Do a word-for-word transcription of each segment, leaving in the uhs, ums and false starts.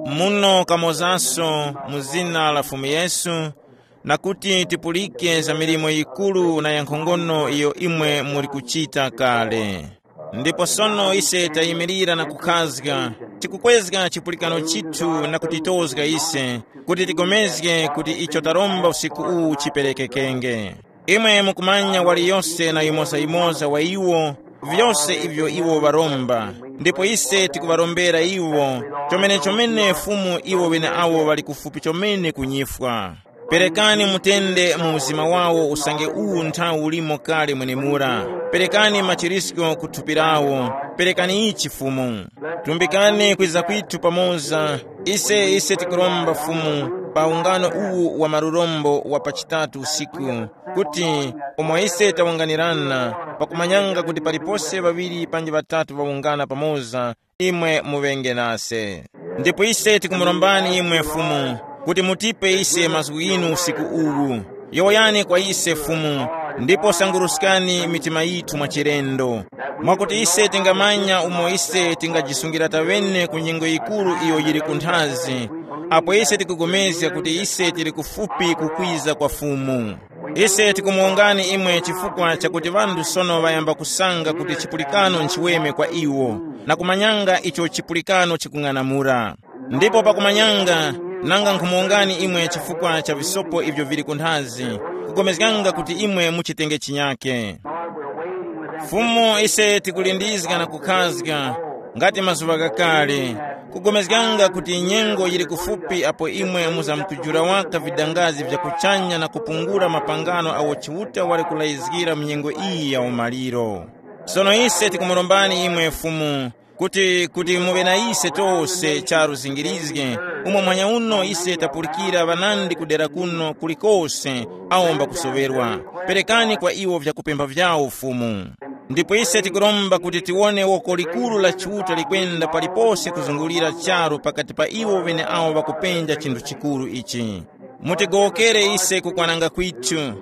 Muno kamozanso mu zina la Fumu Yesu, na kuti tipulike za milimo yikuru na yankhongono iyo imwe muli kuchita kale. Ndipo sono ise tayimirira na kukhazga, tikukwezga chipulikano chithu na kutitozga ise, kuti tigomezge kuti icho taromba usiku uwu chiperekekenge. Imwe mukumanya waliyose na yimoza-yimoza wa iwo, vyose ivyo iwo ŵaromba, ndipo ise tikuŵarombera iwo, chomene-chomene Fumu iwo ŵeneawo ŵali kufupi chomene kunyifwa. Perekani mutende mu mzima wawo usange uwu nthawi ulimo kale mwenemura. Perekani machirisko ku thupi lawo. Perekani ichi Fumu. Tumbikani kwiza kwithu pamoza. Ise ise tikuromba Fumu pa ungano uwu wa malurombo wa pa chitatu usiku, kuti umo ise tawunganirana, pakumanyanga kuti palipose ŵaŵiri panji ŵatatu ŵawungana pamoza, imwe muŵenge nase. Ndipo ise tikumurombani imwe Fumu, kuti mutipe ise mazgu ghinu usiku uwu. Yowoyani kwa ise Fumu, ndipo sanguruskani mitima yithu mwa chilendo, mwakuti ise tingamanya umo ise tingajisungira taŵene ku nyengo yikuru iyo yili kunthazi, apo ise tikugomezga kuti ise tili kufupi kukwiza kwa Fumu. Ise tikumuwongani imwe chifukwa chakuti ŵanthu sono ŵayamba kusanga kuti chipulikano nchiweme kwa iwo, na kumanyanga icho chipulikano chikung'anamula. Ndipo pakumanyanga, nanga nkhumuwongani imwe chifukwa cha visopo ivyo vili kunthazi, kugomezganga kuti imwe muchitenge chinyake. Fumu, ise tikulindizga na kukhazga, ngati mazuŵa ghakale, kugomezganga kuti nyengo yili kufupi apo imwe muzamkujula waka vidangazi vya kuchanya na kupungula mapangano agho Chiuta wali kulayizgira mu nyengo iyi ya umaliro. Sono ise tikumurombani imwe Fumu, kuti, kuti muŵe na ise tose charu zingirizge, umo muhanya uno ise tapulikira ŵanandi kudera kuno kulikose awo mbakusoŵerwa. Perekani kwa iwo vyakupempha vyawo Fumu. Ndipo ise tikuromba kuti tiwone woko likuru la Chiuta likwenda palipose kuzungulira charu pakati pa iwo ŵeneawo ŵakupenja chinthu chikuru ichi. Mutigowokere ise kukwananga kwithu.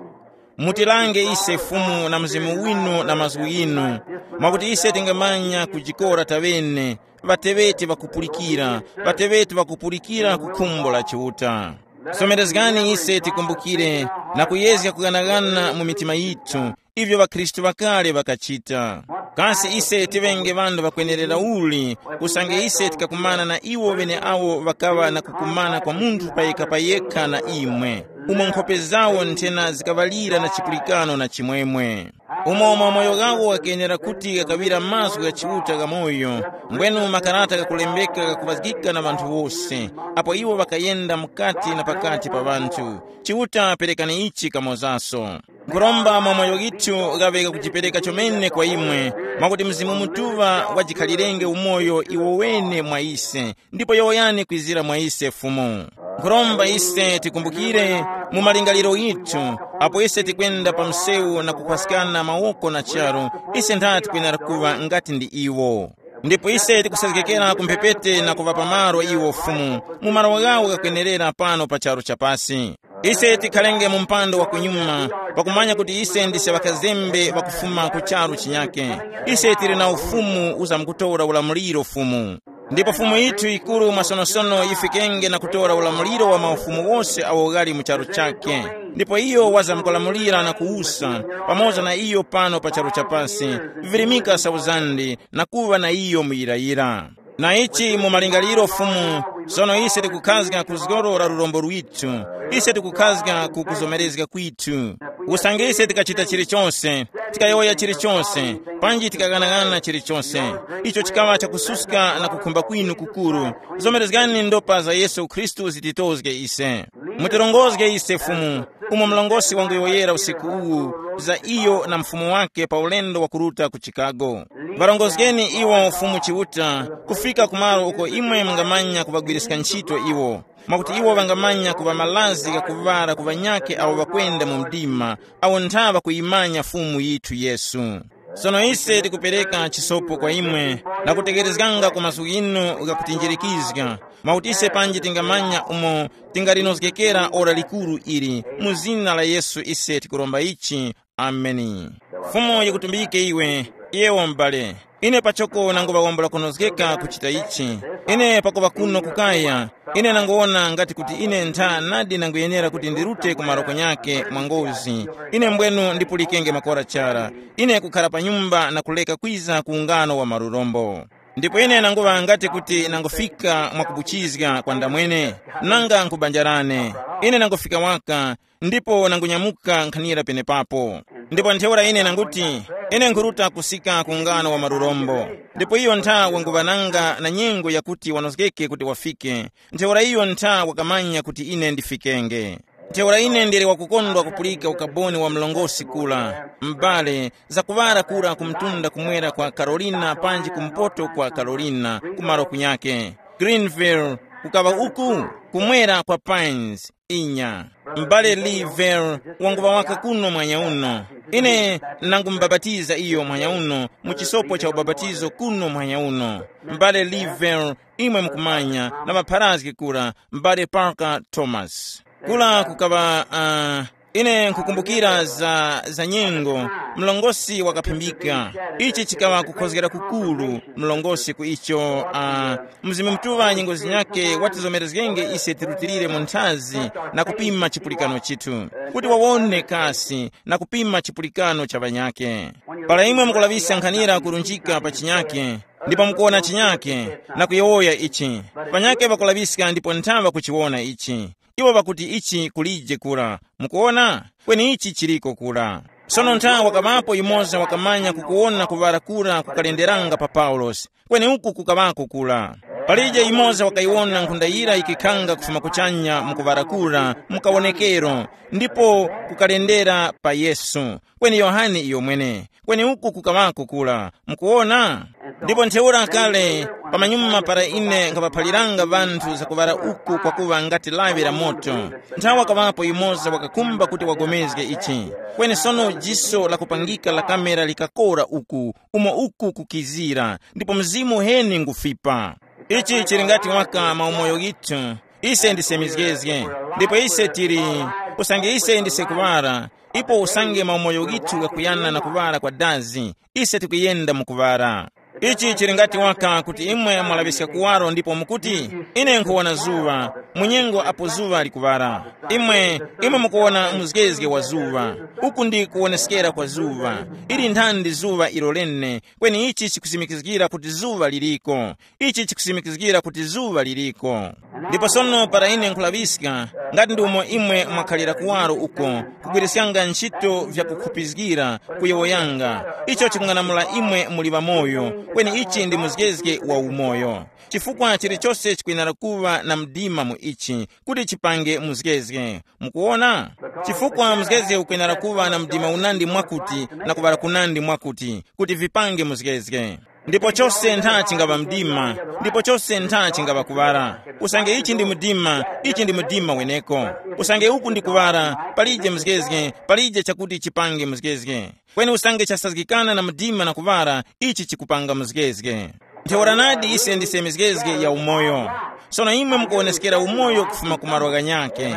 Mutilange ise Fumu na Mzimu winu na mazgu ghinu, mwakuti ise tingamanya kujikora taŵene, ŵateŵeti ŵakupulikira, ŵateŵeti ŵakupulikira ku khumbo la Chiuta. Somerezgani ise tikumbukire na kuyezga kughanaghana mu mitima yithu, ivyo ŵakhristu ŵakale ŵakachita. Kasi ise tiŵenge ŵanthu ŵakwenerera uli, usange ise tikakumana na iwo ŵeneawo ŵakaŵa na kukumana kwa munthu payekha payekha na imwe, umo nkhope zawo nthena zikaŵalira na chipulikano na chimwemwe? Umo mamoyo ghawo ghakenera kuti ghakaŵira mazgu gha Chiuta ghamoyo, mbwenu makarata ghakulembeka ghakuŵazgika na ŵanthu wose, apo iwo ŵakayenda mukati na pakati pa ŵanthu. Chiuta, perekani ichi kamozaso. Nkhuromba mamoyo ghithu ghaŵe ghakujipereka chomene kwa imwe, mwakuti Mzimu Mutuŵa wajikhalirenge umoyo iwo wene mwa ise, ndipo yowoyani kwizira mwa ise Fumu. Nkhuromba ise tikumbukire mu malingaliro ghithu, apo ise tikwenda pa msewu na kukhwaskana mawoko na charu, ise ntha tikwenera kuŵa ngati ndi iwo. Ndipo ise tikusezgekera ku mphepete na kuŵa pamalo iwo Fumu, mu malo ghawo ghakwenerera pano pa charu cha pasi. Ise tikhalenge mu mpando wa kunyuma, pakumanya kuti ise ndise ŵakazembe ŵakufuma ku charu chinyake. Ise tili na ufumu uzamkutora ulamuliro Fumu. Ndipo Fumu yithu yikuru mwasonosono yifikenge na kutora ulamuliro wa maufumu wose awo ghali mu charu chakhe. Ndipo iyo wazamkulamulira na kuwusa, pamoza na iyo pano pa charu cha pasi, virimika sauzandi, na kuŵa na iyo muyirayira. Na ichi mu malingaliro Fumu, sono ise tikukhazga ku zgoro la lurombo lwithu, ise tikukhazga ku kuzomerezga kwithu. Usange ise tikachita chilichonse, tikayowoya chilichonse, panji tikaghanagana chilichonse, icho chikaŵa chakususka na kukhumba kwinu kukuru, zomerezgani ndopa za Yesu Khristu zititozge ise. Mutirongozge ise Fumu, umo mlongosi wanguyowoyera usiku uwu za iyo na mfumu wake pa ulendo wa kuruta ku Chicago. Ŵarongozgeni iwo Fumu Chiuta kufika kumalo uko imwe mungamanya kuŵagwiriska ntchito iwo, mwakuti iwo ŵangamanya kuŵa malazi ghakuŵala ku ŵanyakhe awo ŵakwenda mu mdima, awo ntha ŵakuyimanya Fumu yithu Yesu. Sono ise tikupereka chisopo kwa imwe na kutekerezganga ku mazgu ghinu ghakutinjirikizga, mwakuti ise panji tingamanya umo tingalinozgekera ora likuru ili, mu zina la Yesu ise tikuromba ichi. Ameni. Fumu yikutumbike iwe, yewo m'bale. Ine pachoko nanguŵawombola kunozgeka kuchita ichi. Ine pakuŵa kuno kukaya, ine nanguwona ngati kuti ine ntha nadi nanguyenera kuti ndirute ku maroko nyakhe mwa ngozi. Ine mbwenu ndipulikenge makora chara. Ine kukhara pa nyumba na kuleka kwiza ku ungano wa marurombo. Ndipo ine nanguŵa ngati kuti nangufika mwakubuchizga kwa ndamwene, nanga nkhubanjarane. Ine nangufika waka, ndipo nangunyamuka nkhanira penepapo. Ndipo ntheura ine nanguti, ine nkhuruta kusika ku ungano wa marurombo. Ndipo iyo ntha wanguŵananga na nyengo yakuti wanozgeke kuti wafike. Ntheura iyo ntha wakamanya kuti ine ndifikenge. Ntheura ine ndili wakukondwa kupulika ukaboni wa mlongosi kula, m'bale, zakuŵara kura ku mtunda kumwera kwa Carolina panji kumpoto kwa Carolina, kumaro kunyake. Greenville, kukaŵa uku, kumwera kwa Pines, inya. M'bale Lee Vale wanguŵa waka kuno mwanya uno. Ine nangumubapatiza iyo mwanya uno mu chisopo cha ubapatizo kuno mwanya uno. M'bale Lee Vale, imwe mukumanya, na ŵapharazgi kura, m'bale Parker Thomas. Kula kukaŵa, uh, ine nkhukumbukira za, za nyengo, mlongosi wakaphimbika. Ichi chikaŵa kukhozgera kukuru, mlongosi ku icho, uh, Mzimu Mutuŵa nyengo zinyakhe watizomerezgenge ise tirutilire mu nthazi na kupima chipulikano chithu, kuti wawone kasi na kupima chipulikano cha ŵanyakhe. Para imwe mukulaŵiska nkhanira kurunjika pa chinyakhe, ndipo mukuwona chinyakhe, na kuyowoya ichi, ŵanyakhe ŵakulaŵiska ndipo nthaŵa kuchiwona ichi. Iwo ŵakuti ichi kulije kura. Mukuwona? Kweni ichi chiliko kura. Sono ntha wakaŵapo yumoza wakamanya kukuwona kuŵara kura kukalenderanga pa Paulosi. Kweni uku kukaŵako kura. Palije yumoza wakayiwona nkhunda yira yikikhanga kufuma kuchanya mu kuŵara kura mu kawonekero, ndipo kukalendera pa Yesu. Kweni Yohane iyomwene. Kweni uku kukaŵako kura. Mukuwona? Ndipo ntheura kale, pamanyuma para ine nkhaŵaphaliranga ŵanthu zakuŵara uku kwakuŵa ngati lawi la moto, nthawa kaŵapo yumoza wakakhumba kuti wagomezge ichi. Kweni sono jiso lakupangika la kamera likakora uku, umo uku kukizira, ndipo mzimu uheni ngufipa. Ichi chili ngati waka maumoyo ghithu. Ise ndise mizgezge, ndipo ise tili, usange ise ndise kuŵara, ipo usange maumoyo ghithu ghakuyana na kuŵara kwa dazi, ise tikuyenda mu kuŵara. Ichi chili ngati waka kuti imwe mwalaŵiska kuwaro ndipo mukuti, ine nkhuwona zuŵa, munyengo apo zuŵa likuŵara. Imwe, imwe mukuwona muzgezge wa zuŵa. Uku ndi kuwoneskera kwa zuŵa. Ili nthandi zuŵa ilo lene, kweni ichi chikusimikizgira kuti zuŵa liliko. Ichi chikusimikizgira kuti zuŵa liliko. Ndipo sono para ine nkhulaŵiska, ngati ndi umo imwe mwakhalira kuwaro uko, kugwiriskanga ntchito vyakukhupizgira, kuyowoyanga, icho chikung'anamula imwe muli ŵamoyo, kweni ichi ndi muzgezge wa umoyo. Chifukwa chilichose chikwenera kuŵa na mdima mu ichi, kuti chipange muzgezge. Mukuwona? Chifukwa muzgezge ukwenera kuŵa na mdima unandi mwakuti na kuŵala kunandi mwakuti, kuti vipange muzgezge. Ndipo chose ntha chingaŵa mdima, ndipo chose ntha chingaŵa kuŵala. Usange ichi ndi mdima, ichi ndi mdima weneko. Usange uku ndi kuŵala, palije mzgezge, palije chakuti chipange mzgezge. Kweni usange chasazgikana na mdima na kuŵala, ichi chikupanga mzgezge. Ntheura nadi ise ndise mizgezge ya umoyo. Sono imwe mukuwoneskera umoyo kufuma ku malo ghanyakhe.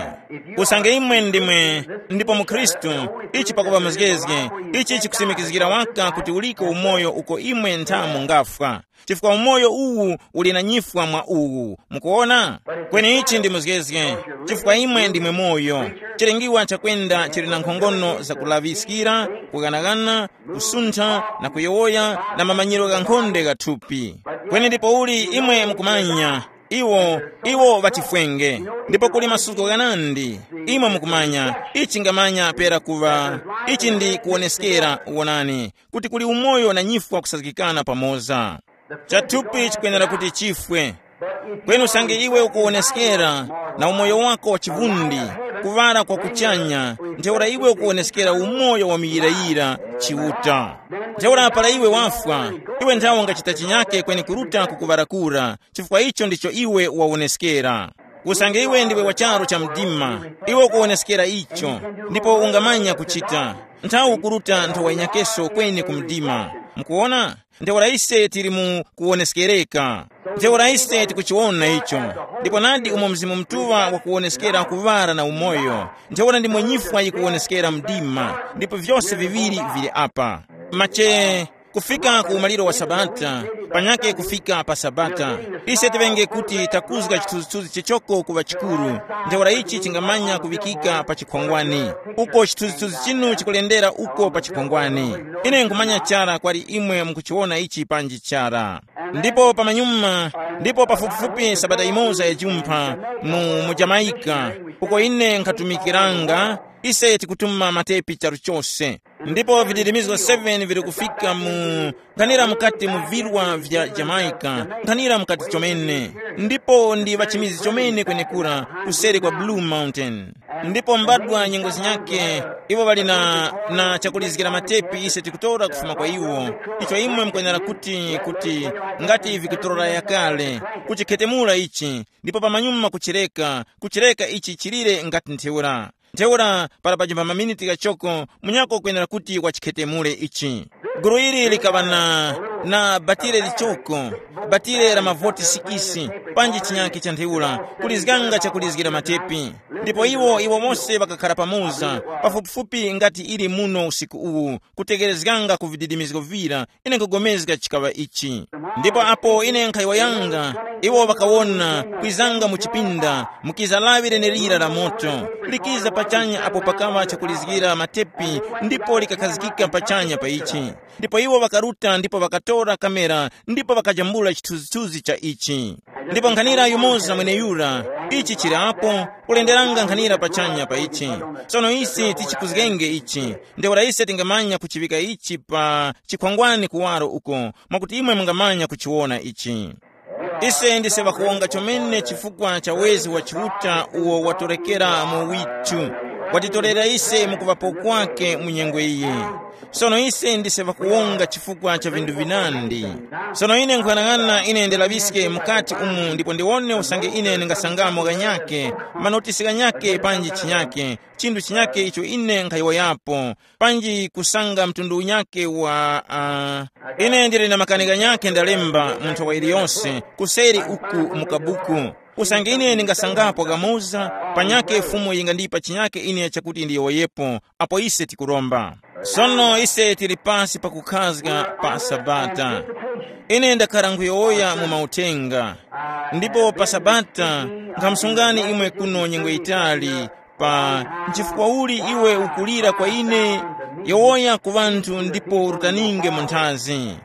Usange imwe ndimwe, ndipo mu Khristu, ichi pakuŵa muzgezge, ichi chikusimikizgira waka kuti uliko umoyo uko imwe ntha mungafwa. Chifukwa umoyo uwu uli na nyifwa mwa uwu. Mukuwona? Kweni ichi ndi muzgezge, chifukwa imwe ndimwe moyo. Chilengiwa chakwenda chili na nkhongono zakulaŵiskira, kughanaghana, kusuntha, na kuyowoya, na mamanyiro ghankhonde gha thupi. Kweni ndipouli imwe mukumanya, iwo, iwo ŵachifwenge. Ndipo kuli masuko ghanandi, imwe mukumanya, ichi chingamanya pera kuŵa, ichi ndi kuwoneskera, wonani, kuti kuli umoyo na nyifwa kusazgikana pamoza. Chathupi chikwenera kuti chifwe. Kweni usange iwe ukuwoneskera na umoyo wako wa chivundi, kuŵala kwa kuchanya, ntheura iwe ukuwoneskera umoyo wa muyirayira, Chiuta. Ntheura para iwe wafwa, iwe nthawe ungachita chinyake kweni kuruta ku kuŵala kura, chifukwa icho ndicho iwe wawoneskera. Usange iwe ndiwe wa charu cha mdima, iwe ukuwoneskera icho, ndipo ungamanya kuchita. Nthawe ukuruta nthowa yinyakeso kweni ku mdima. Mukuwona? Ntheura ise tili mu kuwoneskereka. Ntheura ise tikuchiwona icho. Ndipo nadi umo Mzimu Mutuŵa wakuwoneskera kuŵala na umoyo, ntheura ndimo nyifwa yikuwoneskera mdima, ndipo vyose viŵiri vili apa. Mache, Kufika ku umaliro wa Sabata, panyake kufika pa Sabata, ise tiŵenge kuti takuzga chithunzithunzi chichoko kuŵa chikuru, ntheura ichi chingamanya kuŵikika pa chikhwangwani. Uko chithunzithunzi chinu chikulendera uko pa chikhwangwani. Ine nkhumanya chara kwali imwe mukuchiwona ichi panji chara. Ndipo pamanyuma, ndipo pafupifupi sabata imoza ya jumpha mu, mu Jamaica, uko ine nkhatumikiranga, ise tikutuma matepi charu chose. Ndipo vidirimizgo seven vili kufika mu nkhanira mukati mu virwa vya Jamaica, nkhanira mukati chomene. Ndipo ndi ŵachimizi chomene kwenekura kuseri kwa Blue Mountain. Ndipo mbadwa nyengo zinyakhe, iwo ŵali na, na chakulizgira matepi ise tikutora kufuma kwa iwo, icho imwe mukwenera kuti, kuti ngati vikutorora yakale, kuchikhetemula ichi, ndipo pamanyuma kuchireka, kuchireka ichi chilire ngati ntheura. Ntheura para pajimba maminiti ghachoko, munyakhe ukwenera kuti wachikhetemule ichi. Gulu ili likaŵa na, na batire lichoko, batire la mavoti sikisi, panji chinyakhe cha ntheura, kulizganga chakulizgira matepi. Ndipo iwo, iwo mose ŵakakhala pamoza, pafupifupi ngati ili muno usiku uwu, kutekerezganga ku vididimizgo vira, ine nkugomezga chikaŵa ichi. Ndipo apo ine nkhayowoyanga, iwo ŵakawona kwizanga mu chipinda, mukiza lawi lenelira la moto, likiza pachanya apo pakaŵa chakulizgira matepi, ndipo likakhazikika pachanya pa ichi. Ndipo iwo ŵakaruta ndipo ŵakatora kamera ndipo ŵakajambula chithunzithunzi cha ichi. Ndipo nkhanira yumoza mweneyura, ichi chili apo, kulenderanga nkhanira pachanya pa ichi. Sono ise tichikuzgenge ichi, ntheura ise tingamanya kuchiŵika ichi pa chikhwangwani kuwaro uko, mwakuti imwe mungamanya kuchiwona ichi. Ise ndise ŵakuwonga chomene chifukwa cha wezi wa Chiuta uwo watorekera mu withu, watitorera ise mukuŵapo kwake mu nyengo iyi. Sono ise ndise ŵakuwonga chifukwa cha vinthu vinandi. Sono ine nkhuyang'ana ine ndilaŵiske mukati umu ndipo ndiwone usange ine ndingasangamo ghanyakhe, manotisi ghanyakhe panji chinyakhe, chinthu chinyakhe icho ine nkhayowoyapo, panji kusanga mtundu unyakhe wa uh, ine ndili na makani ghanyakhe ndalemba mu nthowa iliyonse kuseri uku mu kabuku. Usange ine ndingasangapo kamoza, panyakhe Fumu yingandipa chinyakhe ine chakuti ndiyowoyepo, apo ise tikuromba. Sono ise tili pasi pakukhazga pa Sabata. Ine ndakhala nkhuyowoya mu mauthenga, ndipo pa Sabata nkhamusungani imwe kuno nyengo yitali, pa nchifukwa uli iwe ukulira kwa ine? Yowoya ku ŵanthu ndipo urutaninge mu nthazi.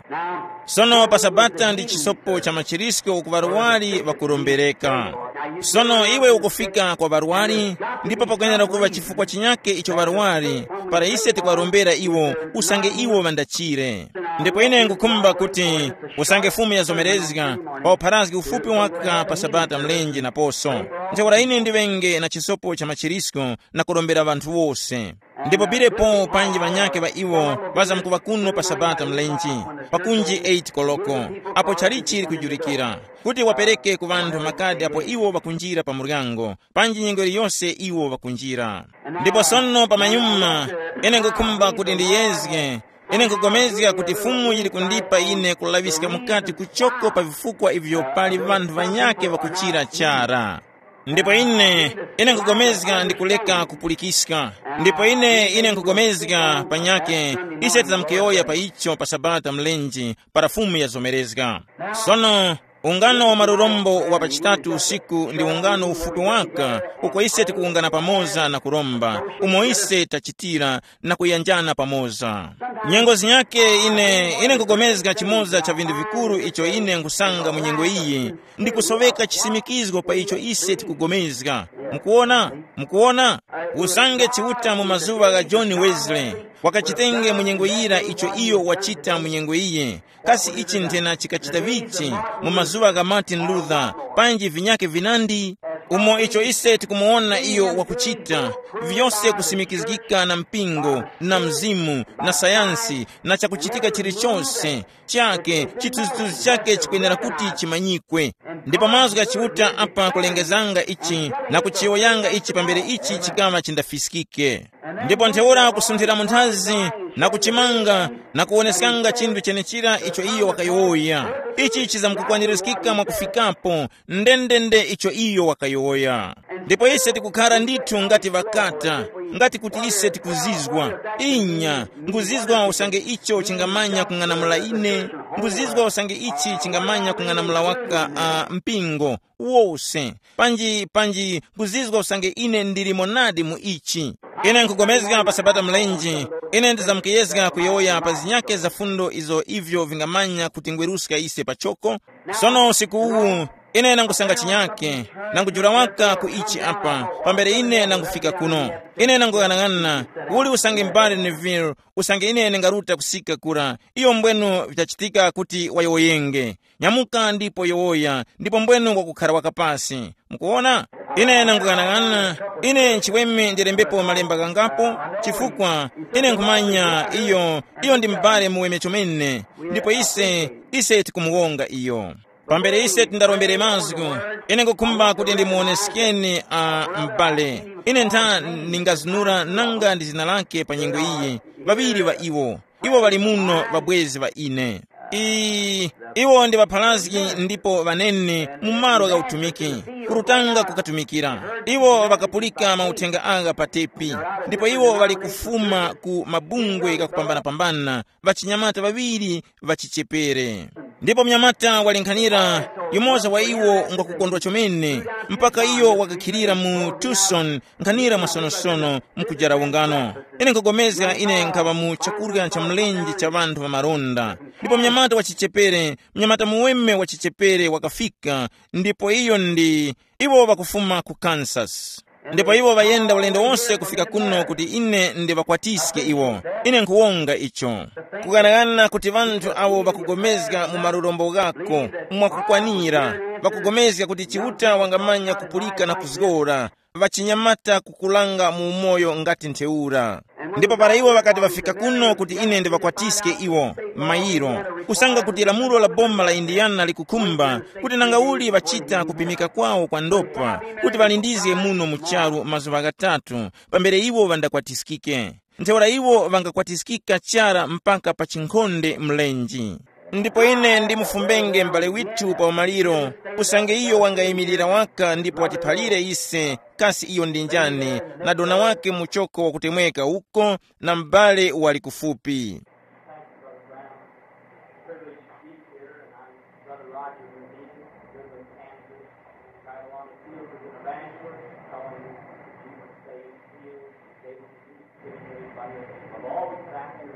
Sono pa Sabata ndi chisopo cha machirisko ku ŵarwari ŵakurombereka. Sono iwe ukufika kwa ŵarwari, ndipo pakwenera kuŵa chifukwa chinyake icho ŵarwari, para ise tikuŵarombera iwo, usange iwo ŵandachire. Ndipo ine ngukhumba kuti usange Fumu yazomerezga, pa upharazgi ufupi waka pa Sabata mlenje naposo, ntheura ine ndiŵenge na chisopo cha machirisko na kurombera ŵanthu wose. Ndipo birepo panji ŵanyakhe ŵa iwo ŵazamkuŵa kuno pa Sabata mlenje, pakunji eight koloko, apo chalichi likujulikira, kuti wapereke ku ŵanthu makadi apo iwo ŵakunjira pa muryango, panji nyengo iliyose iwo ŵakunjira. Ndipo sono pamanyuma, ine ngukhumba kuti ndiyezge, ine nkugomezga kuti Fumu yili kundipa ine kulaŵiska mukati kuchoko pa vifukwa ivyo pali ŵanthu ŵanyakhe ŵakuchira chara. Ndipo ine, ine nkugomezga ndi kuleka kupulikiska. Ndipo ine, ine nkugomezga panyakhe, ise tizamkuyowoya pa icho pa Sabata mlenje, para Fumu yazomerezga. Sono, ungano wa malurombo wa pa chitatu usiku ndi ungano ufupi waka, uko ise tikuwungana pamoza na kuromba, umo ise tachitira na kuyanjana pamoza. Nyengo zinyake ine, ine nkugomezga chimoza cha vinthu vikuru icho ine nkusanga mu nyengo iyi, ndi kusoveka chisimikizgo pa icho ise tikugomezga. Mukuwona? Mukuwona? Usange Chiuta mu mazuŵa gha John Wesley, wakachitenge mu nyengo yira icho iyo wachita mu nyengo iyi, kasi ichi nthena chikachita vichi mu mazuŵa gha Martin Luther, panji vinyake vinandi? Umo icho ise tikumuwona iyo wakuchita, vyose kusimikizgika na mpingo, na mzimu, na sayansi, na chakuchitika chilichose, chake, chithunzithunzi chake chikwenera kuti chimanyikwe. Ndipo mazgu gha Chiuta apa kulengezanga ichi na kuchiyowoyanga ichi pambere ichi chikaŵa chindafiskike. Ndipo ntheura kusunthira mu nthazi na kuchimanga na kuwoneskanga chinthu chenechira icho iyo wakayowoya. Ichi chizamkukwanirizgika mwakufikapo, ndendende icho iyo wakayowoya. Ndipo ise tikukhara ndithu ngati ŵakata, ngati kuti ise tikuzizwa. Inya, nguzizwa usange icho chingamanya kung'anamula ine, nguzizwa usange ichi chingamanya kung'anamula waka uh, mpingo wose. Panji panji nguzizwa usange ine ndilimo nadi mu ichi. Ine nkugomezga pa sabata mlenje, ine ndizamkuyezga kuyowoya pa zinyake za fundo izo ivyo vingamanya kutingweruska ise pachoko. Sono usiku uwu ine nangusanga chinyake, nangujula waka ku ichi apa, pambere ine nangufika kuno. Ine nanguyang'ana, uli usange mbali Neville, usange ine ndingaruta kusika kura, iyo mbwenu vitachitika kuti wayowoyenge. Nyamuka ndipo yowoya, ndipo mbwenu wakukhara wakapasi. Mukuona? Ine nanguyang'ana, ine nchiweme ndilembepo malemba ghangapo, chifukwa ine nkhumanya iyo, iyo ndi m'bale muweme chomene, ndipo ise, ise tikumuwonga iyo. Pambere ise tindarombere mazgu, ine ngukhumba kuti ndimuwoneskeni a m'bale. Ine ntha ningazinura nanga ndi zina lake pa nyengo iyi, ŵaŵiri ŵa iwo. Iwo ŵali muno ŵabwezi ŵa ine. I, iwo ndi ŵapharazgi ndipo ŵanene mu malo gha utumiki, kurutanga kukatumikira. Iwo ŵakapulika mauthenga agha pa tepi, ndipo iwo ŵali kufuma ku mabungwe ghakupambanapambana, ŵachinyamata ŵaŵiri ŵachichepere. Ndipo mnyamata wali nkhanira, yumoza wa iwo ngwakukondwa chomene, mpaka iyo wakakhilira mu Tucson nkhanira mwasonosono mkujara ungano. Ine nkugomezga ine nkhaŵa mu chakurya cha mlenje cha ŵanthu ŵa malonda. Ndipo mnyamata wa chichepere, mnyamata muweme wa chichepere wakafika, ndipo iyo ndi, iwo ŵakufuma ku Kansas. Ndipo iwo ŵayenda ulendo wonse kufika kuno kuti ine ndiŵakwatiske iwo. Ine nkhuwonga icho. Kughanaghana kuti ŵanthu awo ŵakugomezga mu malurombo ghako, mwakukwanira, ŵakugomezga kuti Chiuta wangamanya kupulika na kuzgora, ŵachinyamata kukulanga mu umoyo ngati ntheura. Ndipo para iwo ŵakati ŵafika kuno kuti ine ndiŵakwatiske iwo, mayiro, kusanga kuti lamulo la boma la Indiana likukhumba kuti nangauli ŵachita kupimika kwawo kwa ndopa, kuti ŵalindizge muno mu charu mazuŵa ghatatu, pambere iwo ŵandakwatiskike. Ntheura iwo ŵangakwatiskika chara mpaka pa chinkhonde mlenji. Ndipo ine ndimufumbenge m'bale withu pa umaliro, usange iyo wangayimilira waka ndipo watiphalire ise kasi iyo ndi njani, na dona wake muchoko wakutemweka uko, na m'bale wali kufupi.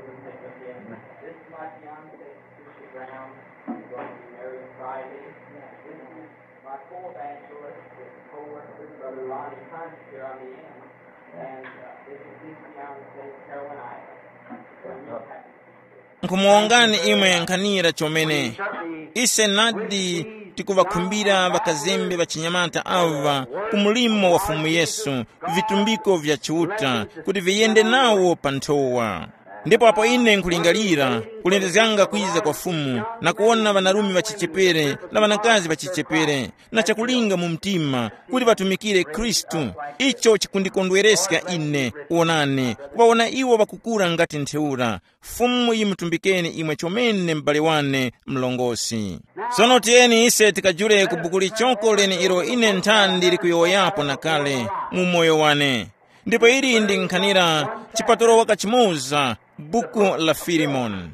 This is my fiance, Christian Brown. We're going to be married Friday. This is my co-evangelist, this co-worker, Brother Ronnie Hunt, here on the end. And uh, this is his fiancée, Carolina. We're real happy. Nkhumuwongani imwe nkhanira chomene. Ise nadi tikuŵakhumbira ŵakazembe ŵachinyamata awa ku mlimo wa Fumu Yesu, vitumbiko vya Chiuta, kuti viyende nawo pa nthowa. Ndipo apo ine nkulingalira, kulindizganga kwiza kwa Fumu, na kuwona ŵanarume ŵachichepere na ŵanakazi ŵachichepere, na chakulinga mu mtima, kuti ŵatumikire Khristu, icho chikundikondwereska ine, wonani, kuŵawona iwo ŵakukura ngati ntheura. Fumu yimutumbikeni imwe chomene m'bale wane mlongosi. Sono tiyeni ise tikajule ku buku lichoko lene ilo ine nthandi ndili kuyowoyapo na kale mu moyo wane. Ndipo ili ndi nkhanira chipatolo waka chimoza, buku la Filimoni.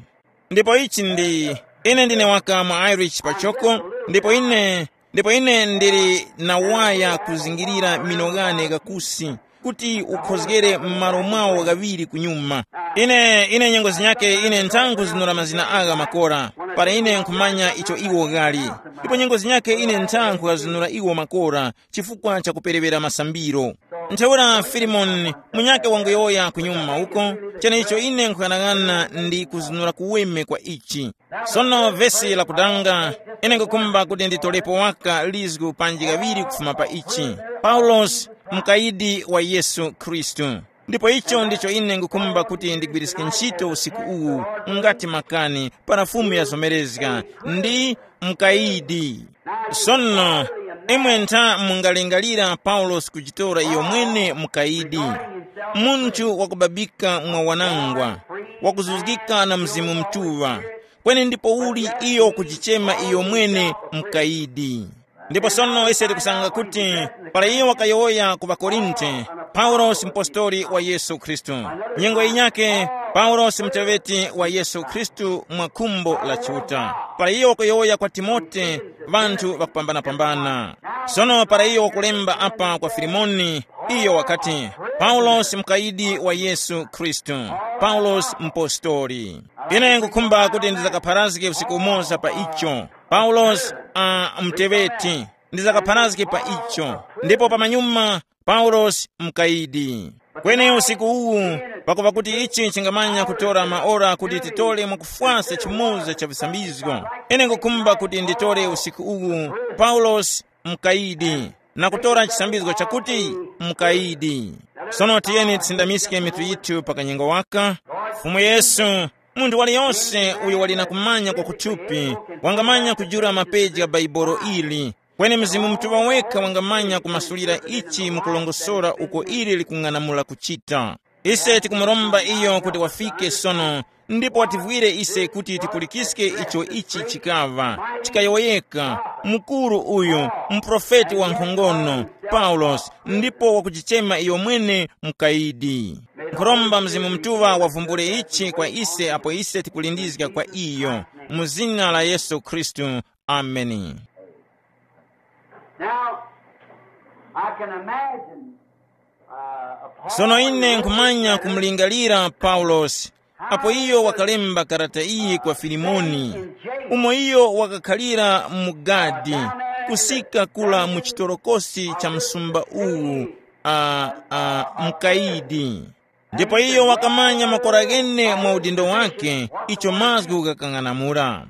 Ndipo ichi ndi, ine ndine waka mu Irish pachoko, ndipo ine, ndipo ine ndili na waya kuzingirira mino ghane ghakusi, kuti ukhozgere m'malo mwawo ghaŵiri kunyuma. Ine, ine nyengo zinyake ine nthangu zinura mazina agha makora, para ine nkhumanya icho iwo ghali. Ndipo nyengo zinyake ine nthangu ghazinura iwo makora, chifukwa cha kuperewera masambiro. Ntheura Filimoni, munyakhe wanguyowoya kunyuma uko, cheneicho ine nkhughanaghana ndi kuzunura kuweme kwa ichi. Sono vesi lakudanga, ine nkukhumba kuti nditolepo waka lizgu panji ghaŵiri kufuma pa ichi. Paulosi, mukayidi wa Yesu Khristu. Ndipo icho ndicho ine nkukhumba kuti ndigwiriske ntchito usiku uwu, ngati makani, para Fumu yazomerezga, ndi mukayidi. Sono, imwe ntha mungalingalira Paulosi kujitora iyo mwene mukayidi, munthu wakubabika mwa wanangwa, wakuzuzgika na Mzimu Mutuŵa, kweni ndipouli iyo kujichema iyo mwene mukayidi. Ndipo sono ise tikusanga kuti para iyo wakayowoya ku ŵakorinte, paulosi mpostori wa yesu khristu, nyengo yinyake, paulosi muteŵeti wa yesu khristu mwa khumbo la Chiuta. Para iyo wakayowoya kwa timote, ŵanthu ŵakupambanapambana. Sono para iyo wakulemba apa kwa filimoni, iyo wakati, paulosi mukayidi wa yesu khristu, paulosi mpostori. Ine nkukhumba kuti ndizakapharazge usiku umoza pa icho. Paulosi, uh, mteŵeti, ndizakapharazge pa icho. Ndipo pamanyuma, paulosi mkayidi. Kweni usiku uwu, pakuva kuti ichi chingamanya kutora maora kuti titore mwakufwasa chimoza cha visambizgo, ine nkukhumba kuti nditore usiku uwu, paulosi mkayidi, na kutora chisambizgo chakuti mkayidi. Sono tiyeni tisindamiske mitu yithu pa kanyengo waka. Fumu Yesu, munthu waliyonse uyo wali na kumanya kwa kuthupi, wangamanya kujula mapeji gha Baibolo ili. Kweni Mzimu Mutuŵa wekha wangamanya kumasulira ichi mukulongosora uko ili likung'anamula kuchita. Ise tikumuromba iyo kuti wafike sono, ndipo wativwire ise kuti tipulikiske icho ichi chikaŵa chikayowoyeka, mukuru uyu, muprofeti wa nkhongono, Paulosi, ndipo wakujichema iyo mwene mukayidi. Nkhuromba Mzimu Mutuŵa wavumbule ichi kwa ise apo ise tikulindizga kwa iyo, mu zina la Yesu Khristu. Ameni. Now, I can imagine, uh, a Sono ine nkhumanya kumulingalira Paulosi, apo iyo wakalemba karata iyi kwa Filimoni, umo iyo wakakhalira mu gadi, kusika kula mu chitorokosi cha msumba uwu, a, a, mkaidi. Ndipo iyo wakamanya makora ghene mwa udindo wake, icho mazgu ghakang'anamula.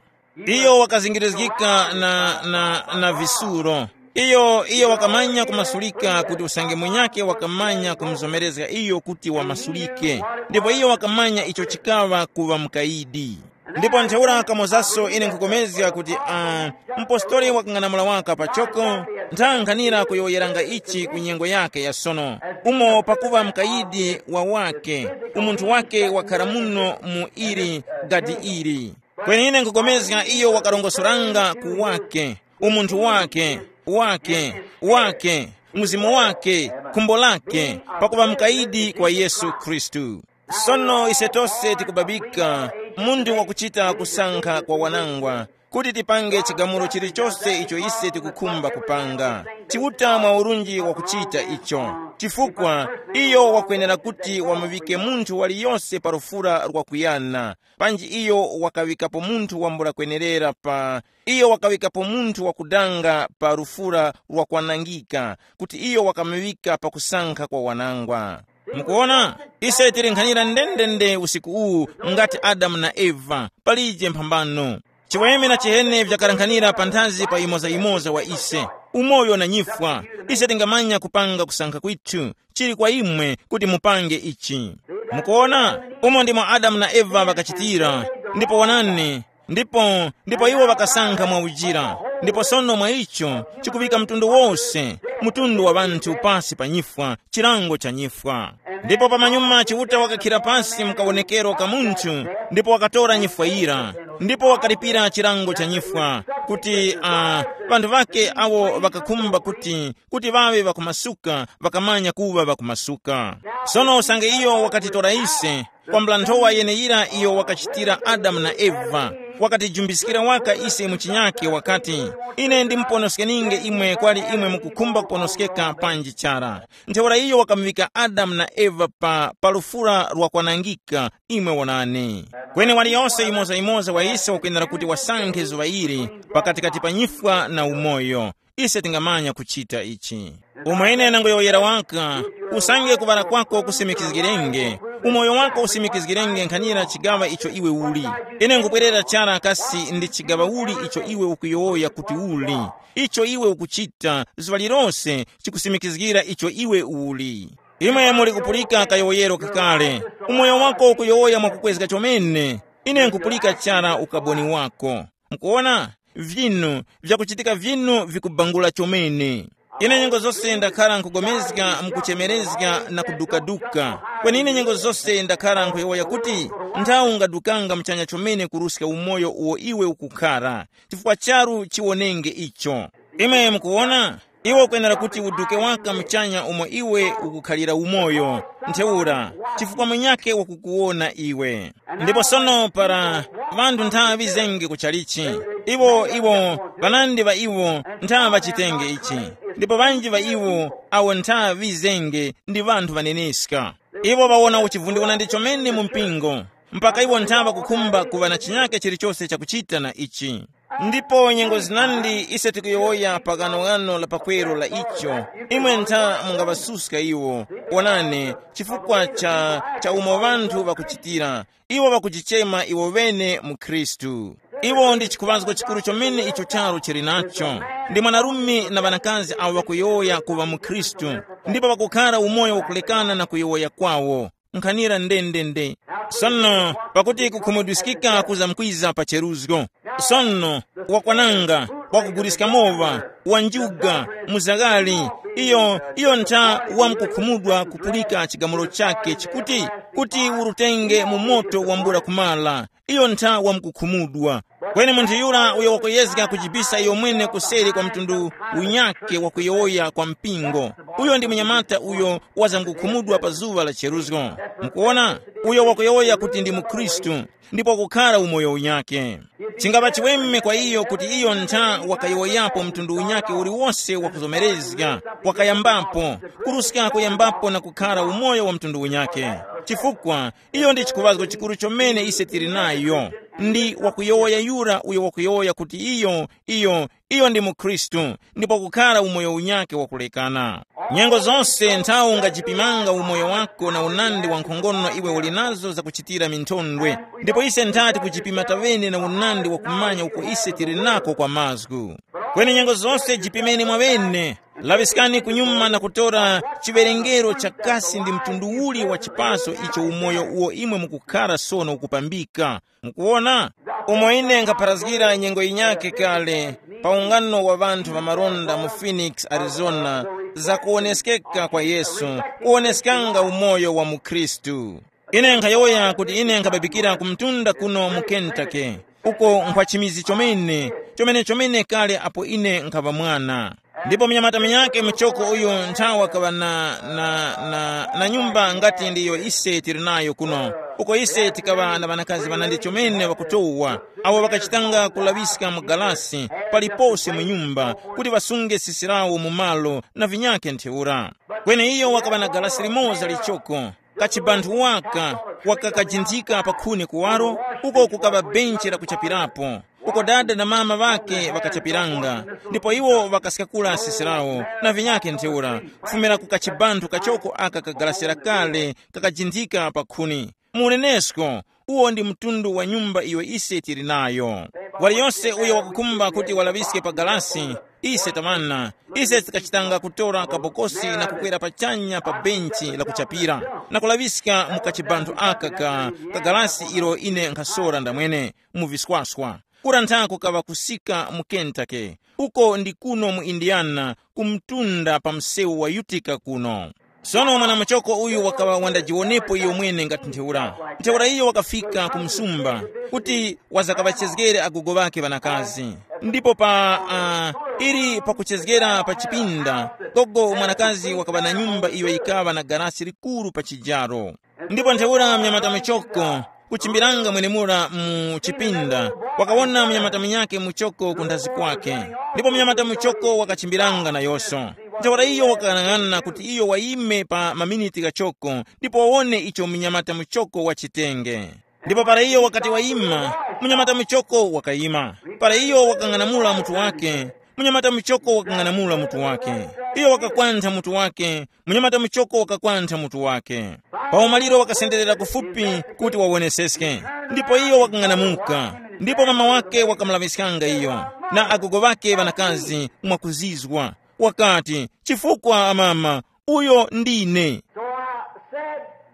Iyo wakazingirizgika na, na, na visuro. Iyo, iyo wakamanya kumasulika kuti usange munyakhe wakamanya kumuzomerezga iyo kuti wamasulike. Ndipo iyo wakamanya icho chikaŵa kuŵa mukayidi. Ndipo ntheura kamozaso ine nkhukomezga kuti, uh, mpostoli wakang'anamula waka pachoko, nthankhanira kuyowoyeranga ichi ku nyengo yake ya sono, umo pakuŵa mukayidi wa wake, umunthu wake wakhara muno mu ili gadi ili. Kweni ine nkhukomezga iyo wakarongosoranga ku wake, umunthu wake, wake, wake, mzimu wake, khumbo lake, pakuŵa mukayidi kwa Yesu Khristu. Sono ise tose tikubabika, munthu wakuchita kusankha kwa wanangwa, kuti tipange chigamulo chilichose icho ise tikukhumba kupanga. Chiuta mwa urunji wakuchita icho, chifukwa iyo wakwenera kuti wamuŵike munthu waliyose pa lufura lwakuyana. Panji iyo wakaŵikapo munthu wambula kwenerera pa, iyo wakaŵikapo munthu wakudanga pa lufura lwakwanangika, kuti iyo wakamuŵika pakusankha kwa wanangwa. Mukuona, ise tili nkhanira ndendende usiku uwu, ngati Adamu na Eva, palije mphambano. Chiweme na chihene vyakalankhanira panthazi pa yimoza-yimoza wa ise, umoyo na nyifwa. Ise tingamanya kupanga kusankha kwithu, chili kwa imwe kuti mupange ichi. Mukuona, umo ndimo Adamu na Eva ŵakachitira, ndipo wonani, ndipo, ndipo iwo ŵakasankha mwa ujira. Ndipo sono mwa icho chikuŵika mtundu wose, mtundu wa ŵanthu pasi pa nyifwa, chilango cha nyifwa. Ndipo pamanyuma Chiuta wakakhira pasi mu kawonekero ka munthu, ndipo wakatora nyifwa yira, ndipo wakalipira chilango cha nyifwa, kuti, uh, ŵanthu ŵake awo ŵakakhumba kuti, kuti ŵaŵe ŵakumasuka, ŵakamanya kuŵa ŵakumasuka. Sono usange iyo wakatitora ise, kwambula nthowa yeneyira iyo wakachitira Adamu na Eva, wakatijumbiskira waka ise mu chinyake, wakati, ine ndimuponoskeni'nge imwe kwali imwe mukukhumba kuponoskeka panji chara. Ntheura iyo wakamuŵika Adamu na Eva pa, pa lufura lwakwanangika, imwe wonani. Kweni waliyose yimoza-yimoza wa ise wakwenera kuti wasankhe zuŵa ili, pakatikati pa nyifwa na umoyo. Ise tingamanya kuchita ichi. Umwene nangoyowoyera waka, usange kuŵala kwako kusimikizgirenge, umoyo wako usimikizgirenge nkhanira chigaŵa icho iwe uli. Ine nkubwerera chara kasi ndi chigaŵa uli icho iwe ukuyowoya kuti uli, icho iwe ukuchita zuŵa lilose chikusimikizgira icho iwe uli. Imwe muli kupulika kayowoyero kakale, umoyo wako ukuyowoya mwakukwezga chomene. Ine nkupulika chara ukaboni wako. Mukuona, vinu vyakuchitika vinu vikubangula chomene. Ine nyengo zose ndakhara nkugomezga mukuchemerezga na kudukaduka. Kweni ine nyengo zose ndakhara nkhuyowoya kuti, nthawi ungadukanga muchanya chomene kuruska umoyo uwo iwe ukukhara, chifukwa charu chiwonenge icho. Imwe mukuwona, iwe ukwenera kuti uduke waka muchanya umo iwe ukukhalira umoyo, ntheura, chifukwa munyakhe wakukuwona iwe. Ndipo sono para ŵanthu nthaŵa ŵizenge kuchalichi, iwo iwo ŵanandi ŵa iwo nthaŵa ŵachitenge ichi, ndipo ŵanji ŵa iwo awo nthaŵa ŵizenge ndi ŵanthu ŵaneneska. Iwo ŵawona uchivundiwana ndi chomene mu mpingo, mpaka iwo nthaŵa kukhumba kuŵa na chinyake chilichose chakuchita na ichi. Ndipo nyengo zinandi ise tikuyowoya pa ghanoghano la pakweru la icho, imwe ntha mungaŵasuska iwo. Wonani, chifukwa cha, cha umo ŵanthu ŵakuchitira, iwo ŵakujichema iwo ŵene mu Khristu. Iwo ndi chikhuŵazgo chikuru chomene icho charu chili nacho. Ndi mwanarume na ŵanakazi awo ŵakuyowoya kuŵa mu Khristu, ndipo ŵakukhara umoyo wakulekana na kuyowoya kwawo. Nkhanira ndendende. Sono, pakuti kukhumudwiskika kuzamkwiza pa cheruzgo. Sono, wakwananga, wakuguliska mowa, wanjuga, muzaghali, iyo iyo ntha wamkukhumudwa kupulika chigamulo chake chikuti, kuti urutenge mu moto wambula kumala, iyo ntha wamkukhumudwa. Kweni munthu yura uyo wakuyezga kujibisa iyo mwene kuseri kwa mtundu unyakhe wakuyowoya kwa mpingo, uyo ndi munyamata uyo wazangukhumudwa pa zuŵa la cheruzgo. Mukuwona, uyo wakuyowoya kuti ndi mukhristu, ndipo kukhara umoyo unyakhe. Chingapa chiweme kwa iyo kuti iyo ntha wakayowoyapo mtundu unyakhe uliwose wakuzomerezga, wakayambapo, kuruska kuyambapo na kukhara umoyo wa mtundu unyakhe. Chifukwa iyo ndi chikuŵazgo chikuru chomene ise tili nayo. Ndi wakuyowoya yura uyo wakuyowoya kuti iyo iyo iyo ndi mukhristu, ndipo kukhara umoyo unyakhe wakulekana. Nyengo zose nthawi ungajipimanga umoyo wako na unandi wa nkhongono iwe uli nazo zakuchitira minthondwe. Ndipo ise nthati kujipima tawene na unandi wa kumanya uko ise tili nako kwa mazgu. Kweni nyengo zose jipimeni mwaŵene. Laŵiskani kunyuma na kutora chiwerengero cha kasi ndi mtundu uli wa chipaso icho umoyo uwo imwe mukukhara sono ukupambika. Mukuwona, umo ine nkhapharazgira nyengo yinyakhe kale, pa ungano wa ŵanthu ŵa malonda mu Phoenix, Arizona, za kuwoneskeka kwa Yesu, kuwoneskanga umoyo wa mukhristu. Ine nkhayowoya kuti ine nkhababikira ku mtunda kuno mu Kentucky, uko nkhwa chimizi chomene, chomene chomene kale apo ine nkhaŵa mwana. Ndipo munyamata munyakhe muchoko uyu nthawa kaŵa na, na, na, na nyumba ngati ndiyo ise tili nayo kuno, uko ise tikaŵa na ŵanakazi ŵanandi chomene ŵakutowa, awo ŵakachitanga kulaŵiska mu galasi palipose mu nyumba, kuti ŵasunge sisi lawo mu malo na vinyakhe ntheura. Kweni iyo wakaŵa na galasi limoza lichoko, kachibanthu waka, wakakajinthika pa khuni kuwaro, uko kukaŵa benchi la kuchapirapo, uko dada na mama ŵakhe ŵakachapiranga, ndipo iwo ŵakaskakula sisi lawo na vinyakhe ntheura, kufumira ku kachibanthu kachoko aka kagarasira kale kakajinthika pa khuni. Mu unenesko, uwo ndi mtundu wa nyumba iyo ise tili nayo. Waliyose uyo wakukhumba kuti walaŵiske pa galasi, ise tamana, ise tikachitanga kutora kabokosi na kukwera pachanya pa benchi la kuchapira, na kulaŵiska mu kachibanthu aka ka, ka galasi ilo ine nkhasora ndamwene mu viswaswa. Kura nthako kaŵa kusika mu Kentucky, uko ndi kuno mu Indiana, ku mtunda pa msewu wa Utica kuno. Sono mwanamuchoko uyu wakaŵa wandajiwonepo iyo mwene ngati ntheura. Ntheura iyo wakafika ku msumba kuti wazakaŵachezgere agogo ŵakhe ŵanakazi. Ndipo pa uh, ili pakuchezgera pa chipinda, gogo mwanakazi wakaŵa na nyumba iyo yikaŵa na garasi likuru pa chijaro. Ndipo ntheura mnyamata muchoko kuchimbiranga mwenemura mu chipinda, wakawona mnyamata munyakhe muchoko kunthazi kwakhe. Ndipo mnyamata muchoko wakachimbiranga nayonso. Ntheura iyo wakang'ang'ana kuti iyo wayime pa maminiti ghachoko ndipo wawone icho mnyamata muchoko wachitenge. Ndipo para iyo wakati wayima, mnyamata muchoko wakayima. Para iyo wakang'anamula mutu wake, mnyamata muchoko wakang'anamula mutu wake. Iyo wakakwantha mutu wake, mnyamata muchoko wakakwantha mutu wake. Pa umaliro wakasenderera kufupi kuti wawoneseske, ndipo iyo wakang'anamuka. Ndipo mama wake wakamulaŵiskanga iyo, na agogo ŵake ŵanakazi mwakuzizwa. Wakati, chifukwa amama, uyo ndine.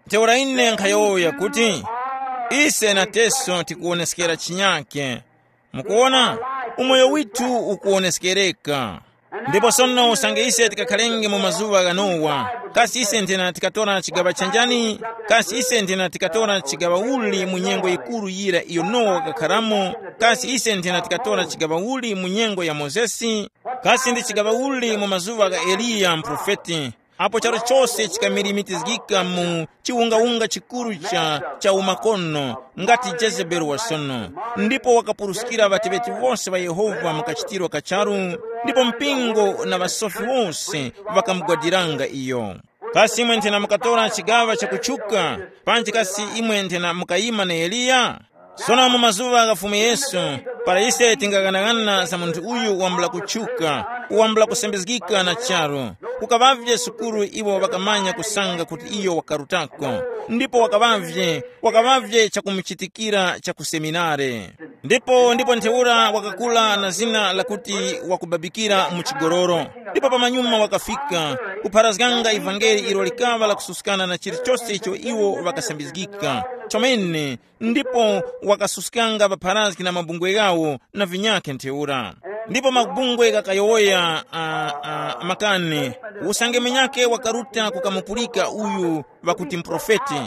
Ntheura ine nkhayowoya kuti, ise nateso tikuwoneskera chinyake. Mukuwona, umoyo withu ukuwoneskereka. Ndipo sono usange ise tikakhalenge mu mazuŵa gha Nowa, kasi ise nthena tikatora chigaŵa chanjani? Kasi ise nthena tikatora chigaŵa uli mu nyengo yikuru yira iyo Nowa wakakharamo? Kasi ise nthena tikatora chigaŵa uli mu nyengo ya Mozesi? Kasi ndi chigaŵa uli mu mazuŵa gha Eliya mprofeti, apo charu chose chikamirimikizgika mu chiwungawunga chikuru cha, cha umakono, ngati Jezebeli wa sono, ndipo wakapuruskira ŵateŵeti wose ŵa Yehova mu kachitiro ka charu, ndipo mpingo na ŵasofi wose ŵakamugwadiranga iyo. Kasi imwe nthena mukatora chigaŵa chakutchuka? Panji kasi imwe nthena mukayima na Eliya? Sono mu mazuŵa gha Fumu Yesu, para ise tingaghanaghananga za munthu uyu wambula kutchuka, wambula kusambizgika na charu, kukaŵavye sukuru iwo ŵakamanya kusanga kuti iyo wakarutako, ndipo wakaŵavye, wakaŵavye chakumuchitikira cha ku seminare. Ndipo ndipo ntheura wakakula na zina lakuti wakubabikira mu chigoloro. Ndipo pamanyuma wakafika kupharazganga ivangeli ilo likaŵa lakususkana na chilichose icho iwo ŵakasambizgika chomene, ndipo wakasuskanga ŵapharazgi na mabungwe ghawo na vinyakhe ntheura. Ndipo mabungwe ghakayowoya uh, uh, makani, usange munyakhe wakaruta kukamupulika uyu ŵakuti mprofeti,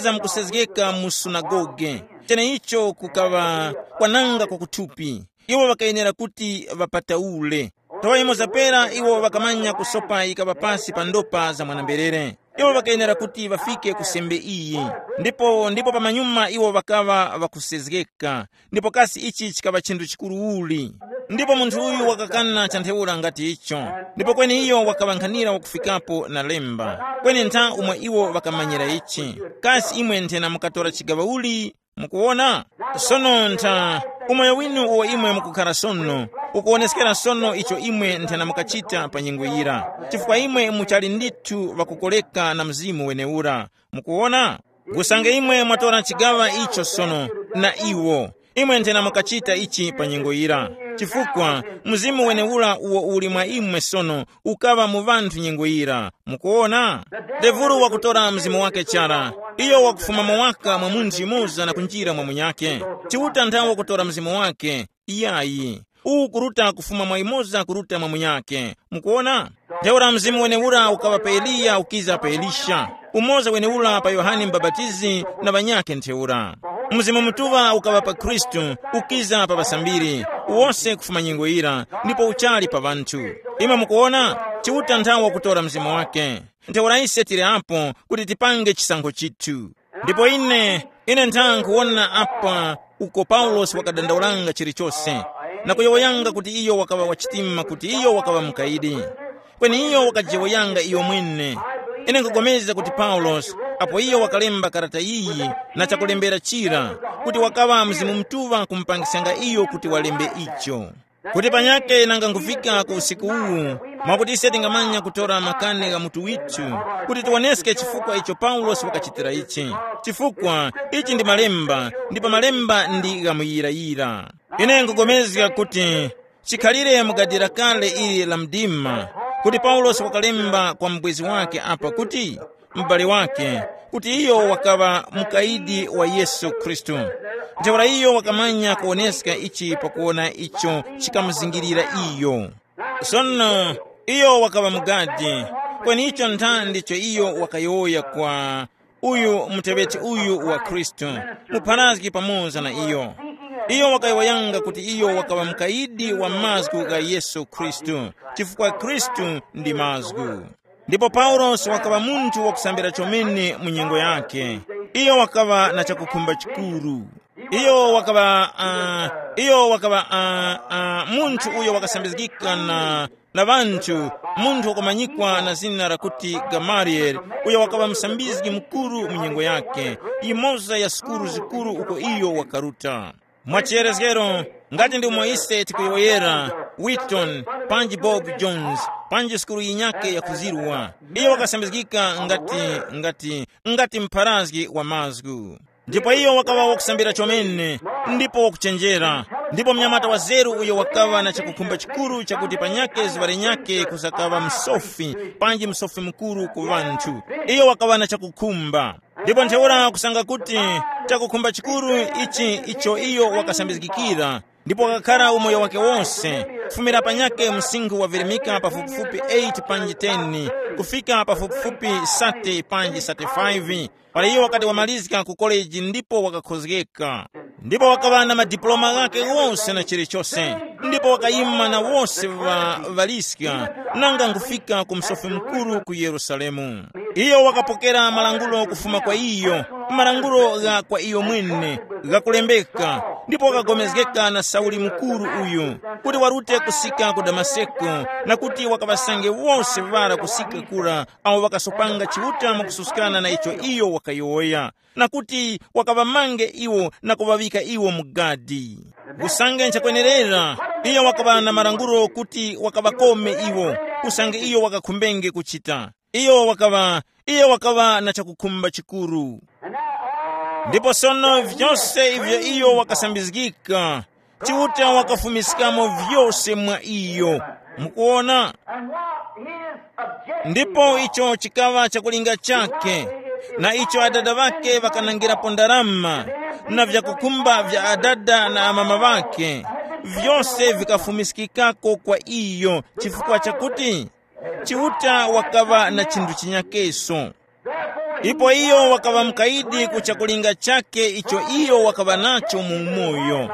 wazamkusezgeka mu sunagoge. Cheneicho kukaŵa kwananga kwa kuthupi. Iwo ŵakayenera kuti ŵapataule. Nthawa imoza pera iwo ŵakamanya kusopa yikaŵa pasi pa ndopa za mwana-mberere. Iwo ŵakayenera kuti ŵafike ku sembe iyi. Ndipo ndipo pamanyuma iwo ŵakaŵa ŵakusezgeka. Ndipo kasi ichi chikaŵa chinthu chikuru uli? Ndipo munthu uyu wakakana cha ntheura ngati icho. Ndipo kweni iyo wakaŵankhanira wakufikapo na lemba, kweni ntha umwe iwo ŵakamanyira ichi. Kasi imwe nthena mukatora chigaŵa uli? Mukuwona? Sono ntha, umoyo winu uwo imwe mukukhara sono, ukuwoneskera sono icho imwe nthena mukachita pa nyengo yira, chifukwa imwe muchali ndithu ŵakukoreka na mzimu weneura. Mukuwona? Usange imwe mwatora chigaŵa icho sono, na iwo, imwe nthena mukachita ichi pa nyengo yira, chifukwa mzimu weneura uwo uli mwa imwe sono ukaŵa mu ŵanthu nyengo yira. Mukuwona? Devulu wakutora mzimu wake chara. Iyo wakufuma mwa waka mwa munthu yumoza na kunjira mwa munyakhe. Chiuta nthawe wakutora mzimu wake. Iyayi. Uwu kuruta kufuma mwa yumoza kuruta mwa munyakhe. Mukuwona? Ntheura mzimu wenewura ukaŵa pa Eliya ukiza pa Elisha, umoza wenewura pa Yohane Mubapatizi na ŵanyakhe ntheura. Mzimu Mutuŵa ukaŵa pa Khristu, ukiza pa ŵasambiri, wose kufuma nyengo yira, ndipo uchali pa ŵanthu. Imwe mukuwona, Chiuta nthawe wakutora mzimu wake. Ntheura ise tili apo kuti tipange chisankho chithu. Ndipo ine, ine ntha nkhuwona apa uko Paulosi wakadandaulanga chilichose, na kuyowoyanga kuti iyo wakaŵa wachitima, kuti iyo wakaŵa mukayidi. Kweni iyo wakajiyowoyanga iyo mwene. Ine nkhupulikana kuti Paulosi, apo iyo wakalemba karata iyi na chakulembera chira, kuti wakaŵa Mzimu Mutuŵa kumupangiskanga iyo kuti walembe icho. Kuti panyakhe nanga nkufika ku usiku uwu, mwakuti ise tingamanya kutora makani gha mutu withu, kuti tiwoneske chifukwa icho Paulosi wakachitira ichi. Chifukwa ichi ndi malemba, ndipo malemba ndi ghamuyirayira. Ine nkupulikana kuti chikhalire mu gadi lakale ili la mdima, kuti Paulosi wakalemba kwa mubwezi wake apa kuti, m'bale wake, kuti iyo wakaŵa mukayidi wa Yesu Khristu. Ntheura iyo wakamanya kuwoneska ichi pakuwona icho chikamuzingirira iyo. Sono iyo wakaŵa mugadi, kweni icho ntha ndicho iyo wakayowoya kwa uyu muteŵeti uyu wa Khristu, mupharazgi pamoza na iyo. Iyo wakayowoyanga kuti iyo wakaŵa mukayidi wa mazgu gha Yesu Khristu, chifukwa Khristu ndi mazgu. Ndipo Paulosi wakaŵa munthu wakusambira chomene mu nyengo yakhe. Iyo wakaŵa na chakukhumba chikuru. Iyo wakaŵa, uh, iyo wakaŵa uh, uh, munthu uyo wakasambizgika na, na ŵanthu, munthu wakumanyikwa na zina lakuti Gamaliyeli, uyo wakaŵa musambizgi mukuru mu nyengo yakhe, yimoza ya sukulu zikuru uko iyo wakaruta. Mwa chiyerezgero, ngati ndi umo ise tikuyowoyera Wheaton, panji Bob Jones, panji sukulu yinyakhe yakuzirwa, iyo wakasambizgika ngati, ngati, ngati mpharazgi wa mazgu. Ndipo iyo wakaŵa wakusambira chomene, ndipo wakuchenjera, ndipo mnyamata wa zeru uyo wakaŵa na chakukhumba chikuru chakuti panyakhe zuŵa linyakhe kuzakaŵa msofi, panji msofi mukuru ku ŵanthu. Iyo wakaŵa na chakukhumba. Ndipo ntheura kusanga kuti chakukhumba chikuru ichi icho iyo wakasambizgikira, ndipo wakakhara umoyo wake wose, Kufumira panyakhe msinkhu wavirimika pafupifupi eight panji ten, kufika pafupifupi sate panji sate five. Para iyo wakati wamalizika ku koleji ndipo wakakhozgeka, ndipo wakaŵa na madipuloma ghakhe wose na chilichose, ndipo wakayima na wose ŵa ŵaliska, nanga nkufika ku msofi mukuru ku Yerusalemu. Iyo wakapokera malangulo kufuma kwa iyo, malangulo gha kwa iyo mwene, ghakulembeka, ndipo wakapulikana na Sauli mukuru uyu, kuti warute kusika ku Damaseko, na kuti wakaŵasange wose ŵara kusika kura, awo ŵakasopanga Chiuta mwakususkana na icho iyo wakayowoya, na kuti wakaŵamange iwo na kuŵaŵika iwo mu gadi. Usange nchakwenerera, iyo wakaŵa na malangulo kuti wakaŵakome iwo, usange iyo wakakhumbenge kuchita. Iyo wakaŵa, iyo wakaŵa na chakukhumba chikuru. Ndipo sono vyose ivyo iyo wakasambizgika, Chiuta wakafumiskamo vyose mwa iyo. Mukuona? And what his objection ndipo was, icho chikaŵa chakulinga chake, na icho adada ŵake ŵakanangirapo ndarama, na vyakukhumba vya adada na amama ŵake, vyose vikafumiskikako kwa iyo, chifukwa chakuti Chiuta wakaŵa na chinthu chinyakeso. Ipo iyo wakaŵa mukayidi ku chakulinga chake icho iyo wakaŵa nacho mu umoyo,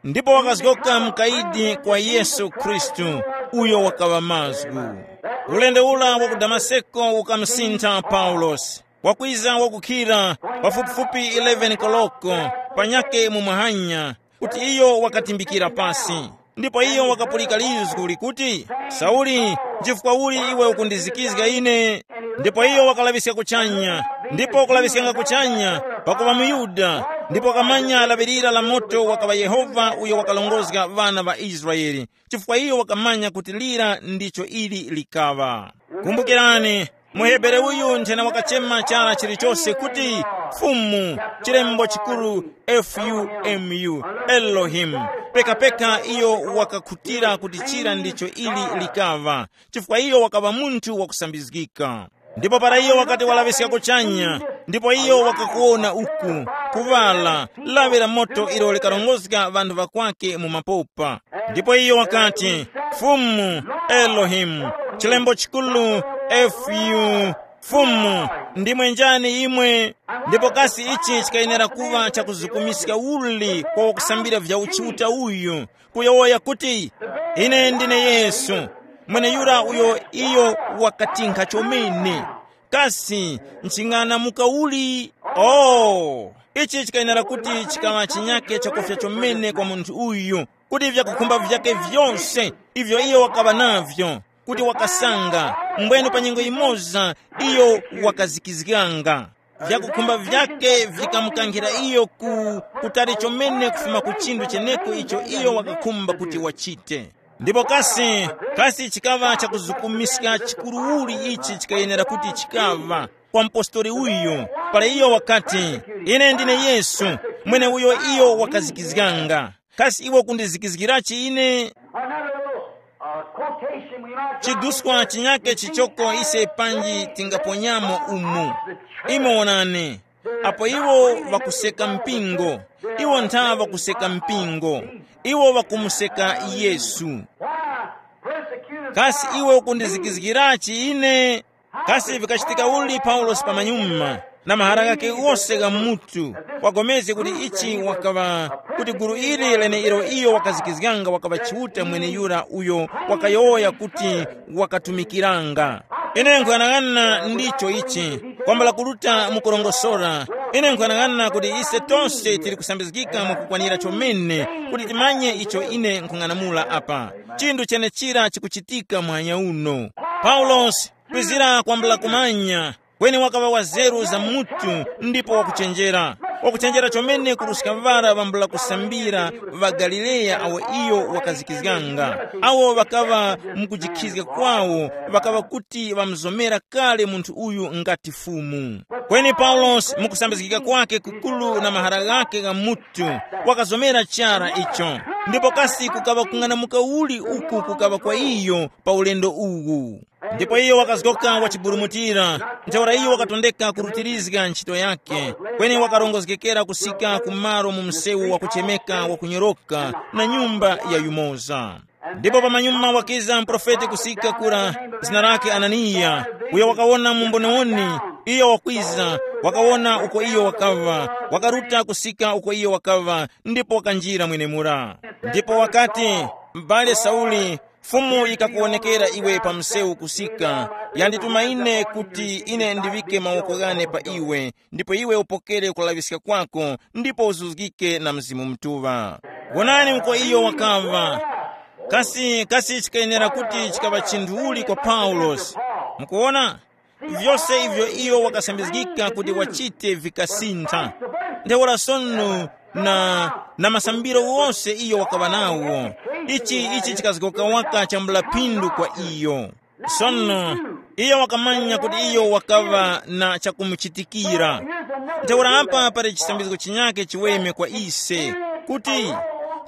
ndipo wakazgoka mukayidi kwa Yesu Khristu, uyo wakaŵa mazgu. Ulendo ura wa ku Damaseko ukamsintha Paulosi. Wakwiza wakukhira pafupifupi eleven koloko panyakhe mu mahanya, kuti iyo wakatimbikira pasi. Ndipo iyo wakapulika lizgu likuti, "Sauli, nchifukwa uli iwe ukundizikizga ine?" Ndipo iyo wakalaŵiska kuchanya, ndipo kulaŵiskanga kuchanya, pakuŵa muYuda, ndipo wakamanya laŵirira la moto wakaŵa Yehova uyo wakalongozga ŵana ŵa Israele, chifukwa iyo wakamanya kuti lira ndicho ili likaŵa. Kumbukirani, muHebere uyu nthena wakachema chara chilichose kuti Fumu, chilembo chikuru, F U M U, Elohim. Pekapeka iyo wakakhutira kuti chira ndicho ili likaŵa, chifukwa iyo wakaŵa munthu wakusambizgika. Ndipo para iyo wakati walaŵiska kuchanya, ndipo iyo wakakuwona uku, kuŵala, lawi la moto ilo likarongozga ŵanthu ŵakwake mu mapopa. Ndipo iyo wakati, "Fumu, Elohim, chilembo chikuru, F U, Fumu, ndimwe njani imwe?" Ndipo kasi ichi chikayenera kuŵa chakuzukumiska uli kwa wakusambira vya uchiuta uyu, kuyowoya kuti, "Ine ndine Yesu, mweneyura uyo iyo wakatinkha chomene. Kasi nching'anamuka uli?" Oh, ichi chikayenera kuti chikaŵa chinyake chakufya chomene kwa munthu uyu, kuti vyakukhumba vyake vyose ivyo iyo wakaŵa navyo, kuti wakasanga, mbwenu pa nyengo yimoza iyo wakazikizganga. Vyakukhumba vyake vikamukankhira iyo ku kutali chomene kufuma ku chinthu cheneko icho iyo wakakhumba kuti wachite. Ndipo kasi, kasi chikaŵa chakuzukumiska chikuru uli ichi chikayenera kuti chikaŵa kwa mpostoli uyu, pala iyo wakati, "Ine ndine Yesu, mwene uyo iyo wakazikizganga. Kasi iwe ukundizikizgirachi ine?" Another little, uh, quotation we might drop Chiduskwa in chinyake chichoko ise panji tingaponyamo umu. Imo wonani, apo iwo vakuseka mpingo, iwo ntha vakuseka mpingo, iwo vakumuseka Yesu. Why persecutest Kasi thou iwe me? Ukundizikizgirachi ine? Kasi vikachitika uli Paulosi pamanyuma na mahara ghakhe ghose gha mutu, wagomezge kuti ichi wakaŵa, kuti gulu ili leneilo iyo wakazikizganga wakaŵa Chiuta mweneyura uyo wakayowoya kuti wakatumikiranga. Ine nkuyang'ana ndicho ichi, kwambula kuruta mukurongosora. Ine nkuyang'ana kuti ise tose tili kusambizgika mwakukwanira chomene kuti timanye icho ine nkung'anamula apa. Chinthu chenechira chikuchitika muhanya uno. Paulosi, kwizira kwambula kumanya, kweni wakaŵa wazeru za mutu ndipo wakuchenjera. Wakuchenjera chomene kuruska ŵara ŵambula kusambira ŵa Galileya awo iyo wakazikizganga. Awo ŵakaŵa mukujikhizga kwawo, ŵakaŵa kuti ŵamuzomera kale munthu uyu ngati Fumu. Kweni Paulosi mukusambizgika kwake kukuru na mahara ghakhe gha mutu, wakazomera chara icho. Ndipo kasi kukaŵa kung'anamuka uli uku kukaŵa kwa iyo pa ulendo uwu? Ndipo iyo wakazgoka wachiburumutira, ntheura iyo wakatondeka kurutirizga ntchito yakhe, kweni wakarongozgekera kusika ku malo mu msewu wakuchemeka wakunyoroka na nyumba ya yumoza. Ndipo pamanyuma wakiza muprofeti kusika kura, zina lake Ananiya, uyo wakawona mumboniwoni. Iyo wakwiza, wakawona uko iyo wakaŵa, wakaruta kusika uko iyo wakaŵa, ndipo wakanjira mwenemura. Ndipo wakati, m'bale Sauli, Fumu yikakuwonekera iwe pa msewu kusika, yandituma ine kuti ine ndiŵike mawoko ghane pa iwe, ndipo iwe upokere kulaŵiska kwako, ndipo uzuzgike na Mzimu Mutuŵa. Wonani uko iyo wakaŵa. Kasi kasi chikayenera kuti chikaŵa chinthu uli kwa Paulosi? Mukuwona, vyose ivyo iyo wakasambizgika kuti wachite vikasintha. Ntheura sono, na, na masambiro wose iyo wakaŵa nawo, ichi ichi chikazgoka waka chambula phindu kwa iyo. Sono, iyo wakamanya kuti iyo wakaŵa na chakumuchitikira. Ntheura apa pali chisambizgo chinyake chiweme kwa ise, kuti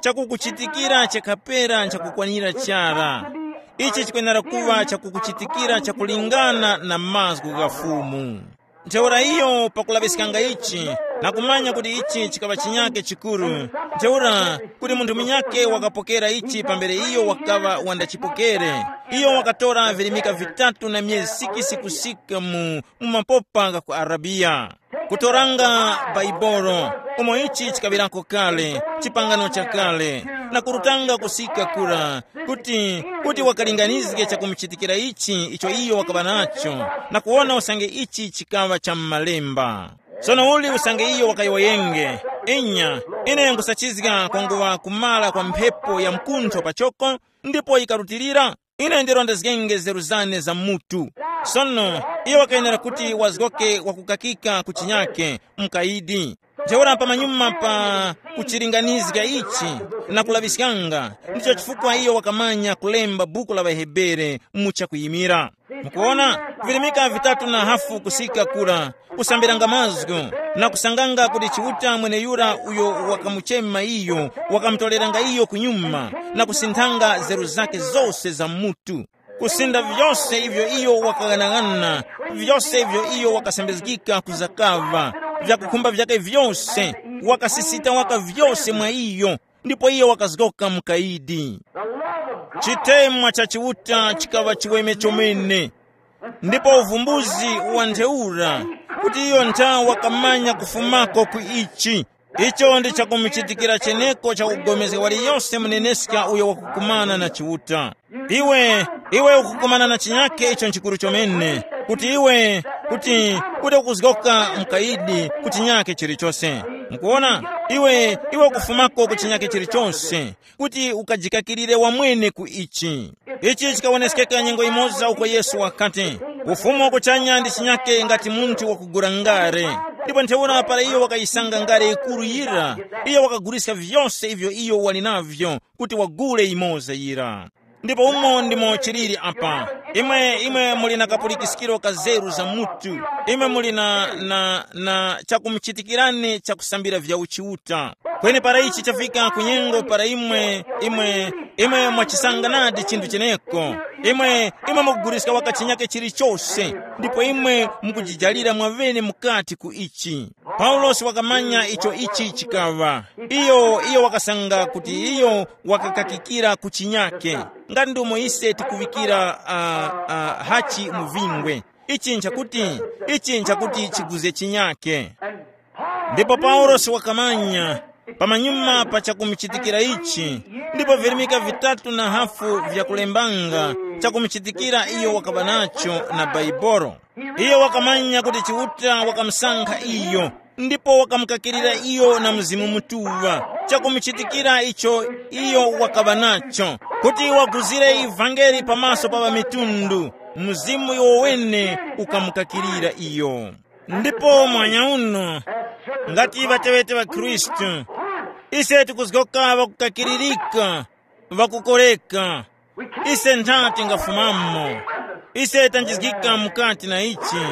chakukuchitikira chakhapera nchakukwanira chara. Ichi chikwenera kuŵa chakukuchitikira chakulingana na mazgu gha Fumu. Ntheura iyo pakulaŵiskanga ichi, na kumanya kuti ichi chikaŵa chinyake chikuru, ntheura kuti munthu munyake wakapokera ichi pambere iyo wakaŵa wandachipokere, iyo wakatora virimika vitatu na myezi sikisi kusika mu, mu mapopa gha ku Arabiya. Kutoranga Baibolo, umo ichi chikaŵirako kale, chipangano chakale, na kurutanga kusika kura, kuti, kuti wakalinganizge chakumuchitikira ichi icho iyo wakaŵa nacho, na kuwona usange ichi chikaŵa cha m'malemba. Sono uli usange iyo wakayowoyenge, inya, ine nkhusachizga kwanguŵa kumara kwa mphepo ya mkuntho pachoko, ndipo yikarutilira, ine ndirondezgenge nzeru zane za mutu. Sono, iyo wakayenera kuti wazgoke wakukakika ku chinyake, mukayidi. Ntheura pamanyuma pa kuchilinganizga ichi na kulaŵiskanga, ndicho chifukwa iyo wakamanya kulemba buku la ŵaHebere mu chakuyimira. Mukuona, virimika vitatu na hafu kusika kura, kusambiranga mazgu, na kusanganga kuti Chiuta mweneyura uyo wakamuchema iyo, wakamutoreranga iyo kunyuma, na kusinthanga nzeru zake zose za mutu. Kusinda vyose ivyo iyo wakaghanag'ana, vyose ivyo iyo wakasambizgika kuzakaŵa, vyakukhumba vyake vyose, wakasisita waka vyose mwa iyo, ndipo iyo wakazgoka mukayidi. Chitemwa cha Chiuta chikaŵa chiweme chomene, ndipo uvumbuzi wa ntheura, kuti iyo nthawi wakamanya kufumako ku ichi. Icho ndi chakumuchitikira cheneko chakugomezga waliyose muneneska uyo wakukumana na Chiuta. Iwe, iwe ukukumana na chinyake icho nchikuru chomene, kuti iwe, kuti, kuti ukuzgoka mukayidi ku chinyake chilichose. Mukuona, iwe, iwe ukufumako ku chinyake chilichose, kuti ukajikakirire wamwene ku ichi. Ichi chikawoneskeka nyengo imoza uko Yesu wakati, ufumu wa kuchanya ndi chinyake ngati munthu wakugula ngare. Ndipo ntheura para iyo wakayisanga ngare yikuru yira, iyo wakaguliska vyose ivyo iyo wali navyo kuti wagule imoza yira. Ndipo umo ndimo chiliri apa. Imwe, imwe muli na kapulikiskiro ka zeru za mutu. Imwe muli na, na, na chakumuchitikirani chakusambira vya uchiuta. Kweni para ichi chafika ku nyengo para imwe, imwe, imwe mwachisanga nadi chinthu cheneko. Imwe, imwe mukuguliska waka chinyake chilichose, ndipo imwe mukujijalira mwavene mukati ku ichi. Paulosi wakamanya icho ichi chikaŵa. Iyo, iyo wakasanga kuti iyo wakakakikira ku chinyake. Ngati ndomo ise tikuŵikira, uh, uh, hachi mu vingwe. Ichi nchakuti, ichi nchakuti chiguze chinyake. Ndipo Paulosi wakamanya pamanyuma pa chakumuchitikira ichi, ndipo virimika vitatu na hafu vyakulembanga chakumuchitikira iyo wakaŵa nacho na Baibolo. Iyo wakamanya kuti Chiuta wakamusankha iyo, ndipo wakamukakirira iyo na Mzimu Mutuŵa, chakumuchitikira icho iyo wakaŵa nacho, kuti waguzire ivangeli pamaso pa ŵamitundu, Mzimu iwo wene ukamukakirira iyo. Ndipo mwanya uno, ngati ŵateŵete ŵa Khristu, ise tikuzgoka ŵakukakiririka, ŵakukoreka. Ise ntha tingafumamo. Ise tanjizgika mukati na ichi,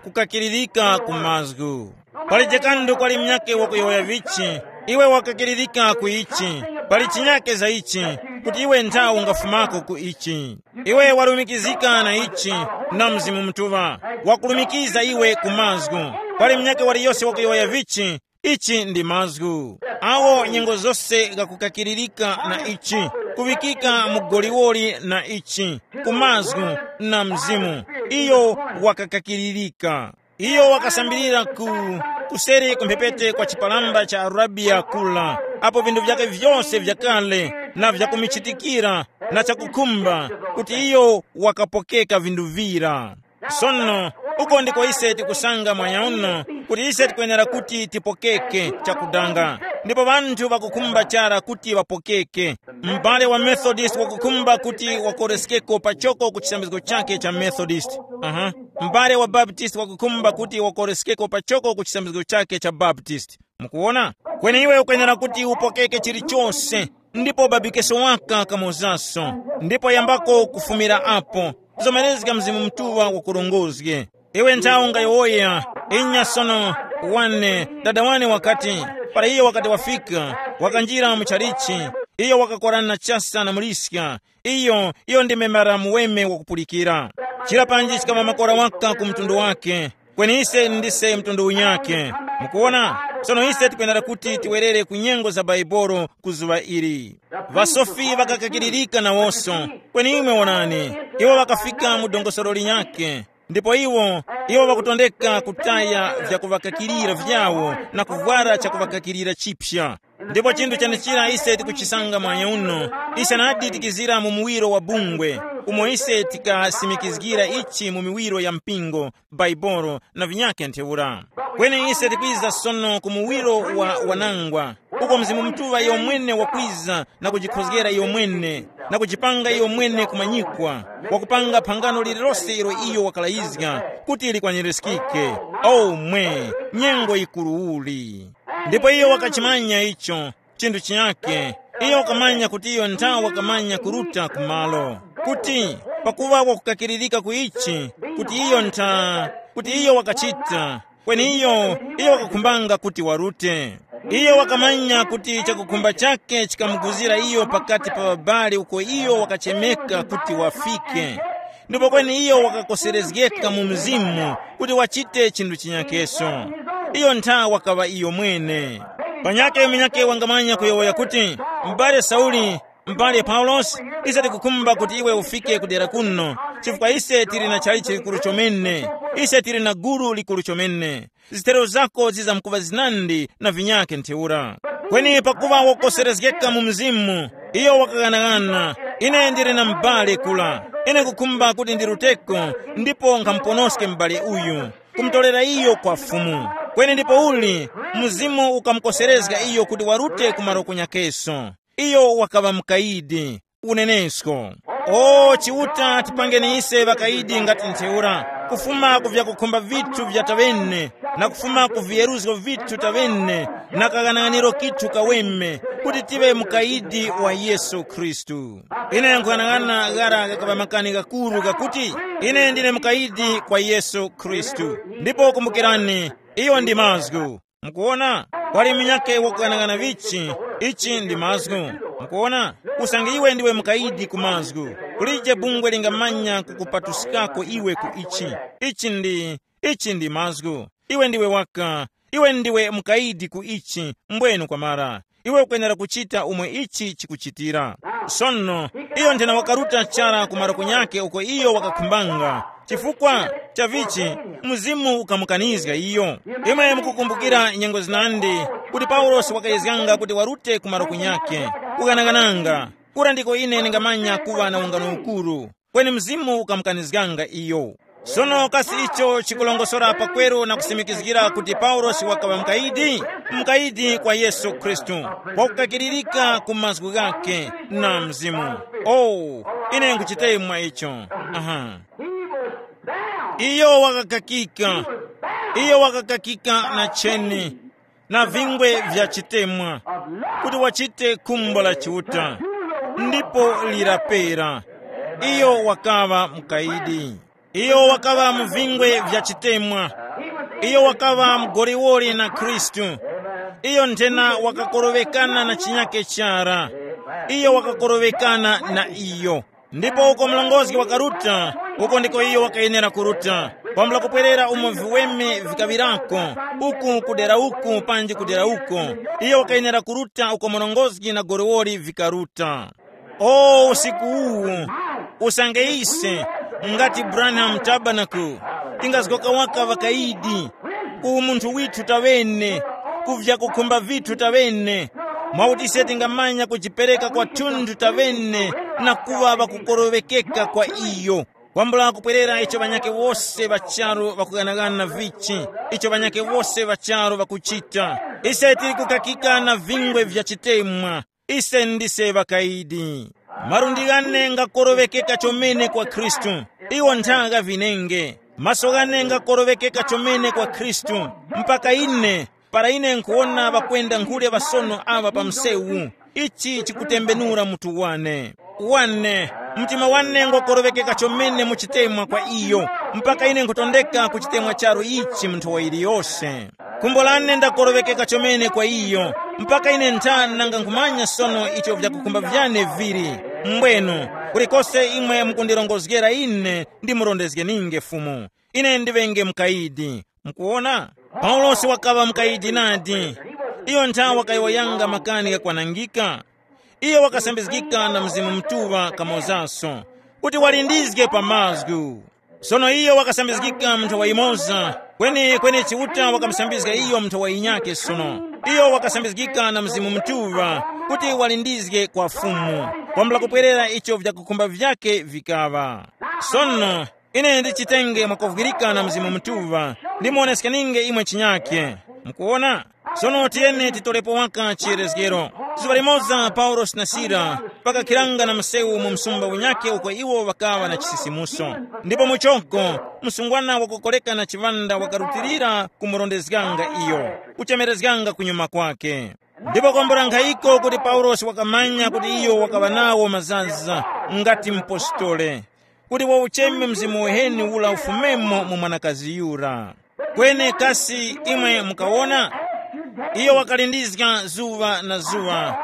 kukakiririka ku mazgu. Pali jekandu kwali mnyake wakuyowoya vichi, iwe wakakiririka ku ichi, pali chinyake za ichi, kuti iwe ntha ungafumako ku ichi. Iwe warumikizika na ichi, na Mzimu Mutuŵa, wakurumikiza iwe ku mazgu. Pali mnyake waliyose wakuyowoya vichi, ichi ndi mazgu. Awo nyengo zose ghakukakiririka na ichi, kuŵikika mu goliwoli na ichi, ku mazgu na mzimu. Iyo wakakakiririka. Iyo wakasambirira ku kuseri ku mphepete kwa chipalamba cha Arabiya kula, apo vinthu vyake vyose vyakale na vyakumichitikira na chakukhumba, kuti iyo wakapokeka vinthu vira. Sono, uko ndiko ise tikusanga mwanyauno, kuti ise tikwenera kuti tipokeke chakudanga. Ndipo ŵanthu ŵakukhumba chara kuti ŵapokeke. M'bale wa Methodist wakukhumba kuti wakoreskeko pachoko ku chisambizgo chake cha Methodist. Aha. M'bale wa Baptist wakukhumba kuti wakoreskeko pachoko ku chisambizgo chake cha Baptist. Mukuwona? Kweni iwe ukwenera kuti upokeke chilichose, ndipo babikeso waka kamozaso, ndipo yambako kufumira apo. Zomerezga Mzimu Mutuŵa wakurongozge. Iwe nthawi ungayowoya, inya sono, wane, dada wane wakati, para iyo wakati wafika, wakanjira mu chalichi, iyo wakakorana chasa na muliska, iyo, iyo ndi membara muweme wakupulikira. Chira panji chikama makora waka ku mtundu wake, kweni ise ndise mtundu unyake. Mukuwona? Sono ise tikwenera kuti tiwerere ku nyengo za Baibolo ku zuŵa ili. Ŵasofi ŵakakakiririka nawonso, kweni imwe wonani, iwo ŵakafika mu dongosolo linyakhe. Ndipo iwo, iwo ŵakutondeka kutaya vyakuŵakakirira vyawo na kuvwara chakuŵakakirira chipya. Ndipo chinthu chenechira ise tikuchisanga mwanya uno, ise nadi tikizira mu muwiro wa bungwe, umo ise tikasimikizgira ichi mu miwiro ya mpingo, Baibolo na vinyakhe ntheura. Kweni ise tikwiza sono ku muwiro wa wanangwa, uko Mzimu Mutuŵa iyo mwene wakwiza na kujikhozgera iyo mwene, na kujipanga iyo mwene kumanyikwa, wakupanga phangano lililose ilo iyo wakalayizga kuti likwanirizgike. O mwe, nyengo yikuru uli! Ndipo iyo wakachimanya icho, chinthu chinyakhe. Iyo wakamanya kuti iyo nthawi wakamanya kuruta ku malo, kuti pakuŵa wakukakiririka ku ichi, kuti iyo ntha, kuti iyo wakachita, kweni iyo, iyo wakakhumbanga kuti warute. Iyo wakamanya kuti chakukhumba chakhe chikamuguzira iyo pakati pa ŵabali uko iyo wakachemeka kuti wafike. Ndipo kweni iyo wakakoserezgeka mu mzimu kuti wachite chinthu chinyakeso. Iyo ntha wakaŵa iyo mwene. Panyake munyake wangamanya kuyowoya kuti, m'bale Sauli, m'bale Paulosi, ise tikukhumba kuti iwe ufike ku dera kuno, chifukwa ise tili na chalichi likuru chomene, ise tili na gulu likuru chomene. Zithero zako zizamkuŵa zinandi na vinyakhe ntheura. Kweni pakuŵa wakukoserezgeka mu mzimu, iyo wakaghanagana, ine ndili na m'bale kula. Ine nkukhumba kuti ndiruteko ndipo nkhamuponoske m'bale uyu, kumutorera iyo kwa Fumu. Kweni ndipo uli, mzimu ukamukoserezga iyo kuti warute ku malo kunyakeso. Iyo wakaŵa mukayidi. Unenesko. O Chiuta, tipangeni ise ŵakayidi ngati ntheura, kufuma ku vyakukhumba vithu vya taŵene, na kufuma ku viyeruzgo vithu taŵene, na kaghanaghaniro kithu kaweme, kuti tive mukayidi wa Yesu Khristu. Ine nkughanag'ana ghara gakaŵa makani ghakuru ghakuti, ine ndine mukayidi kwa Yesu Khristu. Ndipo kumbukirani, iyo ndi mazgu. Mukuwona? Kwali munyakhe wakughanag'ana vichi, ichi ndi mazgu. Mukuwona? Usange iwe ndiwe mukayidi ku mazgu, kulije bungwe lingamanya kukupatuskako iwe ku ichi. Ichi ndi, ichi ndi mazgu. Iwe ndiwe waka, iwe ndiwe mukayidi ku ichi, mbwenu kwamara. Iwe ukwenera kuchita umo ichi chikuchitira. Sono, iyo nthena wakaruta chara ku maroko nyakhe uko iyo wakakhumbanga, chifukwa cha vichi, mzimu ukamukanizga iyo. Imwe mukukumbukira nyengo zinandi kuti Paulosi wakayezganga kuti warute ku maroko nyakhe, kughanaghananga. Kura ndiko ine ndingamanya kuŵa na ungano ukuru, kweni mzimu ukamukanizganga iyo. Sono kasi icho chikulongosora pakweru na kusimikizgira kuti Paulosi wakaŵa mukayidi? Mukayidi kwa Yesu Khristu, wakukakiririka ku mazgu ghakhe na mzimu. Oh, ine nkuchitemwa icho. Aha. Iyo wakakakika. Iyo wakakakika na cheni, na vingwe vya chitemwa, kuti wachite khumbo la Chiuta, ndipo lirapera. Iyo wakaŵa mukayidi. Iyo wakaŵa mu vingwe vya chitemwa. Iyo wakaŵa mgoliwoli na Khristu. Iyo nthena wakakorowekana na chinyake chara. Iyo wakakorowekana na iyo. Ndipo uko mlongozi wakaruta, uko ndiko iyo wakayenera kuruta. Kwambula kupwerera umo viweme vikaŵirako, uku kudera uku panji kudera uko. Iyo wakayenera kuruta uko mlongozi na goliwoli vikaruta. O usiku uwu, usange ise, ngati Branham Tabernacle, tingazgoka waka ŵakayidi, ku munthu withu taŵene, ku vyakukhumba vithu taŵene, mwakuti ise tingamanya kujipereka kwathunthu taŵene na kuŵa ŵakukoroŵekeka kwa iyo. Kwambula kupwerera icho ŵanyakhe wose ŵa charu ŵakughanagana vichi, icho ŵanyakhe wose ŵa charu ŵakuchita. Ise tili kukakika na vingwe vya chitemwa. Ise ndise ŵakayidi. Malundi ghane ngakoroŵekeka chomene kwa Khristu. Iwo ntha gha vinenge. Maso ghane ngakoroŵekeka chomene kwa Khristu. Mpaka ine, para ine nkhuwona ŵakwenda nkhule ŵasono aŵa pa msewu, ichi chikutembenura mutu wane. Wane, mtima wane ngwakoroŵekeka chomene mu chitemwa kwa iyo, mpaka ine nkhutondeka ku chitemwa charu ichi mu nthowa yiliyose. Khumbo lane ndakoroŵekeka chomene kwa iyo, mpaka ine nthana nanga nkhumanya sono icho vyakukhumba vyane vili. Mbwenu, kulikose imwe mukundirongozgera ine, ndimurondezgeninge Fumu. Ine ndiŵenge mukayidi. Mukuwona? Paulosi wakaŵa mukayidi nadi. Iyo nthawe wakayowoyanga makani ghakwanangika. Iyo wakasambizgika na Mzimu Mutuŵa kamozaso, kuti walindizge pa mazgu. Sono iyo wakasambizgika mu nthawa yimoza, kweni kweni Chiuta wakamusambizga iyo mu nthawa yinyakhe sono. Iyo wakasambizgika na Mzimu Mutuŵa kuti walindizge kwa Fumu, kwambula kupwerera icho vyakukhumba vyakhe vikaŵa. Sono, ine ndichitenge mwakovwirika na Mzimu Mutuŵa, ndimuwoneskeninge imwe chinyakhe. Mukuwona? Sono tiyeni titolepo waka chiyerezgero. Zuŵa limoza Paulosi na Sila pakakhiranga na msewu mu msumba unyakhe uko iwo ŵakaŵa na chisisimuso. Ndipo muchoko, msungwana wakukoleka na chiŵanda wakarutilira kumurondezganga iyo, kuchemerezganga kunyuma kwake. Ndipo kwambula nkhayiko kuti Paulosi wakamanya kuti iyo wakaŵa nawo mazaza ngati mpostole, kuti waucheme mzimu uheni ula ufumemo mu mwanakazi yura. Kweni kasi imwe mukawona? Iyo wakalindizga zuŵa na zuŵa,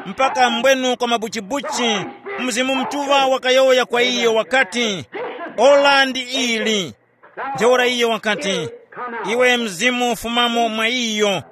mpaka mbwenu kwa mabuchibuchi, Mzimu Mutuŵa wakayowoya kwa iyo wakati, ora ndi ili. Ntheura iyo wakati, iwe mzimu fumamo mwa iyo.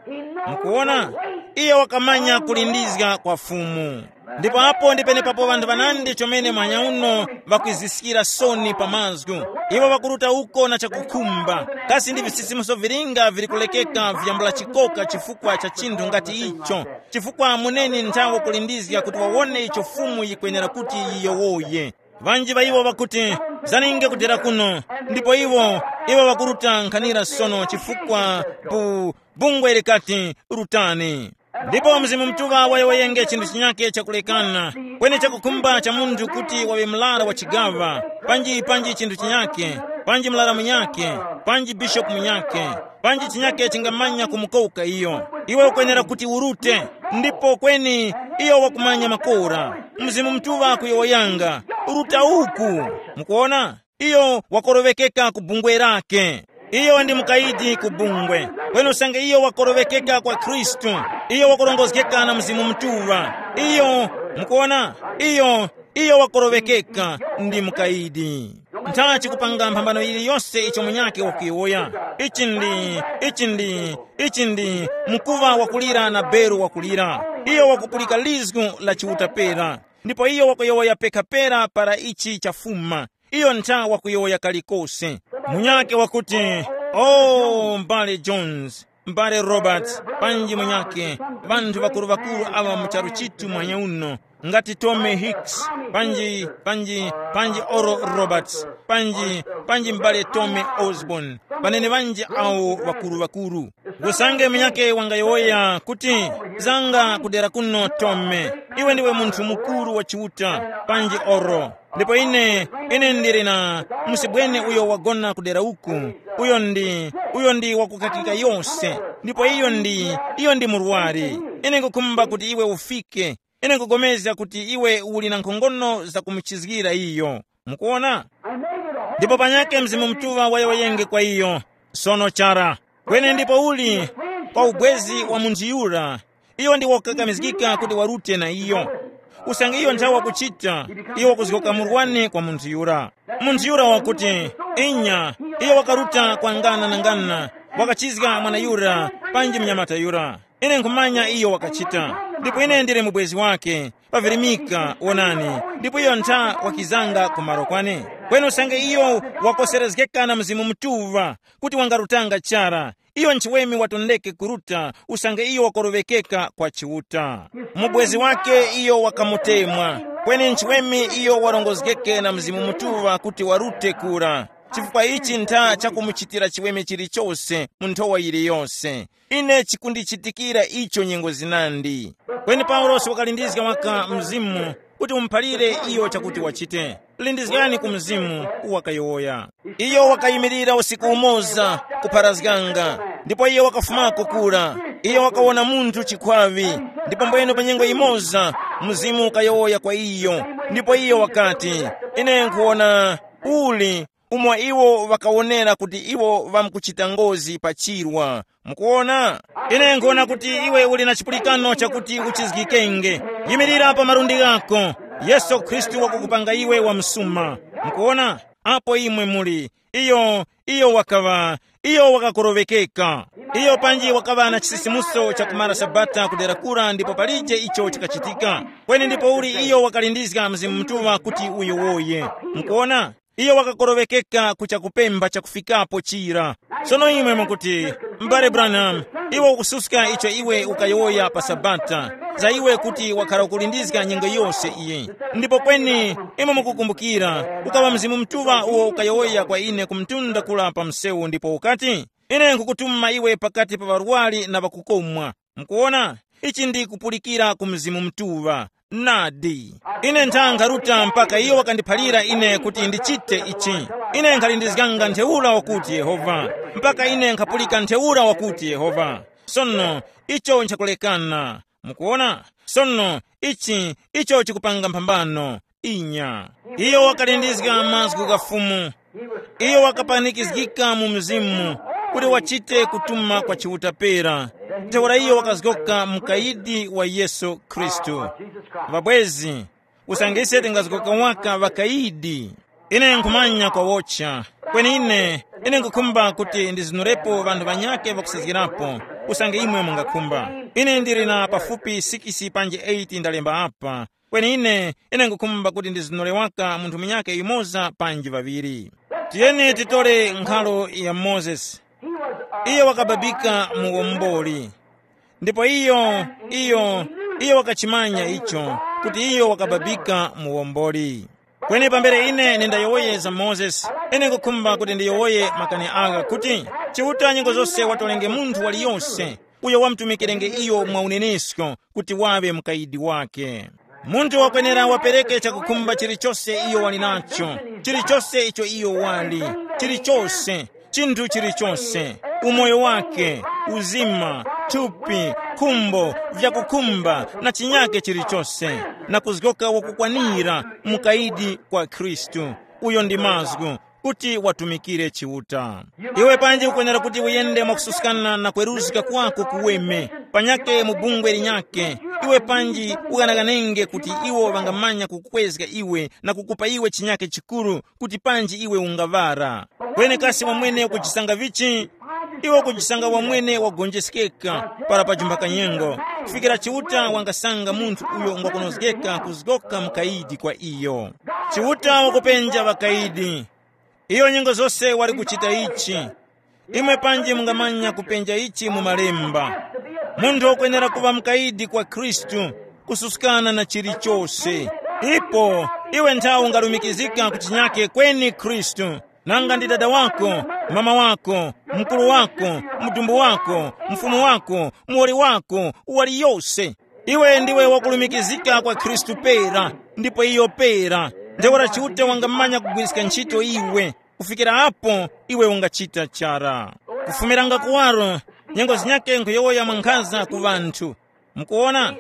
Mukuwona? Iyo wakamanya kulindizga kwa Fumu. Ndipo apo ndi penepapo ŵanthu ŵanandi chomene mwanya uno ŵakwiziskira soni pa mazgu. Iwo ŵakuruta uko na chakukhumba, kasi ndi visisimuso vilinga vili kulekeka vyambula chikoka chifukwa cha chinthu ngati icho? Chifukwa muneni nthawe kulindizga kuti wawone icho Fumu yikwenera kuti yiyowoye. Ŵanji ŵa iwo ŵakuti, zaninge kudera kuno, ndipo iwo, iwo ŵakuruta nkhanira sono chifukwa bu, bungwe likati, rutani. Ndipo Mzimu Mutuŵa wayowoyenge chinthu chinyakhe chakulekana, kweni chakukhumba cha munthu kuti waŵe mlara wa chigaŵa, panji panji chinthu chinyakhe, panji mlara munyakhe, panji bishopu munyakhe, panji chinyakhe chingamanya kumukowuka iyo. Iwe ukwenera kuti urute, ndipo kweni iyo wakumanya makora. Mzimu Mutuŵa kuyowoyanga, ruta uku. Mukuona? Iyo wakoroŵekeka ku bungwe lake. Iyo ndi mukayidi ku bungwe. Kweni usange iyo wakoroŵekeka kwa Khristu, iyo wakurongozgeka na Mzimu Mutuŵa. Iyo, mukuona, iyo, iyo wakoroŵekeka ndi mukayidi. Nthachi kupanga mphambano yiliyose icho munyakhe wakuyowoya. Ichi ndi, ichi ndi, ichi ndi mkuŵa wakulira na beru wakulira. Iyo wakupulika lizgu la Chiuta pera. Ndipo iyo wakuyowoya pekha pera para ichi chafuma. Iyo ntha wakuyowoya kalikose. Munyakhe wakuti, oh, m'bale Jones, m'bale Roberts, panji munyakhe, ŵanthu ŵakuru-ŵakuru aŵa mu charu chitu mwanya uno, ngati Tommy Hicks, panji, panji, panji Oral Roberts, panji, panji m'bale Tommy Osborn, panene ŵanji awo ŵakuru-ŵakuru. Usange munyakhe wangayowoya kuti, zanga kudera kuno Tommy, iwe ndiwe munthu mukuru wa Chiuta, panji Oral. Ndipo ine, ine ndili na musibwene uyo wagona kudera uku, uyo ndi, uyo ndi wakukakika yose, ndipo iyo ndi, iyo ndi murwari. Ine nkukhumba kuti iwe ufike. Ine nkupulikana kuti iwe uli na nkhongono zakumuchizgira iyo. Mukuona? Ndipo panyakhe Mzimu Mutuŵa wayowoyenge kwa iyo. Sono chara. Kweni ndipo uli kwa ubwezi wa munthu yura, iyo ndi wakakamizgika kuti warute na iyo. Usange iyo nthawi wakuchita, iyo wakuzgoka murwane kwa munthu yura. Munthu yura wakuti, inya, iyo wakaruta kwa ngana na ngana, wakachizga mwana yura, panji mnyamata yura. Ine nkhumanya iyo wakachita, ndipo ine ndili mubwezi wake. Pavirimika, wonani, ndipo iyo ntha wakizanga kumaro kwane. Kweni usange iyo wakoserezgeka na Mzimu Mutuŵa, kuti wangarutanga chara, iyo nchiweme watondeke kuruta, usange iyo wakoroŵekeka kwa Chiuta. Mubwezi wake iyo wakamutemwa, kweni nchiweme iyo warongozgeke na Mzimu Mutuŵa kuti warute kura. Chifukwa ichi ntha chakumuchitira chiweme chilichose mu nthowa yiliyose. Ine chikundichitikira icho nyengo zinandi. Kweni Paulosi wakalindizga waka Mzimu kuti umuphalire iyo chakuti wachite. Lindizgani ku Mzimu, wakayowoya. Iyo wakayimirira usiku umoza kupharazganga, ndipo iyo wakafumako kura. Iyo wakawona munthu chikhwaŵi, ndipo mbwene pa nyengo imoza Mzimu ukayowoya kwa iyo, ndipo iyo wakati, ine nkhuwona uli umo iwo ŵakawonera kuti iwo ŵamkuchita ngozi pa chirwa. Mukuwona? Ine nkhuwona kuti iwe uli na chipulikano chakuti uchizgikenge. Yimirira pa malundi ghako. Yesu Khristu wakukupanga iwe wamsuma. Mukuwona? Apo imwe muli. Iyo, iyo wakaŵa, iyo wakakorowekeka. Iyo panji wakaŵa na chisisimuso cha kumara Sabata kudera kura ndipo palije icho chikachitika. Kweni ndipo uli iyo wakalindizga Mzimu Mutuŵa kuti uyowoye. Mukuwona? Iyo wakakorowekeka ku chakupempha chakufikapo chira. Sono imwe mukuti, m'bale Branham, iwe ukususka icho iwe ukayowoya pa Sabata, za iwe kuti wakhara ukulindizga nyengo yose iyi. Ndipo kweni, imwe mukukumbukira, ukaŵa Mzimu Mutuŵa uwo ukayowoya kwa ine ku mtunda kula pa msewu ndipo ukati, ine nkhukutuma iwe pakati pa ŵarwari na ŵakukomwa. Mukuwona? Ichi ndi kupulikira ku Mzimu Mutuŵa. Nadi. Ine ntha nkharuta mpaka iyo wakandiphalira ine kuti ndichite ichi. Ine nkhalindizganga ntheura wakuti Yehova, mpaka ine nkhapulika ntheura wakuti Yehova. Sono, icho nchakulekana. Mukuwona? Sono, ichi, icho chikupanga mphambano. Inya. Iyo wakalindizga mazgu gha Fumu. Iyo wakapanikizgika mu mzimu kuti wachite kutuma kwa Chiuta pera. Ntheura iyo wakazgoka mukayidi wa Yesu Khristu. Ŵabwezi, usange ise tingazgoka waka ŵakayidi. Ine nkhumanya kwawocha. Kweni ine, ine nkhukhumba kuti ndizinurepo ŵanthu ŵanyakhe ŵakusazgirapo, usange imwe mungakhumba. Ine ndili na pafupi sikisi panji eyiti ndalemba apa. Kweni ine, ine nkhukhumba kuti ndizinure waka munthu munyakhe yumoza panji ŵaŵiri. Tiyeni titore nkhalo ya Mozesi. Iye wakababika muwomboli. Ndipo iyo, iyo, iyo wakachimanya icho, kuti iyo wakababika muwomboli. Kweni pambere ine nindayowoyeza Mozesi, ine nkhukhumba kuti ndiyowoye makani agha kuti, Chiuta nyengo zose watolenge munthu waliyose uyo wamutumikirenge iyo mwa unenesko kuti waŵe mukayidi wake. Munthu wakwenera wapereke chakukhumba chilichose iyo wali nacho, chilichose icho iyo wali, chilichose, chinthu chilichose, umoyo wake, uzima, thupi, khumbo, vyakukhumba na chinyake chilichose, na kuzgoka wakukwanira mukayidi kwa Khristu. Uyo ndi mazgu kuti watumikire Chiuta. Iwe panji ukwenera kuti uyende mwakususkana na kweruzga kwako kuweme, panyake mu bungwe linyake. Iwe panji ughanaganenge kuti iwo ŵangamanya kukukwezga iwe na kukupa iwe chinyake chikuru kuti panji iwe ungaŵara. Kweni kasi wamwene ukujisanga vichi? Iwe ukujisanga wamwene wagonjeskeka para pajumba kanyengo, kufikira Chiuta wangasanga munthu uyo ungwakonozgeka kuzgoka mukayidi kwa iyo. Chiuta wakupenja ŵakayidi. Iyo nyengo zose wali kuchita ichi. Imwe panji mungamanya kupenja ichi mu malemba. Munthu wakwenera kuŵa mukayidi kwa Khristu, kususkana na chilichose. Ipo, iwe nthawi ungalumikizika ku chinyake kweni Khristu. Nanga ndi dada wako, mama wako, mukuru wako, mudumbu wako, mfumu wako, muwoli wako, uwali yose. Iwe ndiwe wakulumikizika kwa Khristu pera, ndipo iyo pera. Ntheura Chiuta wangamanya kugwiriska ntchito iwe, kufikira apo iwe ungachita chara. Kufumiranga kuwaro, nyengo zinyake nkhuyowoya mwankhaza ku ŵanthu. Mukuwona?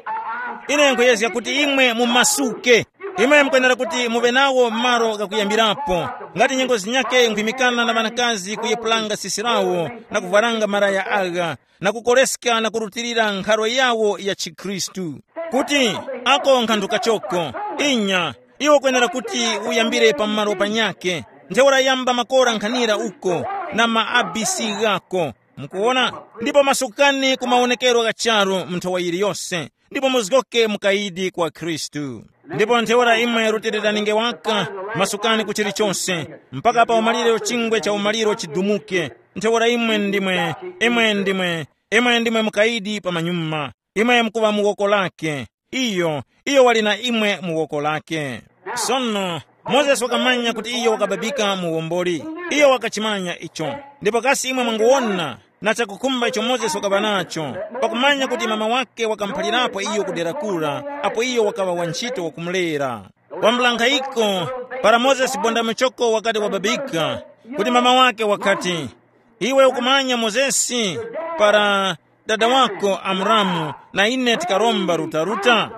Ine nkhuyezga kuti imwe mumasuke. Imwe mukwenera kuti muŵe nawo malo ghakuyambirapo. Ngati nyengo zinyake nkhuyimikana na ŵanakazi kuyepulanga sisi lawo na kuvwaranga malaya agha, na kukoreska na kurutilira nkharo yawo ya chikhristu. Kuti, ako nkhandu kachoko. Inya, iwe ukwenera kuti uyambire pamalo panyakhe. Ntheura yamba makora nkhanira uko, na ma A B C ghako. Mukuwona? Ndipo masukani ku mawonekero gha charu mu nthowa yiliyose. ndipo muzgoke mukayidi kwa Khristu. Ndipo ntheura imwe rutiliraninge waka, masukani ku chilichonse, mpaka pa umaliro chingwe cha umaliro chidumuke. Ntheura imwe ndimwe, imwe ndimwe, imwe ndimwe mukayidi pa manyuma. Imwe mukuŵa mu woko lake. Iyo, iyo wali na imwe mu woko lake. Sono, Mozesi wakamanya kuti iyo wakababika muwomboli. Iyo wakachimanya icho. Ndipo kasi imwe mwanguwona na chakukhumba icho Mozesi wakaŵa nacho, pakumanya kuti mama wake wakamuphalirapo iyo kudera kura, apo iyo wakaŵa wa ntchito wakumulera. Wambula nkhayiko, para Mozesi bonda muchoko wakati wababika, kuti mama wake wakati, iwe ukumanya Mozesi, para dada wako Amuramu na ine tikaromba rutaruta?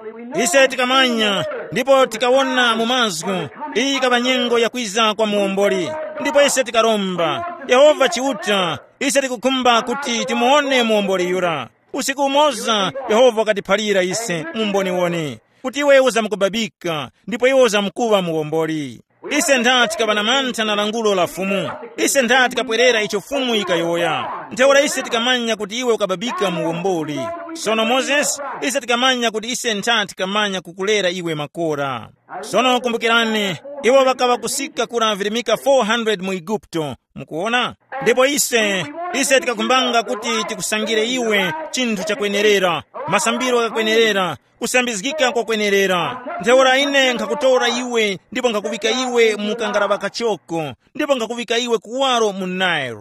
Ise tikamanya, ndipo tikawona mu mazgu, iyi yikaŵa nyengo yakwiza kwa muwomboli. Ndipo ise tikaromba, Yehova Chiuta, ise tikukhumba kuti timuwone muwomboli yura. Usiku umoza Yehova wakatiphalira ise mu mboniwoni, kuti iwe uzamkubabika, ndipo iwe uzamkuŵa muwomboli. Ise ntha tikaŵa na mantha na langulo la Fumu. Ise ntha tikapwerera icho Fumu yikayowoya. Ntheura ise tikamanya kuti iwe ukababika muwomboli. Sono Mozesi, ise tikamanya kuti ise ntha tikamanya kukulera iwe makora. Sono kumbukirani, iwo ŵakaŵa kusika kura virimika four hundred mu Eguputo. Mukuona? Ndipo ise, ise tikakumbanga kuti tikusangire iwe chinthu chakwenerera, masambiro ghakwenerera, kusambizgika kwakwenerera. Ntheura ine nkhakutora iwe ndipo nkhakuŵika iwe mu kangaraŵa kachoko, ndipo nkhakuŵika iwe kuwaro mu Nile.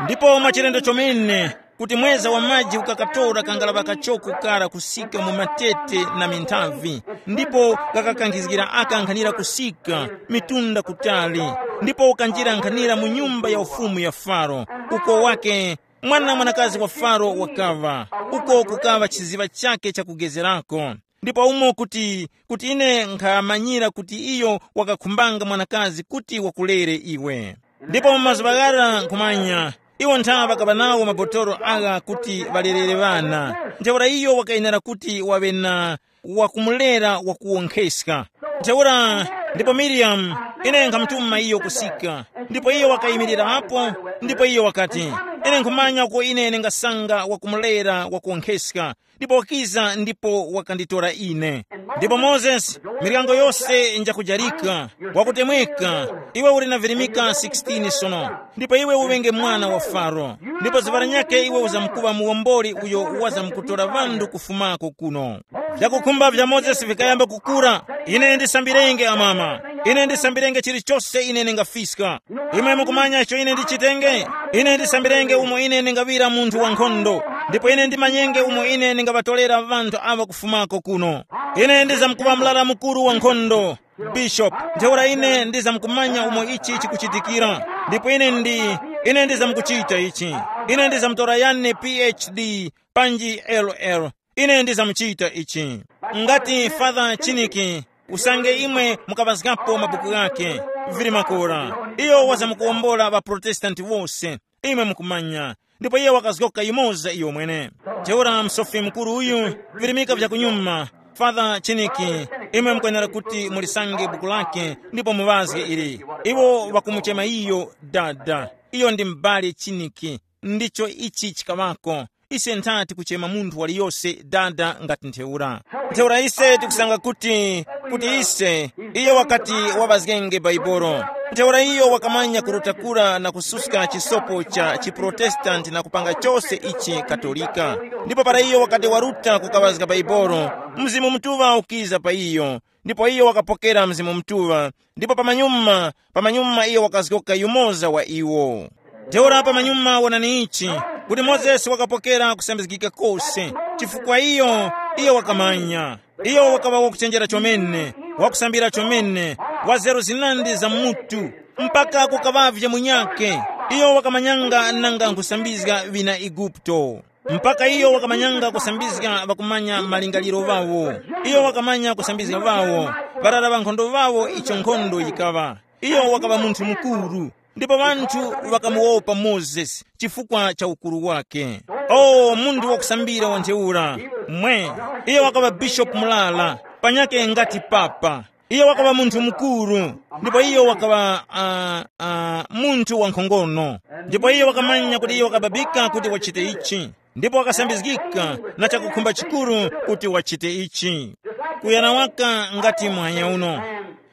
Ndipo mwachilendo chomene, kuti mweza wa maji ukakatora kangaraŵa kachoko kara kusika mu matete na minthavi, ndipo kakakankhizgira aka nkhanira kusika mitunda kutali, ndipo ukanjira nkhanira mu nyumba ya ufumu ya Faro, uko wake mwana mwanakazi wa Faro wakaŵa, uko kukaŵa chiziŵa chake chakugezerako. Ndipo umo kuti, kuti ine nkhamanyira kuti iyo wakakhumbanga mwanakazi kuti wakulere iwe. Ndipo mu mazuŵa ghara nkhumanya, iwo ntha ŵakaŵa nawo mabotoro agha kuti ŵalerere ŵana. Ntheura iyo wakayenera kuti waŵe na wakumulera wakuwonkheska. Ntheura, ndipo Miriyamu, ine nkhamutuma iyo kusika, ndipo iyo wakayimirira apo, ndipo iyo wakati, ine nkhumanya uko ine ndingasanga wakumulera wakuwonkheska, ndipo wakiza ndipo wakanditora ine. Ndipo Mozesi, miryango yose njakujarika, wakutemweka, iwe uli na virimika sixteen sono, ndipo iwe uŵenge mwana wa Faro, ndipo zuŵa lanyakhe iwe uzamkuŵa muwomboli uyo wazamkutora ŵanthu kufumako kuno. Vyakukhumba vya Mozesi vikayamba kukura. Ine ndisambirenge amama, ine ndisambirenge chilichose ine ndingafiska. Imwe mukumanya icho ine ndichitenge? Ine ndisambirenge umo ine ndingaŵira munthu wankhondo, ndipo ine ndimanyenge umo ine ndingaŵatorera ŵanthu awa kufumako kuno. Ine ndizamkuŵa mlala mukuru wankhondo, Bishop. Ntheura ine ndizamkumanya umo ichi chikuchitikira, ndipo ine ndi, ine ndizamkuchita ichi. Ine ndizamtora yane P H D, panji L L. Ine ndizamuchita ichi. Ngati Father Chiniki, usange imwe mukaŵazgapo mabuku ghakhe, vili makora. Iyo wazamukuwombola ŵaProtestanti wose, imwe mukumanya. Ndipo iye wakazgoka yumoza iyo mwene. Ntheura msofi mukuru uyu, virimika vya kunyuma, Father Chiniki, imwe mukwenera kuti mulisange buku lake ndipo muŵazge ili. Iwo ŵakumuchema iyo dada. Iyo ndi m'bale Chiniki. Ndicho ichi chikaŵako. Ise nthati kuchema munthu waliyose dada ngati ntheura. Ntheura ise tikusanga kuti, kuti ise, iyo wakati waŵazgenge Baibolo. Ntheura iyo wakamanya kurutakura na kususka chisopo cha chiprotestanti na kupanga chose ichi Katolika. Ndipo para iyo wakati waruta kukaŵazga Baibolo, Mzimu Mutuŵa ukiza pa iyo, ndipo iyo wakapokera Mzimu Mutuŵa, ndipo pamanyuma, pamanyuma iyo wakazgoka yumoza wa iwo. Ntheura pamanyuma wonani ichi, kuti Mozesi wakapokera kusambizgika kose, chifukwa iyo, iyo wakamanya. Iyo wakaŵa wakuchenjera chomene, wakusambira chomene, wa nzeru zinandi za mutu, mpaka kukaŵavye munyakhe. Iyo wakamanyanga nanga nkhusambizga ŵina Eguputo. Mpaka iyo wakamanyanga kusambizga ŵakumanya malingaliro ŵawo. Iyo wakamanya kusambizga ŵawo, ŵarara ŵankhondo ŵawo icho nkhondo yikaŵa. Iyo wakaŵa munthu mukuru, ndipo ŵanthu ŵakamuwopa Mozesi chifukwa cha ukuru wake. O, munthu wakusambira wa ntheura! Mwe, iyo wakaŵa bishopu murara, panyakhe ngati papa. Iyo wakaŵa munthu mukuru, ndipo iyo wakaŵa uh, uh, munthu wankhongono. Ndipo iyo wakamanya kuti iyo wakababika kuti wachite ichi. Ndipo wakasambizgika na chakukhumba chikuru kuti wachite ichi. Kuyana waka ngati mwanya uno.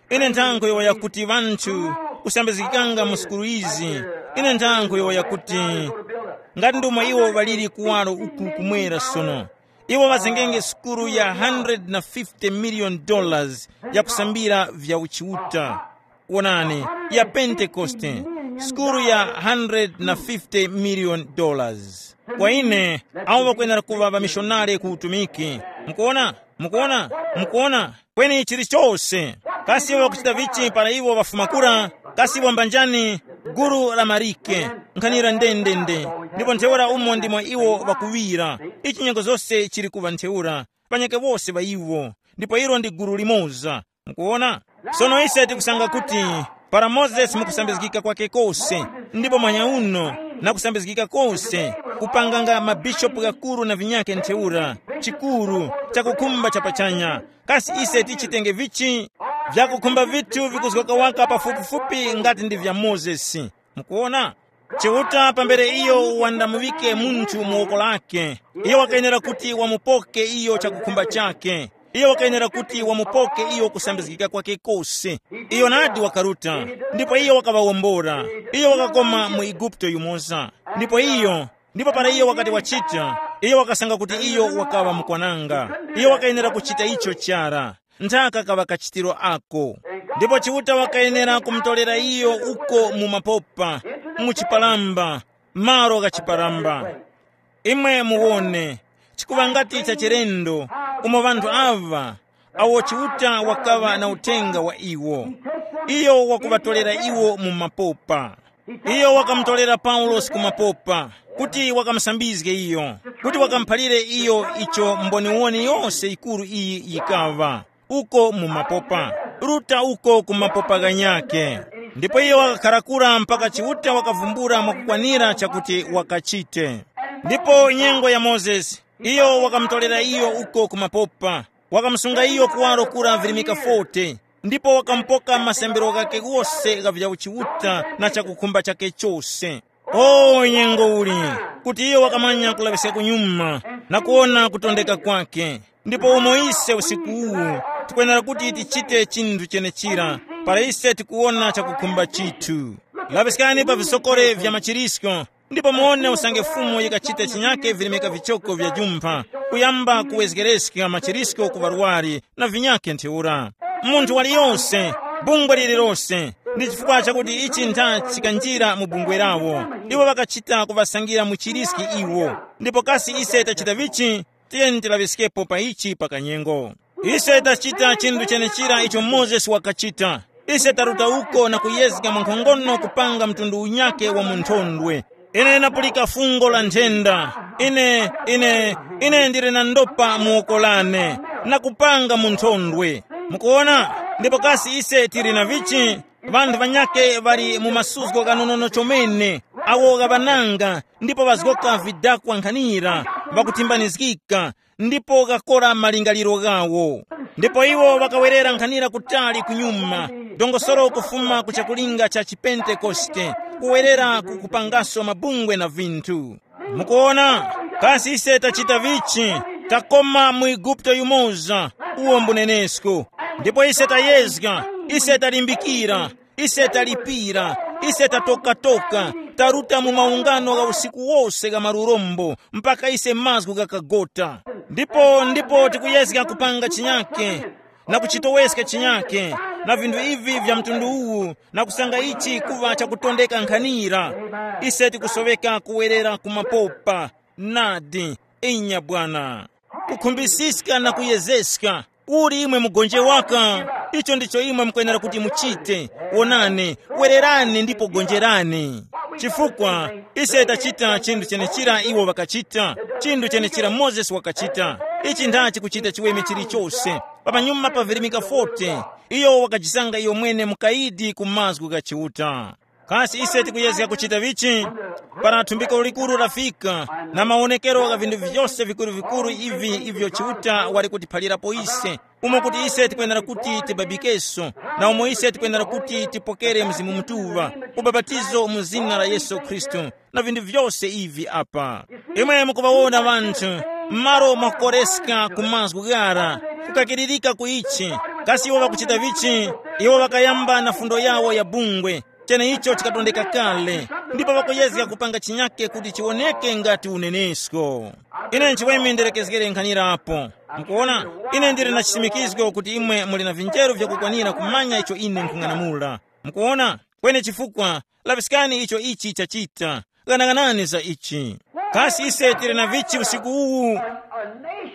Ine nthankho yowoya kuti ŵanthu kusambizgikanga mu sukulu izi. Ine nthankho yowoya kuti ngati ndomwe iwo ŵaliri kuwaro uku kumwera sono, iwo ŵazengenge sukulu ya hundred na fifty million dollars yakusambira vya uchiuta. Wonani, ya Pentekoste, sukulu ya hundred na fifty million dollars. Kwa ine, awo ŵakwenera kuŵa ŵamishonare ku utumiki. Mukuona? Mukuona? Mukuona? Kweni chilichose. Kasi iwo ŵakuchita vichi para iwo ŵafuma kura? Kasi iwo mbanjani? Gulu la marike, nkhanira ndendende. Ndipo ntheura umo ndimo iwo ŵakuŵira. Ichi nyengo zose chili kuŵa ntheura, panyake wose ŵa iwo. Ndipo ilo ndi gulu limoza. Mukuona? Sono ise tikusanga kuti para Mozesi mukusambizgika kwake kose, ndipo mwanya uno na kusambizgika kose, kupanganga mabishopu ghakuru na vinyake ntheura, chikuru, chakukhumba cha pachanya. Kasi ise tichitenge vichi? Vyakukhumba vithu vikuzgoka waka pafupifupi ngati ndi vya Mozesi. Mukuona? Chiuta pambere iyo wandamuŵike munthu mu woko lake, iyo wakayenera kuti wamupoke iyo chakukhumba chake. Iyo wakayenera kuti wamupoke iyo kusambizgika kwake kose. Iyo nadi wakaruta, ndipo iyo wakaŵawombora. Iyo wakakoma mu Eguputo yumoza. Ndipo iyo, ndipo para iyo wakati wachita, iyo wakasanga kuti iyo wakaŵa mukwananga. Iyo wakayenera kuchita icho chara. Nthaka kaŵa kachitiro ako. Ndipo Chiuta wakayenera kumutolera iyo uko mu mapopa, mu chipalamba, malo gha chipalamba. Imwe muwone, chikuŵa ngati cha chilendo, umo ŵanthu aŵa, awo Chiuta wakaŵa na uthenga wa iwo, iyo wakuŵatolera iwo mu mapopa. Iyo wakamutolera Paulosi ku mapopa, kuti wakamusambizge iyo, kuti wakamuphalire iyo icho mboniwoni yose yikuru iyi yikaŵa, uko mu mapopa, ruta uko ku mapopa ghanyakhe. Ndipo iyo wakakhara kura mpaka Chiuta wakavumbula mwakukwanira chakuti wakachite. Ndipo nyengo ya Mozesi, iyo wakamutolera iyo uko ku mapopa, wakamusunga iyo kuwaro kura virimika forty, ndipo wakamupoka masambiro ghakhe ghose gha vya uchiuta na chakukhumba chakhe chose. O nyengo uli, kuti iyo wakamanya kulaŵiska kunyuma na kuwona kutondeka kwakhe. Ndipo umo ise usiku uwu tikwenera kuti tichite chinthu chenechira, para ise tikuwona chakukhumba chithu. Laŵiskani pa visokore vya machirisko, ndipo muwone usange Fumu yikachita chinyake virimika vichoko vya jumpha, kuyamba kuwezgereska machirisko ku ŵarwari na vinyakhe ntheura. Munthu waliyose, bungwe lililose, ndi chifukwa chakuti ichi ntha chikanjira mu bungwe lawo. Iwo ŵakachita kuŵasangira mu chiriski iwo. Ndipo kasi ise tachita vichi? Tiyeni tilaŵiskepo pa ichi pa kanyengo. Ise tachita chinthu chenechira icho Mozesi wakachita. Ise taruta uko na kuyezga mwankhongono kupanga mtundu unyake wa munthondwe. Ine napulika fungo la nthenda. Ine, ine, ine ndili na ndopa mu woko lane. Na kupanga munthondwe. Mukuona? Ndipo kasi ise tili na vichi? Ŵanthu ŵanyakhe ŵali mu masuzgo ghanonono chomene, awo ghaŵananga, ndipo ŵazgoka vidakwa nkhanira, ŵakuthimbanizgika, ndipo ghakora malingaliro ghawo. Ndipo iwo ŵakawerera nkhanira kutali kunyuma, dongosolo kufuma ku chakulinga cha chipentekoste, kuwerera ku kupangaso mabungwe na vinthu. Mukuona, kasi ise tachita vichi? Takoma mu Eguputo yumoza, uwo mbunenesko. Ndipo ise tayezga, ise talimbikira, ise talipira, ise tatokatoka, taruta mu maungano gha usiku wose gha malurombo, mpaka ise mazgu ghakagota. Ndipo ndipo tikuyezga kupanga chinyake, na kuchitoweska chinyake, na vinthu ivi vya mtundu uwu, na kusanga ichi kuŵa chakutondeka nkhanira. Ise tikusoweka kuwerera ku mapopa. Nadi, inya bwana. Kukhumbisiska na kuyezeska. Uli imwe mugonje waka? Icho ndicho imwe mukwenera kuti muchite. Wonani, wererani ndipo gonjerani. Chifukwa ise tachita chinthu chenechira iwo ŵakachita, chinthu chenechira Mozesi wakachita. Ichi ndachi kuchita chiweme chilichose. Pamanyuma pa virimika forty, iyo wakajisanga iyo mwene mukayidi ku mazgu gha Chiuta. Kasi ise tikuyezga kuchita vichi? Para thumbiko likuru lafika, na mawonekero gha vinthu vyose vikuru-vikuru ivi ivyo Chiuta wali kutiphalirapo ise, umo kuti ise tikwenera kuti tibabikeso, na umo ise tikwenera kuti tipokere Mzimu Mutuŵa, ubapatizo mu zina la Yesu Khristu, na vinthu vyose ivi apa. Imwe mukuŵawona ŵanthu, m'malo mwakukoreska ku mazgu ghara, kukakiririka ku ichi, kasi iwo ŵakuchita vichi? Iwo ŵakayamba na fundo yawo ya bungwe, cheneicho chikatondeka kale, ndipo ŵakuyezga kupanga chinyake kuti chiwoneke ngati unenesko. Ine nchiweme ndilekezgere nkhanirapo. Mukuona, ine ndili na chisimikizgo kuti imwe muli na vinjeru vyakukwanira kumanya icho ine nkhung'anamula. Mukuona, kweni chifukwa, laŵiskani icho ichi chachita. Ghanaghanani za ichi. Kasi ise tili na vichi usiku uwu?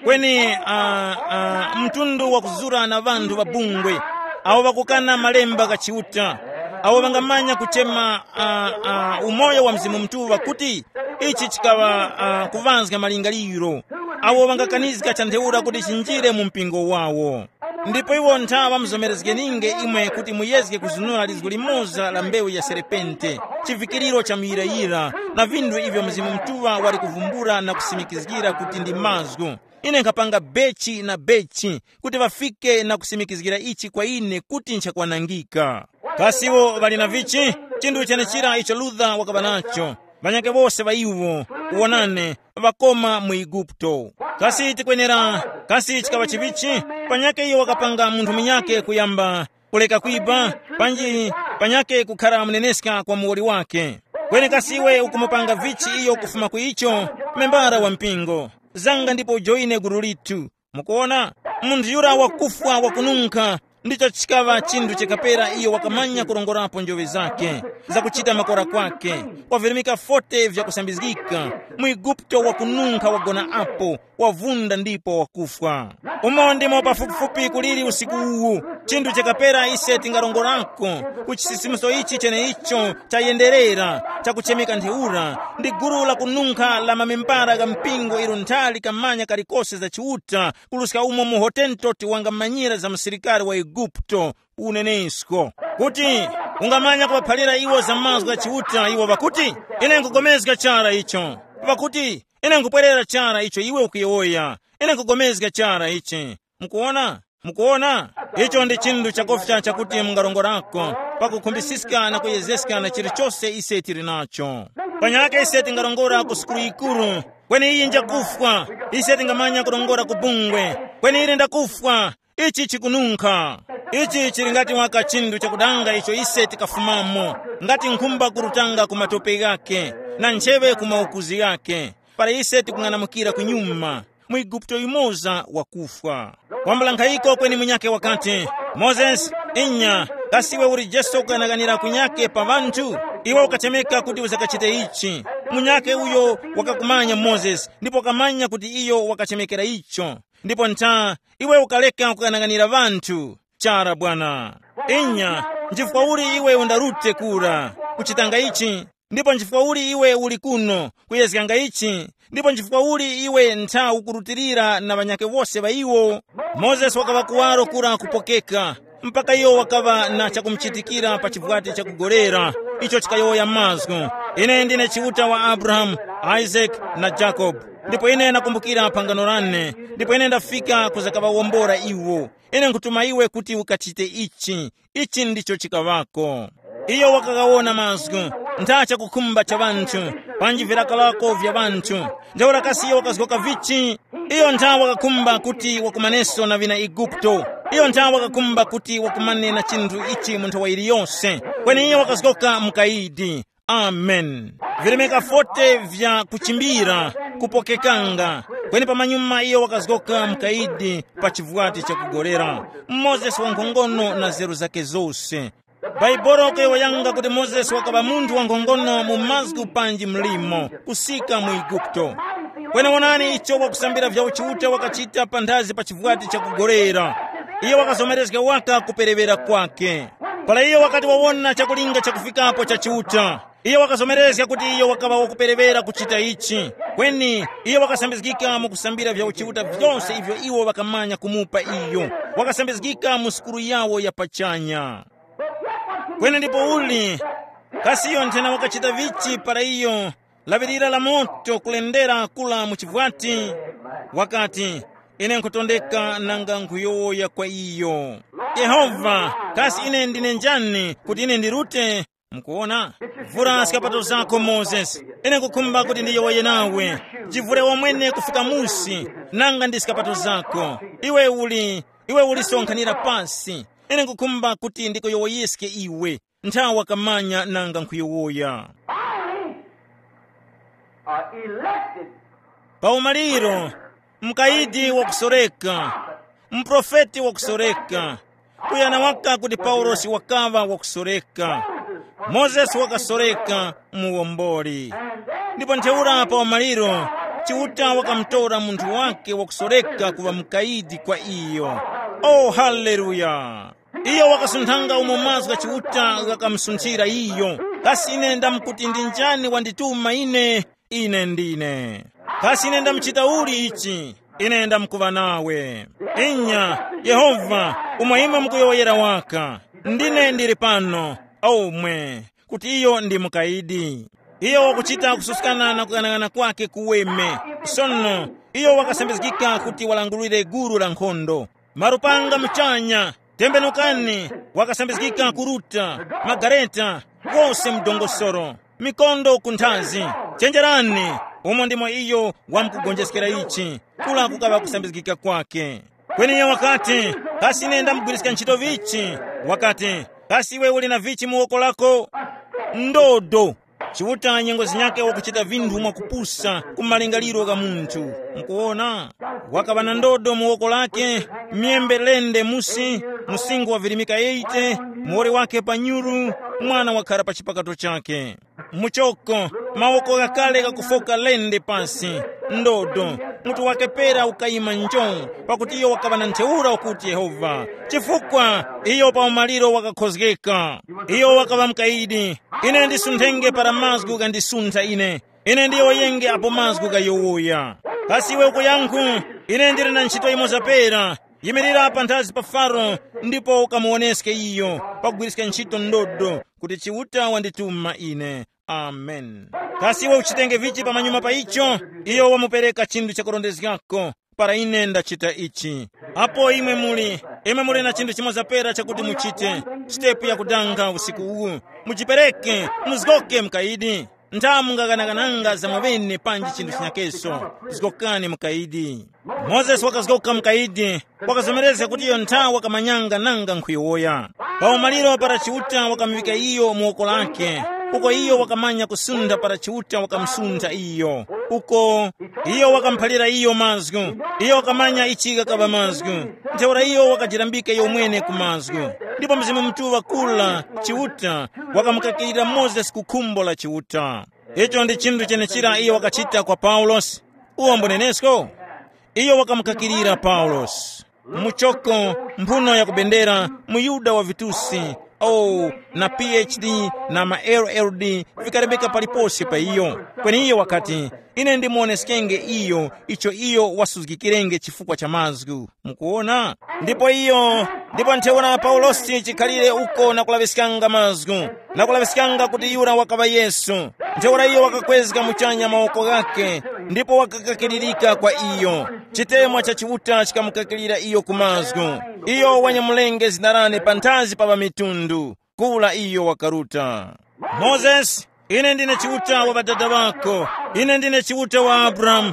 Kweni uh, uh, mtundu wakuzura na ŵanthu ŵa bungwe, awo ŵakukana malemba gha Chiuta, awo ŵangamanya kuchema uh, uh, umoyo wa Mzimu Mutuŵa kuti ichi chikaŵa uh, kuŵanzga malingaliro, awo ŵangakanizga chantheura kuti chinjire mu mpingo wawo. Ndipo iwo ntha ŵamuzomerezgeninge imwe kuti muyezge kuzunura lizgu limoza la mbewu ya serepente, chivikiriro cha muyirayira, na vinthu ivyo Mzimu Mutuŵa wali kuvumbula na kusimikizgira kuti ndi mazgu. Ine nkhapanga bechi na bechi kuti ŵafike na kusimikizgira ichi kwa ine kuti nchakwanangika. Kasi iwo ŵali na vichi? Chinthu chenechira icho Luther wakaŵa nacho. Ŵanyakhe wose ŵa iwo, uwonane, ŵakoma mu Eguputo. Kasi tikwenera, kasi chikaŵa chivichi? Panyakhe iyo wakapanga munthu munyakhe kuyamba kuleka kwiba, panji panyakhe kukhara muneneska kwa muwoli wake. Kweni kasi iwe ukumupanga vichi iyo kufuma ku icho? Membara wa mpingo, zanga ndipo ujoine gulu lithu. Mukuona, munthu yura wakufwa wakununkha, ndicho chikaŵa chinthu chikapera iyo wakamanya kurongorapo njoŵe zake, zakuchita makora kwake, kwavirimika forty vyakusambizgika, mu Eguputo wakununkha wagona apo, wavunda ndipo wakufwa. Umo ndimo pafupifupi kuliri usiku uwu, chinthu chikapera ise tingarongorako ku chisisimuso ichi cheneicho chayenderera, chakuchemeka ntheura, ndi gulu lakununkha la mamembara gha mpingo ilo nthali kamanya kalikose za Chiuta, kuruska umo muhotentoti wangamanyira za musilikari wa Eguputo, unenesko kuti ungamanya kuŵaphalira iwo za mazgu gha Chiuta, iwo ŵakuti, ine nkugomezga chara icho. Ŵakuti, ine nkupwerera chara icho iwe ukuyowoya. Ine nkugomezga chara ichi. Mukuona? Mukuona? Icho ndi chinthu chakofya chakuti mungarongorako, pakukhumbisiska na kuyezeska na chilichose ise tili nacho. Panyake ise tingarongora ku sukulu yikuru, kweni iyi njakufwa. Ise tingamanya kurongora ku bungwe, kweni ili ndakufwa. Ichi chikununkha. Ichi chili ngati waka chinthu chakudanga icho ise tikafumamo, ngati nkhumba kurutanga ku matope ghake, na ncheŵe ku maukuzi ghake, para ise tikung'anamukira kunyuma, mu Eguputo yumoza wakufwa. Kwambula nkhayiko kweni munyakhe wakati, Mozesi, inya, kasi iwe uli Jesu ukanaganira kunyakhe pa ŵanthu? Iwe ukachemeka kuti uzakachite ichi. Munyakhe uyo wakakumanya Mozesi ndipo ukamanya kuti iyo wakachemekera icho. Ndipo ntha, iwe ukaleka kukanang'anira ŵanthu. Chara bwana. Inya, nchifukwa uli iwe undarute kura kuchitanga ichi? Ndipo nchifukwa uli iwe uli kuno kuyezganga ichi? Ndipo nchifukwa uli iwe ntha ukurutilira na ŵanyakhe wose ŵa iwo? Mozesi wakaŵa kuwaro kura kupokeka, mpaka iyo wakaŵa na chakumuchitikira pa chivwati chakugolera, icho chikayowoya mazgu, ine ndine Chiuta wa Abrahamu, Isake na Jakobe. Ndipo ine ndakumbukira phangano lane, ndipo ine ndafika kuzakaŵawombora iwo. Ine nkhutuma iwe kuti ukachite ichi. Ichi ndicho chikaŵako. Iyo wakagawona mazgu, ntha chakukhumba cha ŵanthu, panji virakalako vya ŵanthu. Ntheura kasi iyo wakazgoka vichi? Iyo ntha wakakhumba kuti wakumaneso na vina Eguputo. Iyo ntha wakakhumba kuti wakumane na chinthu ichi mu nthawa yiliyose. Kweni iyo wakazgoka mukayidi. Amen. Virimika forty vya kuchimbira, kupokekanga. Kweni pamanyuma iyo wakazgoka mukayidi pa chivwati chakugolera. Mozesi wankhongono na zeru zake zose. Bhaibuli kuyowoyanga kuti Mozesi wakaŵa munthu wankhongono mu mazgu panji mlimo kusika mu Eguputo. Kweni wonani icho wakusambira vya uchiuta wakachita panthazi pa chivwati chakugolera. Iyo wakazomerezga waka kuperewera kwake. Para iyo wakati wawona chakulinga chakufikapo cha Chiuta, iyo wakazomerezga kuti iyo wakaŵa wakuperewera kuchita ichi. Kweni iyo wakasambizgika mu kusambira vya uchiuta vyose ivyo iwo ŵakamanya kumupa iyo. Wakasambizgika mu sukulu yawo ya pachanya. Kweni ndipo uli Kasi iyo nthena wakachita vichi para iyo laŵirira la moto kulendera kula mu chivwati? Wakati, ine nkhutondeka nanga nkhuyowoya kwa iyo. Yehova, kasi ine ndine njani kuti ine ndirute? Mukuona? Vura skapato zako, Mozesi. Ine nkukhumba kuti ndiyowoye nawe. Jivure wamwene kufika musi, nanga ndi skapato zako. Iwe uli, iwe ulisonkhanira pasi. Ine nkukhumba kuti ndikuyowoyeske iwe. Nthawa kamanya nanga nkhuyowoya. Finally, uh, elected. Pa umaliro, mkaidi wakusoreka, mprofeti wakusoreka, kuyana waka kuti Paulosi wakaŵa wakusoreka, Mozesi wakasoreka, muwomboli. Ndipo ntheura pa umaliro, Chiuta wakamutora munthu wake wakusoreka kuŵa mkaidi kwa iyo. Oh, haleluya! Iyo wakasunthanga umo mazgu gha Chiuta ghakamusunthira iyo. Kasi ine ndamkuti ndi njani wandituma ine? Ine ndine. Kasi ine ndamuchita uli ichi? Ine ndamkuŵa nawe. Inya, Yehova, umo imwe mukuyowoyera waka. Ndine ndili pano, omwe, kuti iyo ndi mukayidi. Iyo wakuchita kususkana na kughanagana kwake kuweme. Sono, iyo wakasambizgika kuti walangulire gulu la nkhondo. Marupanga muchanya, tembenukani, wakasambizgika kuruta, magareta, wose mdongosoro, mikondo ku nthazi. Chenjerani, umo ndimo iyo wamkugonjeskera ichi, kula kukaŵa kusambizgika kwake. Kweni iye wakati, kasi ine ndamugwiriska ntchito vichi? Wakati, kasi iwe uli na vichi mu woko lako? Ndodo. Chiuta nyengo zinyakhe wakuchita vinthu mwakupusa ku malingaliro gha munthu. Mukuwona? Wakaŵa na ndodo mu woko lake, myembe lende musi, msinkhu wa virimika eighty, muwoli wake pa nyuru, mwana wakhara pa chipakato chake. Muchoko, mawoko ghakale ghakufoka lende pasi, ndodo, mutu wake pera ukayima njo, pakuti iyo wakaŵa na ntheura ukuti Yehova, chifukwa iyo pa umaliro wakakhozgeka. Iyo wakaŵa mukayidi. Ine ndisunthenge para mazgu ghandisuntha ine. Ine ndiyowoyenge apo mazgu ghayowoya. Kasi iwe ukuyankhu, ine ndili na ntchito yimoza pera. Yimirira panthazi pa Faro, ndipo ukamuwoneske iyo, pakugwiriska ntchito ndodo, kuti Chiuta wandituma ine. Amen. Kasi iwe uchitenge vichi pamanyuma pa icho? Iyo wamupereka chinthu chakurondezgako. Para ine ndachita ichi. Apo imwe muli, imwe muli na chinthu chimoza pera chakuti muchite. Sitepu yakudanga usiku uwu. Mujipereke, muzgoke mukayidi. Ntha mungaganagananga za mwaŵene panji chinthu chinyakeso. Zgokani mukayidi. Mozesi wakazgoka mukayidi, wakazomerezga kuti iyo ntha wakamanyanga nanga nkhuyowoya. Pa umaliro para Chiuta wakamuŵika iyo mu woko lake, uko iyo wakamanya kusuntha para Chiuta wakamusuntha iyo. Uko iyo wakamuphalira iyo mazgu. Iyo wakamanya ichi ghakaŵa mazgu. Ntheura iyo wakajirambika iyo mwene ku mazgu. Ndipo Mzimu Mutuŵa kula Chiuta wakamukakilira Mozesi ku khumbo la Chiuta. Icho ndi chinthu chenechira iyo wakachita kwa Paulosi. Uwo mbunenesko? Iyo wakamukakilira Paulosi. Muchoko, mphuno ya kubendera, muYuda wa vitusi, oh, na P H D, na ma L L D, vikarembeka paliponse pa iyo. Kweni iyo wakati, ine ndimuwoneskenge iyo icho iyo wasuzgikirenge chifukwa cha mazgu. Mukuwona? Ndipo iyo, ndipo ntheura Paulosi chikhalire uko na kulaŵiskanga mazgu, na kulaŵiskanga kuti yura wakaŵa Yesu. Ntheura iyo wakakwezga muchanya mawoko ghakhe, ndipo wakakakiririka kwa iyo. Chitemwa cha Chiuta chikamukakilira iyo ku mazgu. Iyo wanyamulenge zina lane panthazi pa ŵamitundu. Kura iyo wakaruta. Mozesi, ine ndine Chiuta wa ŵadada ŵako. Ine ndine Chiuta wa Abrahamu,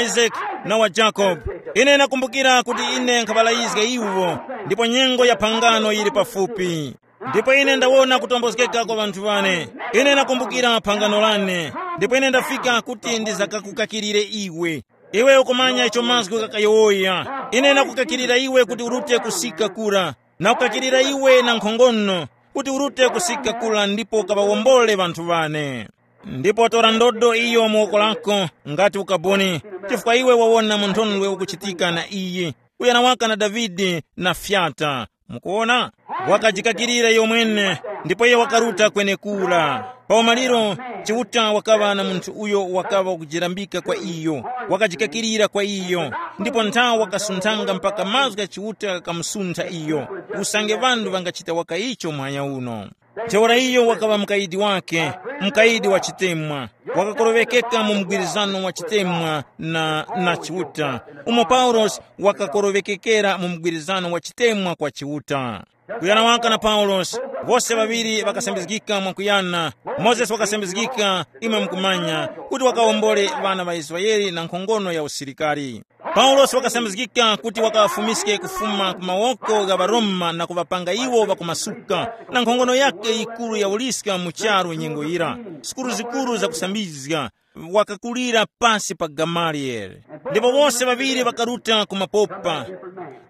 Isake, na wa Jakobe. Ine nakumbukira kuti ine nkhaŵalayizga iwo, ndipo nyengo ya phangano yili pafupi. Ndipo ine ndawona kutombozgeka kwa ŵanthu ŵane. Ine nakumbukira phangano lane, ndipo ine ndafika kuti ndizakakukakirire iwe. Iwe ukumanya icho mazgu ghakayowoya. Ine nakukakirira iwe kuti urute kusika kura, nakukakirira iwe na nkhongono, kuti urute kusika kura ndipo kaŵawombole ŵanthu ŵane. Ndipo tora ndodo iyo mu woko lako, ngati ukaboni, chifukwa iwe wawona munthondwe ukuchitika na iyi, uyana waka na Davide na fyata. Mukuwona? Wakajikakirira iyo mwene, ndipo iyo wakaruta kwenekura. Pa umaliro, Chiuta wakaŵa na munthu uyo wakaŵa kujirambika kwa iyo, wakajikakirira kwa iyo, ndipo nthawi wakasunthanga mpaka mazgu gha Chiuta ghakamusuntha iyo. Usange ŵanthu ŵangachita waka icho muhanya uno. Ntheura iyo wakaŵa mukayidi wake, mukayidi wa chitemwa, wakakoroŵekeka mu mgwirizano wa chitemwa na, na Chiuta, umo Paulosi wakakoroŵekekera mu mgwirizano wa chitemwa kwa Chiuta. Kuyana waka na Paulosi, wose ŵaŵiri ŵakasambizgika mwakuyana. Mozesi wakasambizgika, imwe mukumanya, kuti wakawombole ŵana ŵa Israele na nkhongono ya usilikari. Paulosi wakasambizgika kuti wakaŵafumiske kufuma ku mawoko gha ŵaRoma na kuŵapanga iwo ŵakumasuka, na nkhongono yakhe yikuru ya uliska mu charu nyengo yira, sukulu zikuru zakusambizga, wakakulira pasi pa Gamaliyele. Ndipo wose ŵaŵiri ŵakaruta ku mapopa,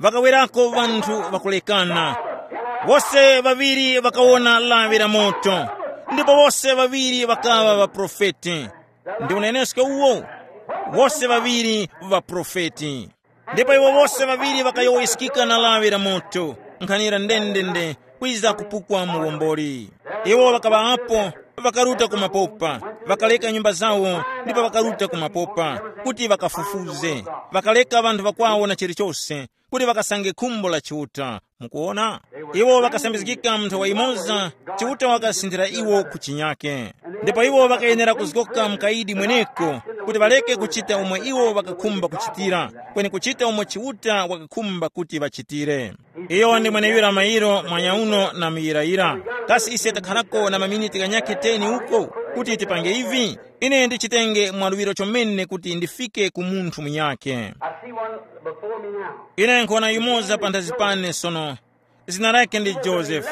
ŵakawerako ŵanthu ŵakulekana. Wose ŵaŵiri ŵakawona lawi la moto, ndipo wose ŵaŵiri ŵakaŵa ŵaprofeti. Ndi unenesko uwo, wose ŵaŵiri ŵaprofeti. Ndipo iwo wose ŵaŵiri ŵakayowoyeskika na lawi la moto, nkhanira ndendende, kwiza kupukwa muwomboli. Iwo ŵakaŵa apo, ŵakaruta ku mapopa, ŵakaleka nyumba zawo, ndipo ŵakaruta ku mapopa, kuti ŵakafufuze. Ŵakaleka ŵanthu ŵakwawo na chilichose, kuti ŵakasange khumbo la Chiuta. Mukuona? Iwo ŵakasambizgika mu nthawa yimoza, Chiuta wakasinthira iwo ku chinyake. Ndipo iwo ŵakayenera kuzgoka mukayidi mweneko, kuti ŵaleke kuchita umo iwo ŵakakhumba kuchitira, kweni kuchita umo Chiuta wakakhumba kuti ŵachitire. Iyo ndi mweneyura mairo mwanyauno na muyirayira. Kasi ise takharako na maminiti ghanyakhe teni uko kuti tipange ivi? Ine ndichitenge mwaluŵiro chomene kuti ndifike ku munthu munyakhe. I see one before me now. Ine nkhona yumoza panthazi pane sono. Zina lake ndi Joseph.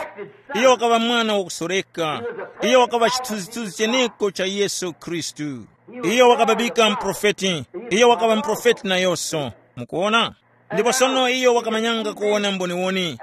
Iyo wakaŵa mwana wakusoreka. Iyo wakaŵa chithunzithunzi cheneko cha Yesu Khristu. Iyo wakababika mprofeti. Iyo wakaŵa mprofeti nayonso. Mukuona? Ndipo sono iyo wakamanyanga kuwona mboniwoni.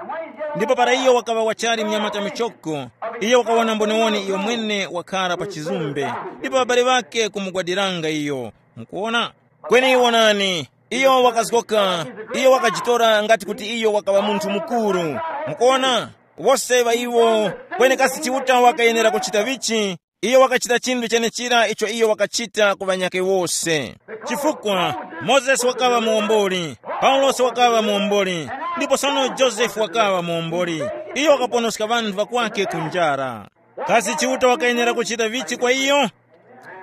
Ndipo para iyo wakaŵa wachali mnyamata michoko, iyo wakawona mboniwoni iyo mwene wakhara pa chizumbe, ndipo ŵabale ŵake kumugwadiranga iyo. Mukuona? Kweni wonani, iyo wakazgoka, iyo wakajitora ngati kuti iyo wakaŵa munthu mukuru. Mukuona? Wose ŵa iwo, kweni kasi Chiuta wakayenera kuchita vichi? Iyo wakachita chinthu chenechira icho iyo wakachita ku ŵanyakhe wose. Chifukwa Mozesi wakaŵa muwomboli, Paulosi wakaŵa muwomboli, ndipo sono Josefe wakaŵa muwomboli. Iyo wakaponoska ŵanthu ŵakwake ku njara. Kasi Chiuta wakayenera kuchita vichi kwa iyo?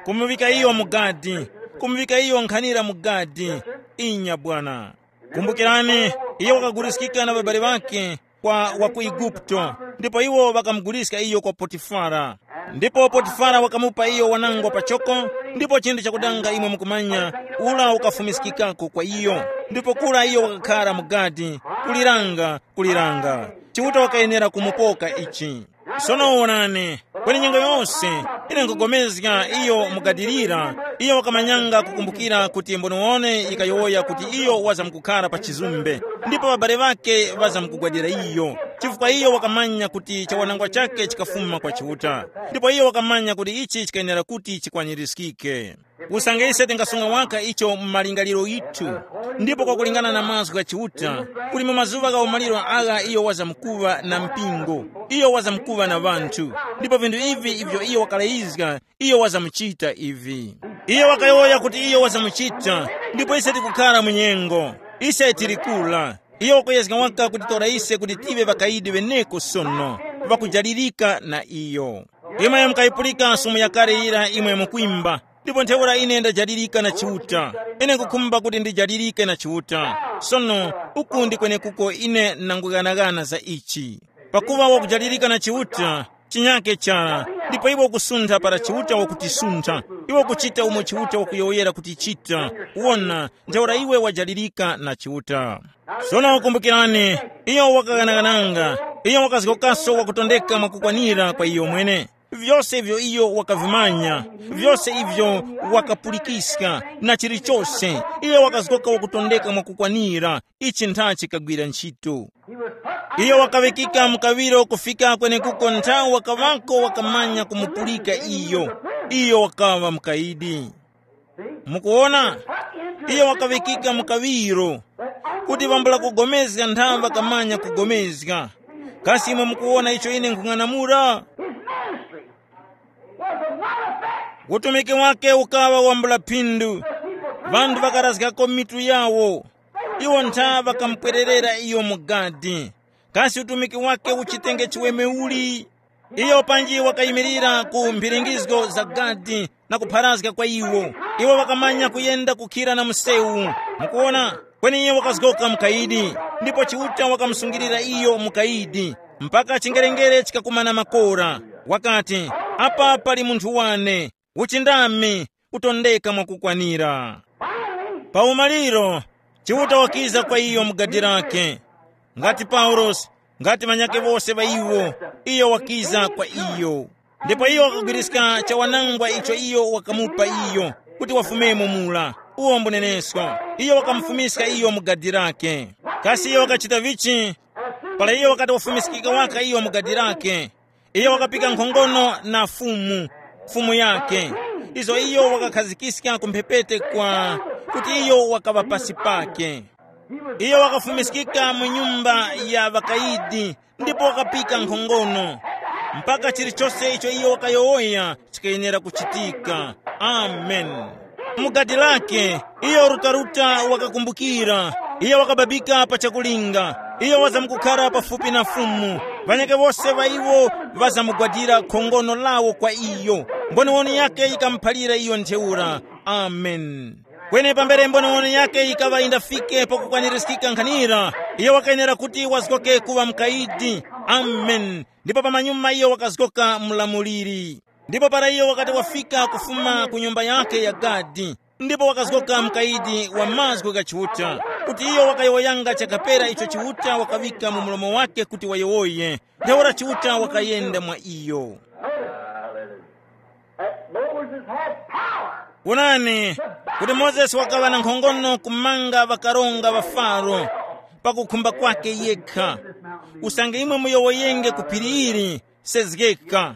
Kumuŵika iyo mu gadi, kumuŵika iyo nkhanira mu gadi. Inya bwana. Kumbukirani, iyo wakaguliskika na ŵabale ŵakhe kwa wa ku Eguputo, ndipo iwo ŵakamuguliska iyo kwa Potifara. Ndipo Potifara wakamupa iyo wanangwa pachoko, ndipo chinthu chakudanga imwe mukumanya, ula ukafumiskikako kwa iyo. Ndipo kura iyo wakakhara mu gadi, kuliranga, kuliranga. Chiuta wakayenera kumupoka ichi. Sono wonani, kweni nyengo yose, ine nkugomezga iyo mugadilira, iyo wakamanyanga kukumbukira kuti mboniwone yikayowoya kuti iyo wazamkukhara pa chizumbe, ndipo ŵabale ŵake ŵazamkugwadira iyo, chifukwa iyo wakamanya kuti chawanangwa chake chikafuma kwa Chiuta, ndipo iyo wakamanya kuti ichi chikayenera kuti chikwanirizgike. Usange ise tingasunga waka icho mu malingaliro yithu, ndipo kwakulingana na mazgu gha Chiuta, kuli mu mazuŵa gha umaliro agha iyo wazamkuŵa na mpingo, iyo wazamkuŵa na ŵanthu, ndipo vinthu ivi ivyo iyo wakalayizga, iyo wazamuchita ivi. Iyo wakayowoya kuti iyo wazamuchita, ndipo ise tikukhara mu nyengo, ise tili kula. Iyo wakuyezga waka kutitora ise kuti tive ŵakayidi ŵeneko sono, ŵakujalirika na iyo. Imwe mukayipulika sumu yakale yira imwe mukwimba, ndipo ntheura ine ndajalirika na Chiuta. Ine nkukhumba kuti ndijalirike na Chiuta. Sono, uku ndi kwenekuko ine nangughanagana za ichi. Pakuva wakujalirika na Chiuta, chinyake chara, ndipo iwe ukusuntha para Chiuta wakutisuntha. Iwe ukuchita umo Chiuta wakuyowoyera kuti chita. Wona, ntheura iwe wajalirika na Chiuta. Sono kumbukirani, iyo wakaghanaghananga, iyo wakazgokaso wakutondeka mwakukwanira kwa iyo mwene. Vyose ivyo iyo wakavimanya, vyose ivyo wakapulikiska, na chilichose, iyo wakazgoka wakutondeka mwakukwanira, ichi nthachi kagwira ntchito. Iyo wakaŵikika mu kaŵiro kufika kwenekuko nthawi wakaŵako wakamanya kumupulika iyo, iyo wakaŵa mukayidi. Mukuwona, iyo wakaŵikika mu kaŵiro, kuti wambula kugomezga nthawi ŵakamanya kugomezga. Kasi imwe mukuwona icho ine nkhung'anamula? His ministry was of not effect. Utumiki wake ukaŵa wambula phindu. Ŵanthu ŵakarazgako mitu yawo. Iwo ntha ŵakamupwererera iyo mu gadi. Kasi utumiki wake uchitenge chiweme uli? Iyo panji wakayimirira ku mbiringizgo za gadi na kupharazga kwa iwo. Iwo wakamanya kuyenda kukhira na msewu. Mukuona? Kweni iyo wakazgoka mukayidi, ndipo Chiuta wakamusungirira iyo mukayidi, mpaka chingerengere chikakumana makora. Wakati, apa pali munthu wane, uchindami, utondeka mwakukwanira. Pa umaliro, Chiuta wakiza kwa iyo mu gadi lake. Ngati Paulosi, ngati ŵanyakhe wose ŵa iwo, iyo wakiza kwa iyo. Ndipo iyo wakagwiriska chawanangwa icho iyo wakamupa iyo, kuti wafumemo mula. Uwo mbunenesko, iyo wakamufumiska iyo mu gadi lake. Kasi iyo wakachita vichi? Para iyo wakati wafumiskika waka iyo mu gadi lake, iyo wakapika nkhongono na Fumu, Fumu yake, izo iyo wakakhazikiska ku mphepete kwa, kuti iyo wakaŵa pasi pake. Iyo wakafumiskika mu nyumba ya ŵakayidi, ndipo wakapika nkhongono, mpaka chilichose icho iyo wakayowoya chikayenera kuchitika. Amen. Mu gadi lake, iyo rutaruta wakakumbukira, iyo wakababika pa chakulinga, iyo wazamkukhara pafupi na Fumu. Ŵanyakhe wose ŵa iwo ŵazamugwadira khongono lawo kwa iyo. Mboniwoni yake yikamuphalira iyo ntheura. Amen. Kweni pambere mboniwoni yake yikaŵa yindafike pakukwanirizgika nkhanira, iyo wakayenera kuti wazgoke kuŵa mukayidi. Amen. Ndipo pamanyuma iyo wakazgoka mlamuliri. Ndipo para iyo wakati wafika kufuma ku nyumba yake ya gadi, ndipo wakazgoka mukayidi wa mazgu gha Chiuta, kuti iyo wakayowoyanga chakapera icho Chiuta wakaŵika mu mlomo wake kuti wayowoye. Ntheura Chiuta wakayenda mwa iyo. That Moses had power. Wonani, kuti Mozesi wakaŵa na nkhongono kumanga ŵakaronga ŵa Faro, pakukhumba kwake yekha. Usange imwe muyowoyenge ku phiri ili, sezgeka.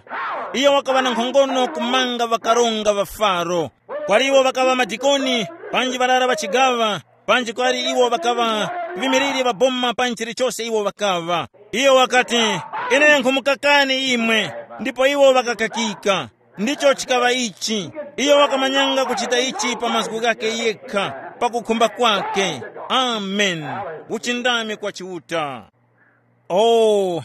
Iyo wakaŵa na nkhongono kumanga ŵakaronga ŵa Faro. Kwali iwo ŵakaŵa madikoni, panji ŵarara ŵa chigaŵa, panji kwali iwo ŵakaŵa ŵimiriri ŵa boma panji chilichose iwo ŵakaŵa. Iyo wakati, ine nkhumukakani imwe, ndipo iwo ŵakakakika. Ndicho chikaŵa ichi. Iyo wakamanyanga kuchita ichi pa mazgu ghakhe yekha, pakukhumba kwake. Amen. Uchindami kwa Chiuta. Oh,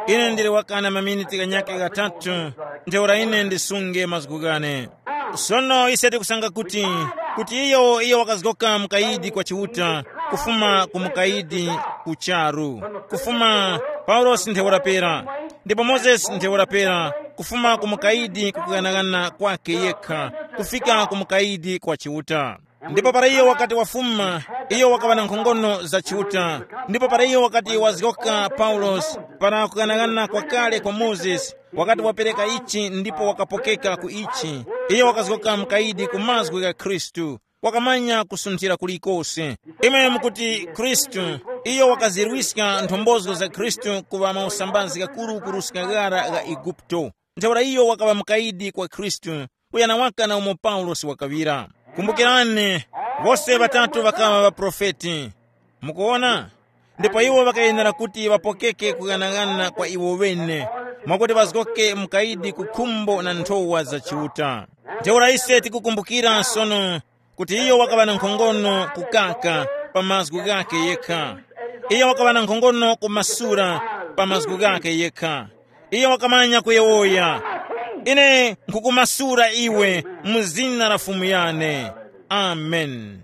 ine ndili wakana maminiti ganyakhe ghatatu, ntheura ine ndisunge mazgu ghane. Sono ise tikusanga kuti, kuti iyo iyo wakazgoka mukayidi kwa Chiuta, kufuma ku mukayidi ku charu, kufuma Paulosi ntheura pera, ndipo Mozesi ntheura pera, kufuma ku mukayidi kukughanagana kwake yekha, kufika ku mukayidi kwa Chiuta. Ndipo para iyo wakati wafuma, iyo wakaŵa na nkhongono za Chiuta. Ndipo para iyo wakati wazgoka Paulosi, para kughanagana kwakale kwa Mozesi, wakati wapereka ichi ndipo wakapokeka ku ichi, iyo wakazgoka mukayidi ku mazgu gha Khristu. Wakamanya kusunthira kulikose. Imwe mukuti Khristu, iyo wakazirwiska nthombozo za Khristu kuŵa mausambazi ghakuru kuruska ghara gha Eguputo. Ntheura iyo wakaŵa mukayidi kwa Khristu, kuyana waka na umo Paulosi wakaŵira. Kumbukirani, wose ŵatatu ŵakaŵa ŵaprofeti. Mukuwona? Ndipo iwo ŵakayenera kuti ŵapokeke kughanagana kwa iwo ŵene, mwakuti ŵazgoke mukayidi ku khumbo na nthowa za Chiuta. Ntheura ise tikukumbukira sono kuti iyo wakaŵa na nkhongono kukaka pa mazgu ghakhe yekha. Iyo wakaŵa na nkhongono kumasura pa mazgu ghakhe yekha. Iyo wakamanya kuyowoya, ine nkhukumasura iwe mu zina la Fumu yane. Amen.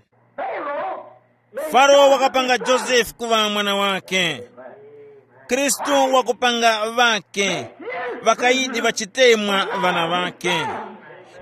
Faro wakapanga Josefe kuŵa mwana wake. Khristu wakupanga ŵake, ŵakayidi ŵachitemwa ŵana ŵake.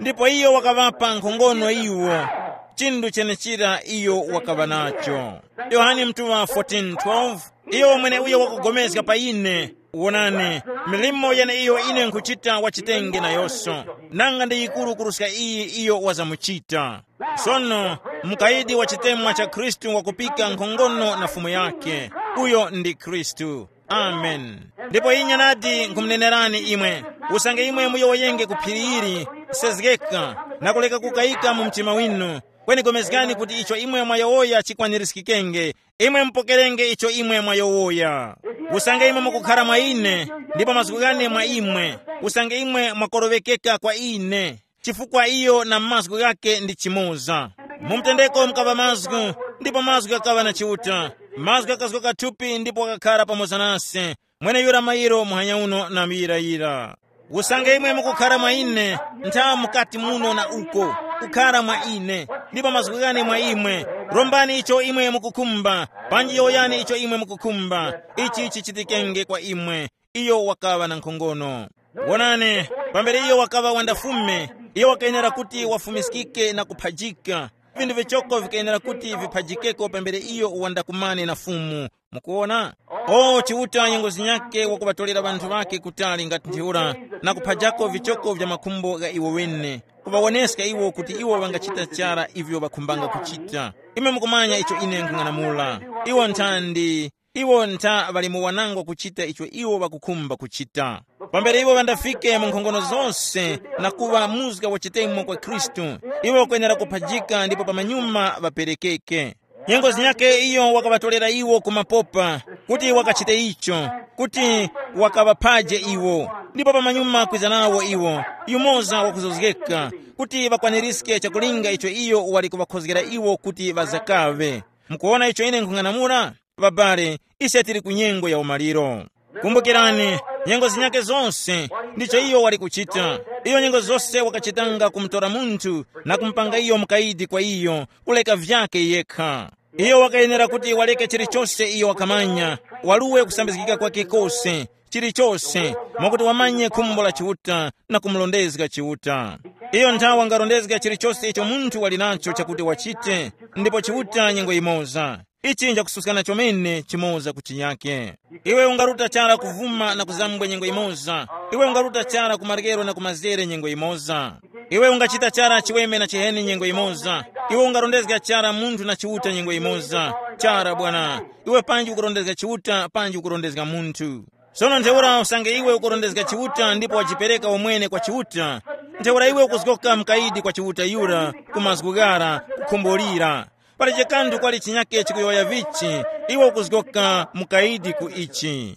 Ndipo iyo wakaŵapa nkhongono iwo, chinthu chenechira iyo wakaŵa nacho. Yohane mtuŵa fourteen twelve, iyo mweneuyo wakugomezga pa ine, wonani, milimo yeneiyo ine nkhuchita wachitenge nayonso, nanga ndi yikuru kuruska iyi iyo wazamuchita. Sono, mukayidi wa chitemwa cha Khristu wakupika nkhongono na Fumu yake. Uyo ndi Khristu. Amen. Ndipo inya nadi nkhumunenerani imwe, usange imwe muyowoyenge ku phiri ili, sezgeka, na kuleka kukayika mu mtima winu, kweni pulikani kuti icho imwe mwayowoya chikwanirizgikenge, imwe mupokerenge icho imwe mwayowoya. Usange imwe mukukhara mwa ine, ndipo mazgu ghane mwa imwe, usange imwe mwakoroŵekeka kwa ine, chifukwa iyo na mazgu ghake ndi chimoza. Mu mtendeko mukaŵa mazgu, ndipo mazgu ghakaŵa na Chiuta. Mazgu ghakazgoka thupi ndipo ghakakhara pamoza nase. Mweneyura mairo muhanya uno na muyirayira. Usange imwe mukukhara mwa ine, ntha mukati muno na uko, kukhara mwa ine, ndipo mazgu ghane mwa imwe. Rombani icho imwe mukukhumba, panji yowoyani icho imwe mukukhumba, ichi chichitikenge kwa imwe. Iyo wakaŵa na nkhongono. Wonani, pambere iyo wakaŵa wandafume, iyo wakayenera kuti wafumiskike na kuphajika. Vinthu vichoko vikayenera kuti viphajikeko pambere iyo wandakumane na Fumu. Mukuona? O Chiuta nyengo zinyake wakuŵatolera ŵanthu ŵake kutali ngati ntheura, na kuphajako vichoko vya makhumbo gha iwo wene, kuŵawoneska iwo kuti iwo ŵangachita chara ivyo ŵakhumbanga kuchita. Imwe mukumanya icho ine nkhung'anamula. Iwo nthandi, iwo ntha ŵali mu wanangwa kuchita icho iwo ŵakukhumba kuchita. Pambere iwo ŵandafike mu nkhongono zose na kuŵa muzga wa chitemo kwa Khristu, iwo kwenera kuphajika ndipo pamanyuma ŵaperekeke. Nyengo zinyake iyo wakaŵatolera iwo ku mapopa, kuti wakachite icho, kuti wakaŵaphaje iwo. Ndipo pamanyuma kwiza nawo iwo, yumoza wakuzozgeka, kuti ŵakwaniriske chakulinga icho iyo wali kuŵakhozgera iwo kuti ŵazakaŵe. Mukuwona icho ine nkhung'anamula? Ŵabale, ise tili ku nyengo ya umaliro. Kumbukirani, nyengo zinyake zose, ndicho iyo wali kuchita. Iyo nyengo zose wakachitanga kumutora munthu na kumupanga iyo mukayidi kwa iyo, kuleka vyake yekha. Iyo wakayenera kuti waleke chilichose iyo wakamanya, waluwe kusambizgika kwake kose, chilichose, mwakuti wamanye khumbo la Chiuta na kumurondezga Chiuta. Iyo nthawe wangarondezga chilichose icho munthu wali nacho chakuti wachite, ndipo Chiuta nyengo yimoza. Ichi nchakususkana chomene chimoza ku chinyake. Iwe ungaruta chara kuvuma na kuzambwe nyengo imoza. Iwe ungaruta chara ku maryero na ku mazere nyengo imoza. Iwe ungachita chara chiweme na chiheni nyengo imoza. Iwe ungarondezga chara munthu na Chiuta nyengo imoza. Chara bwana. Iwe panji ukurondezga Chiuta panji ukurondezga munthu. Sono ntheura usange iwe ukurondezga Chiuta ndipo wajipereka umwene kwa Chiuta, ntheura iwe ukuzgoka mukayidi kwa Chiuta yura, ku mazgu ghara, kukhumbulira. Palibe kanthu kwali chinyake chikuyowoya vichi, iwe ukuzgoka mukayidi ku ichi.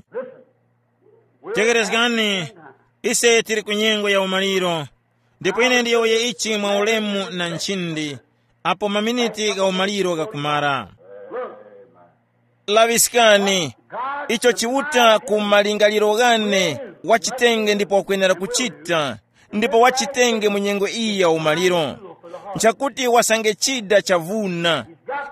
Tekerezgani, ise tili ku nyengo ya umaliro, ndipo ine ndiyowoye ichi mwa ulemu na nchindi, apo maminiti gha umaliro ghakumara. Laŵiskani, icho Chiuta ku malingaliro ghane wachitenge ndipo wakwenera kuchita, ndipo wachitenge mu nyengo iyi ya umaliro. Nchakuti wasange chida chavuna,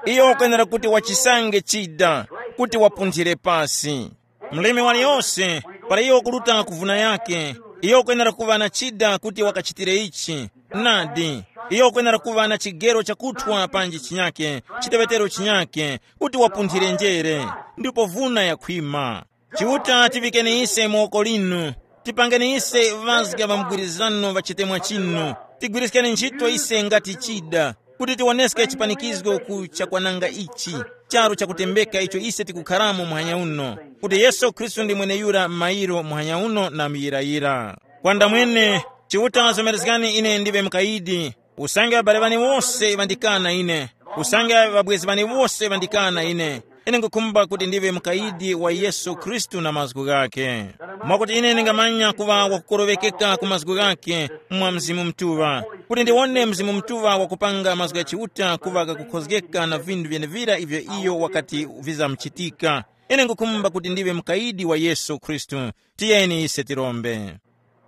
iyo wakwenera kuti wachisange chida, kuti wapunthire pasi. Mlimi waliyose, para iyo wakuruta kuvuna yake, iyo wakwenera kuŵa na chida kuti wakachitire ichi. Nadi, iyo wakwenera kuŵa na chigero chakuthwa panji chinyake, chiteŵetero chinyake, kuti wapunthire njere, ndipo vuna yakhwima. Chiuta tiŵikeni ise mu woko linu, tipangeni ise ŵazga ŵa mgwirizano ŵa chitemwa chinu, tigwiriskeni ntchito ise ngati chida, kuti tiwoneske chipanikizgo ku chakwananga ichi, charu chakutembeka icho ise tikukharamo muhanya uno, kuti Yesu Khristu ndi mweneyura m'mayiro muhanya uno na muyirayira. Kwandamwene, Chiuta zomerezgani ine ndiŵe mukayidi, usange ŵabale ŵane wose ŵandikana ine, usange ŵabwezi ŵane wose ŵandikana ine, ine nkhukhumba kuti ndiŵe mukayidi wa Yesu Khristu na mazgu ghakhe. Mwakuti ine ndingamanya kuŵa wakukorowekeka ku mazgu ghakhe mwa Mzimu Mutuŵa, kuti ndiwone Mzimu Mutuŵa wakupanga mazgu gha Chiuta kuŵa ghakukhozgeka na vinthu vyenevira ivyo iyo wakati vizamuchitika. Ine nkhukhumba kuti ndiŵe mukayidi wa Yesu Khristu. Tiyeni ise tirombe.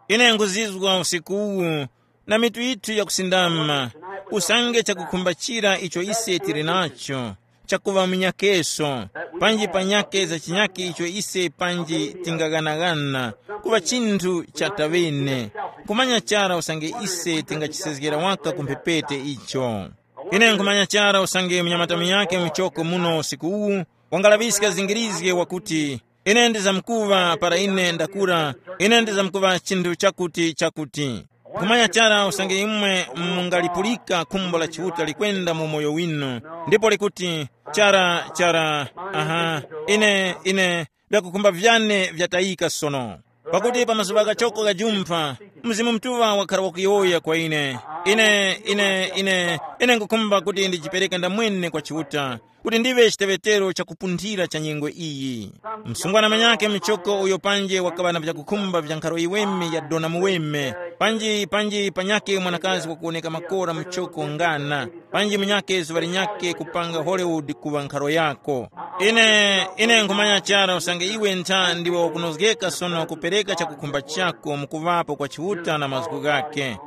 Ine nkhuzizwa usiku uwu na mitu yithu yakusindama, usange chakukhumba chira icho ise tili nacho, chakuŵa munyakeso, panji panyake za chinyake icho ise panji tingaghanaghana, kuŵa chinthu cha taŵene, kumanya chara usange ise tingachisezgera waka ku mphepete icho. Ine nkhumanya chara usange munyamata munyake muchoko muno usiku uwu wangalaŵiska zingirizge wakuti, ine ndizamkuŵa para ine ndakura, ine ndizamkuŵa chinthu chakuti chakuti. Nkhumanya chara usange imwe mungalipulika khumbo la Chiuta likwenda mu moyo winu, ndipo likuti, chara chara, aha, ine ine vyakukhumba vyane vyatayika sono. Pakuti pa mazuŵa ghachoko ghajumpha, Mzimu Mutuŵa wakhara wakuyowoya kwa ine, Ine, ine, ine, ine nkukhumba kuti ndijipereke ndamwene kwa Chiuta, kuti ndiŵe chiteŵetero chakupunthira cha nyengo iyi. Msungwana manyake muchoko uyo panje wakaŵa na vyakukhumba vya nkharo yiweme ya dona muweme, panji, panji panyake mwanakazi wakuwoneka makora muchoko ngana, panji munyake zuŵa linyake kupanga Hollywood kuŵa nkharo yako. Ine, ine nkhumanya chara usange iwe ntha ndiwe wakunozgeka sono kupereka chakukhumba chako mukuŵapo kwa Chiuta na mazgu ghake.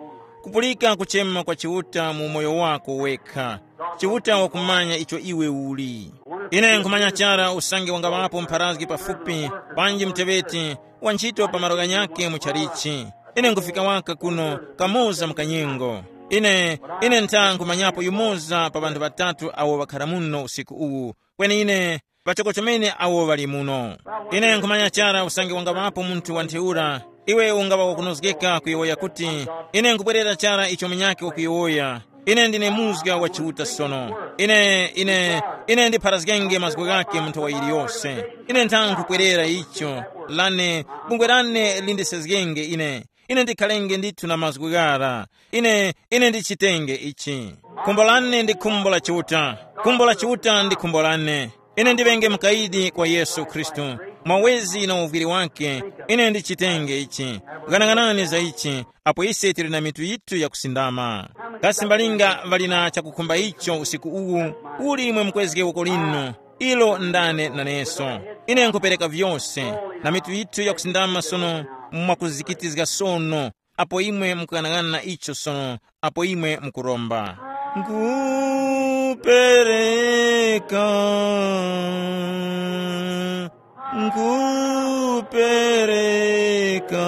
Kupulika kuchema kwa Chiuta mu umoyo wako wekha. Chiuta wakumanya icho iwe uli. Ine nkhumanya chara usange wangaŵapo mpharazgi pafupi, panji muteŵeti wa ntchito pa malo ghanyakhe mu chalichi. Ine nkufika waka kuno kamoza mu kanyengo. Ine, ine ntha nkhumanyapo yumoza pa ŵanthu ŵatatu awo ŵakhara muno usiku uwu, kweni ine pachoko chomene awo ŵali muno. Ine nkhumanya chara usange wangaŵapo munthu wa ntheura, iwe ungaŵa wakunozgeka kuyowoya kuti, ine nkubwerera chara icho munyakhe wakuyowoya. Ine ndine muzga wa Chiuta sono. Ine, ine, ine ndipharazgenge mazgu ghakhe mu nthawa yiliyose. Ine ntha nkhukwerera icho, lane, bungwe lane lindisezgenge ine. Ine ndikhalenge ndithu na mazgu ghara. Ine, ine ndichitenge ichi. Khumbo lane ndi khumbo la Chiuta. Khumbo la Chiuta ndi khumbo lane. Ine ndiŵenge mukayidi kwa Yesu Khristu. Mwawezi na uvwiri wake, ine ndichitenge ichi. Ghanaghanani za ichi, apo ise tili na mitu yithu yakusindama. Kasi mbalinga ŵali na chakukhumba icho usiku uwu? Uli imwe mukwezge woko linu, ilo ndane naneso. Ine nkhupereka vyose, na mitu yithu yakusindama sono, mwakuzikitizga sono, apo imwe mukughanagana na icho sono, apo imwe mukuromba. Nkhupereka, nkhupereka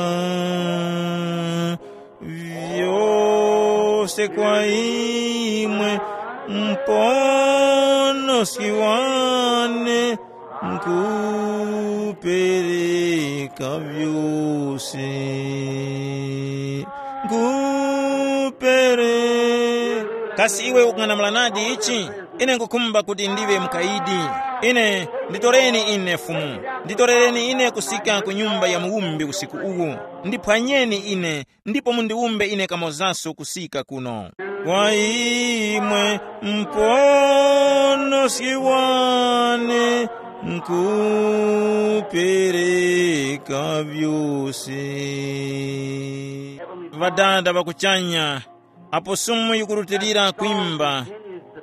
vyose kwa imwe, Muponoski wane, nkhupereka vyose. Nkhupereka. Kasi iwe ukung'anamula nadi ichi? Ine nkhukhumba kuti ndiŵe mukayidi. Ine, nditoreni ine Fumu. Nditorereni ine kusika ku nyumba ya muwumbi usiku uwu. Ndiphwanyeni ine, ndipo mundiwumbe ine kamozaso kusika kuno. Kwa imwe Muponoski wane, nkhupereka vyose. Ŵadada ŵa kuchanya, apo sumu yikurutilira kwimba,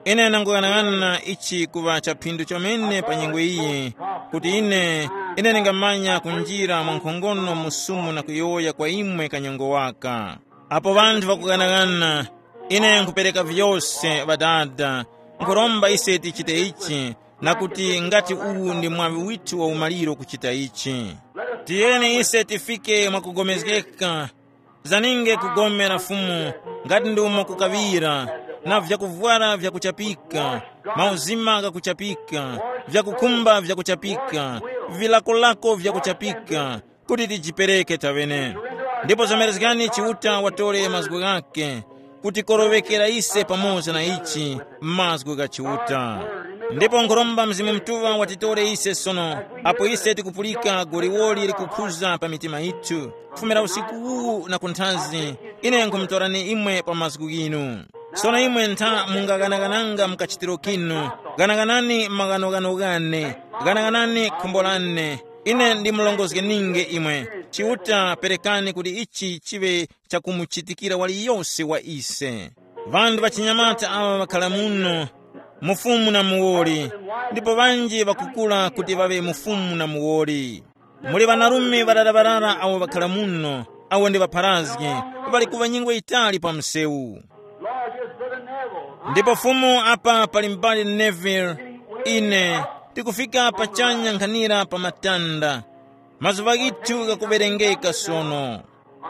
ine ndanguyang'ana ichi kuŵa chaphindu chomene pa nyengo iyi, kuti ine, ine ndingamanya kunjira mwankhongono mu sumu na kuyowoya kwa imwe kanyengo waka. Apo ŵanthu ŵakughanagana, ine nkhupereka vyose, Ŵadada, nkhuromba ise tichite ichi, na kuti ngati uwu ndi mwaŵi withu wa umaliro kuchita ichi. Tiyeni ise tifike mwakupulikana, zaninge kugomera Fumu, ngati ndi umo kukaŵira, na vyakuvwara vyakuchapika, mauzima ghakuchapika, vyakukhumba vyakuchapika, vilakolako vyakuchapika, kuti tijipereke taŵene. Ndipo zomerezgani Chiuta watore mazgu ghake, kuti koroŵekera ise pamoza na ichi mazgu gha Chiuta. Ndipo nkhuromba Mzimu Mutuŵa watitore ise sono, apo ise tikupulika goliwoli likukhuza pa mitima yithu, kufumira usiku uwu na kunthazi, ine nkhumutorani imwe pa mazgu ghinu. Sono imwe ntha mungaghanaghananga mu kachitiro kinu, ghanaghanani maghanoghano ghane, ghanaghanani khumbo lane. Ine ndimulongozgeninge imwe, Chiuta perekani kuti ichi chiŵe chakumuchitikira waliyose wa ise. Ŵanthu ŵachinyamata aŵa ŵakhala muno, mufumu na muwoli, ndipo ŵanji ŵakukura kuti ŵaŵe mufumu na muwoli. Muli ŵanarume ŵarara-ŵarara awo ŵakhala muno, awo ndi ŵapharazgi, ŵali kuŵa nyengo yitali pa msewu. Ndipo Fumu apa pali m'bale Neville, ine tikufika pachanya nkhanira pa matanda. Mazuŵa ghithu ghakuŵerengeka sono.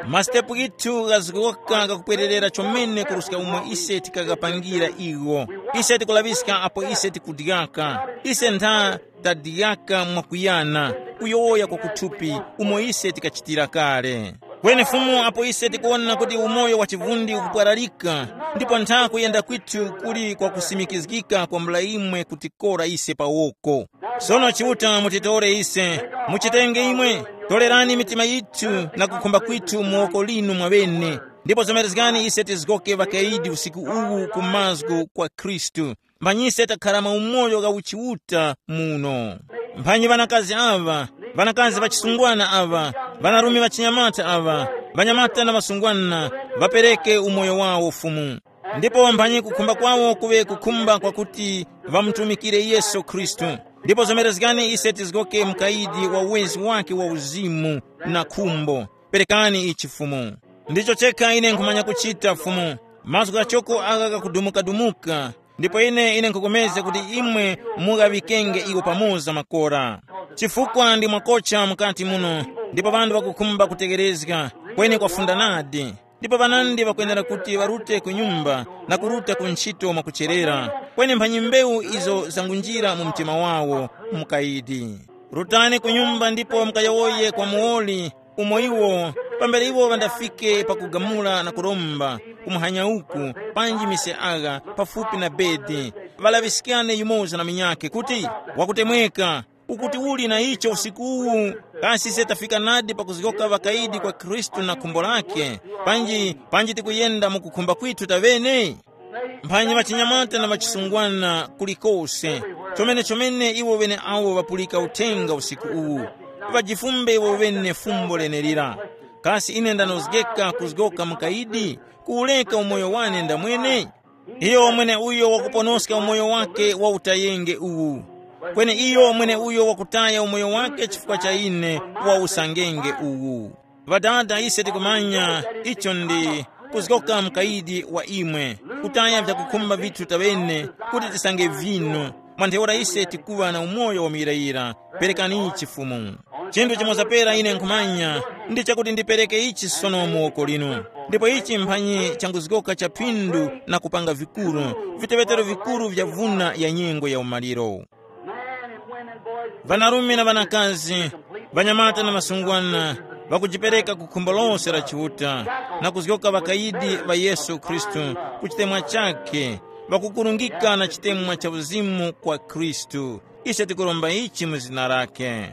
Masitepu ghithu ghazgoka ghakupwererera chomene kuruska umo ise tikaghapangira igho. Ise tikulaŵiska apo ise tikudyaka. Ise ntha tadyaka mwakuyana, kuyowoya kwa kuthupi umo ise tikachitira kale. Kweni Fumu apo ise tikuwona kuti umoyo wa chivundi ukupwararika, ndipo ntha kuyenda kwithu kuli kwa kusimikizgika kwambula imwe kutikora ise pa woko. Sono Chiuta mutitore ise, muchitenge imwe, torerani mitima yithu na kukhumba kwithu mu woko linu mwaŵene. Ndipo zomerezgani ise tizgoke ŵakayidi usiku uwu ku mazgu kwa Khristu. Mphanyi ise takharama umoyo wa uchiuta muno. Mphanyi ŵanakazi aŵa, ŵanakazi ŵachisungwana aŵa, ŵanarume ŵachinyamata aŵa, ŵanyamata na ŵasungwana, ŵapereke umoyo wawo Fumu. Ndipo mphanyi kukhumba kwawo kuŵe kukhumba kwakuti ŵamutumikire Yesu Khristu. Ndipo zomerezgani ise tizgoke mukayidi wa uwezi wake wa uzimu na khumbo. Perekani ichi Fumu. Ndicho chekha ine nkhumanya kuchita Fumu. Mazgu ghachoko agha ghakudumuka-dumuka. Ndipo ine ine nkhukomeza kuti imwe mughaŵikenge iwo pamoza makora. Chifukwa ndi mwakocha mukati muno, ndipo ŵanthu ŵakukhumba kutegherezga, kweni kwafunda nadi. Ndipo ŵanandi ŵakwenera kuti ŵarute ku nyumba na kuruta ku ntchito mwakucherera, kweni mphanyi mbewu izo zangunjira mu mtima wawo mukayidi. Rutani ku nyumba ndipo mukayowoye kwa muwoli, umo iwo, pambere iwo ŵandafike pakugamula na kuromba, kumuhanya uku, panji mise agha, pafupi na bedi, ŵalaŵiskane yumoza na munyakhe kuti, wakutemweka, ukuti uli na icho usiku uwu, kasi ise tafika nadi pakuzgoka ŵakayidi kwa Khristu na khumbo lakhe, panji, panji tikuyenda mu kukhumba kwithu taŵene? Mphanyi ŵachinyamata na ŵachisungwana kulikose, chomene-chomene iwo ŵeneawo ŵapulika uthenga usiku uwu, ŵajifumbe iwo ŵene fumbo lenelira. Kasi ine ndanozgeka kuzgoka mukayidi, kuwureka umoyo wane ndamwene? Iyo mwene uyo wakuponoska umoyo wake wa utayenge uwu, kweni iyo mwene uyo wakutaya umoyo wake chifukwa cha ine wa usangenge uwu. Ŵadada, ise tikumanya icho ndi kuzgoka mukayidi wa imwe, kutaya vyakukhumba vithu taŵene kuti tisange vinu. Mwa ntheura ise tikuŵa na umoyo wa muyirayira. Perekani ichi Fumu. Chinthu chimoza pera ine nkhumanya ndi chakuti ndipereke ichi sono mu woko linu. Ndipo ichi mphanyi changuzgoka cha phindu na kupanga vikuru, viteŵetero vikuru vya vuna ya nyengo ya umaliro. Ŵanarume na ŵanakazi, ŵanyamata na ŵasungwana, ŵakujipereka ku khumbo lose la Chiuta, na kuzgoka ŵakayidi ŵa Yesu Khristu ku chitemwa chakhe, ŵakukurungika na chitemwa cha uzimu kwa Khristu. Ise tikuromba ichi mu zina lakhe.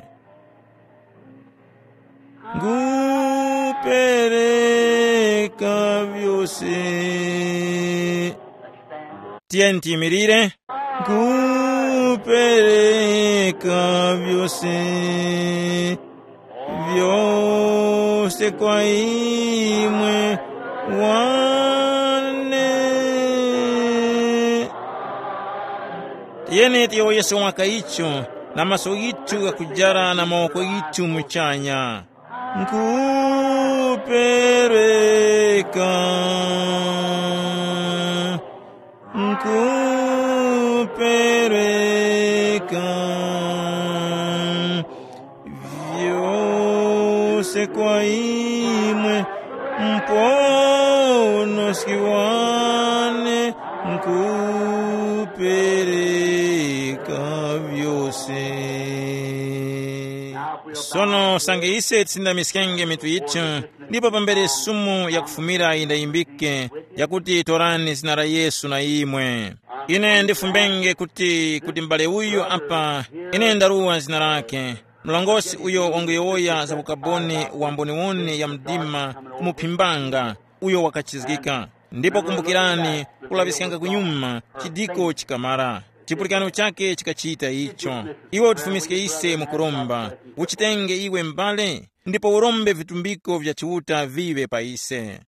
Ngupereka vyose. Tiyeni tiyimirire. Ngupereka vyose, vyose kwa imwe wane. Tiyeni tiyowoyese waka icho na maso ghithu ghakujara na mawoko ghithu muchanya. Nkupereka, nkupereka vyose kwa imwe, Muponoski wane, nkupereka vyose. Sono sange ise tisindamiskenge mitu yithu, ndipo pambere sumu yakufumira yindayimbike, yakuti, "Torani zina la Yesu na imwe." Ine ndifumbenge kuti, kuti m'bale uyu apa, ine ndaruwa zina lake, mlongosi uyo wanguyowoya za ukaboni wa mboniwoni ya mdima kumuphimbanga, uyo wakachizgika. Ndipo kumbukirani, kulaŵiskanga kunyuma, chidiko chikamara. Chipulikano chake chikachita icho. Iwe utifumiske ise mukuromba, uchitenge iwe m'bale, ndipo urombe vitumbiko vya Chiuta viŵe pa ise.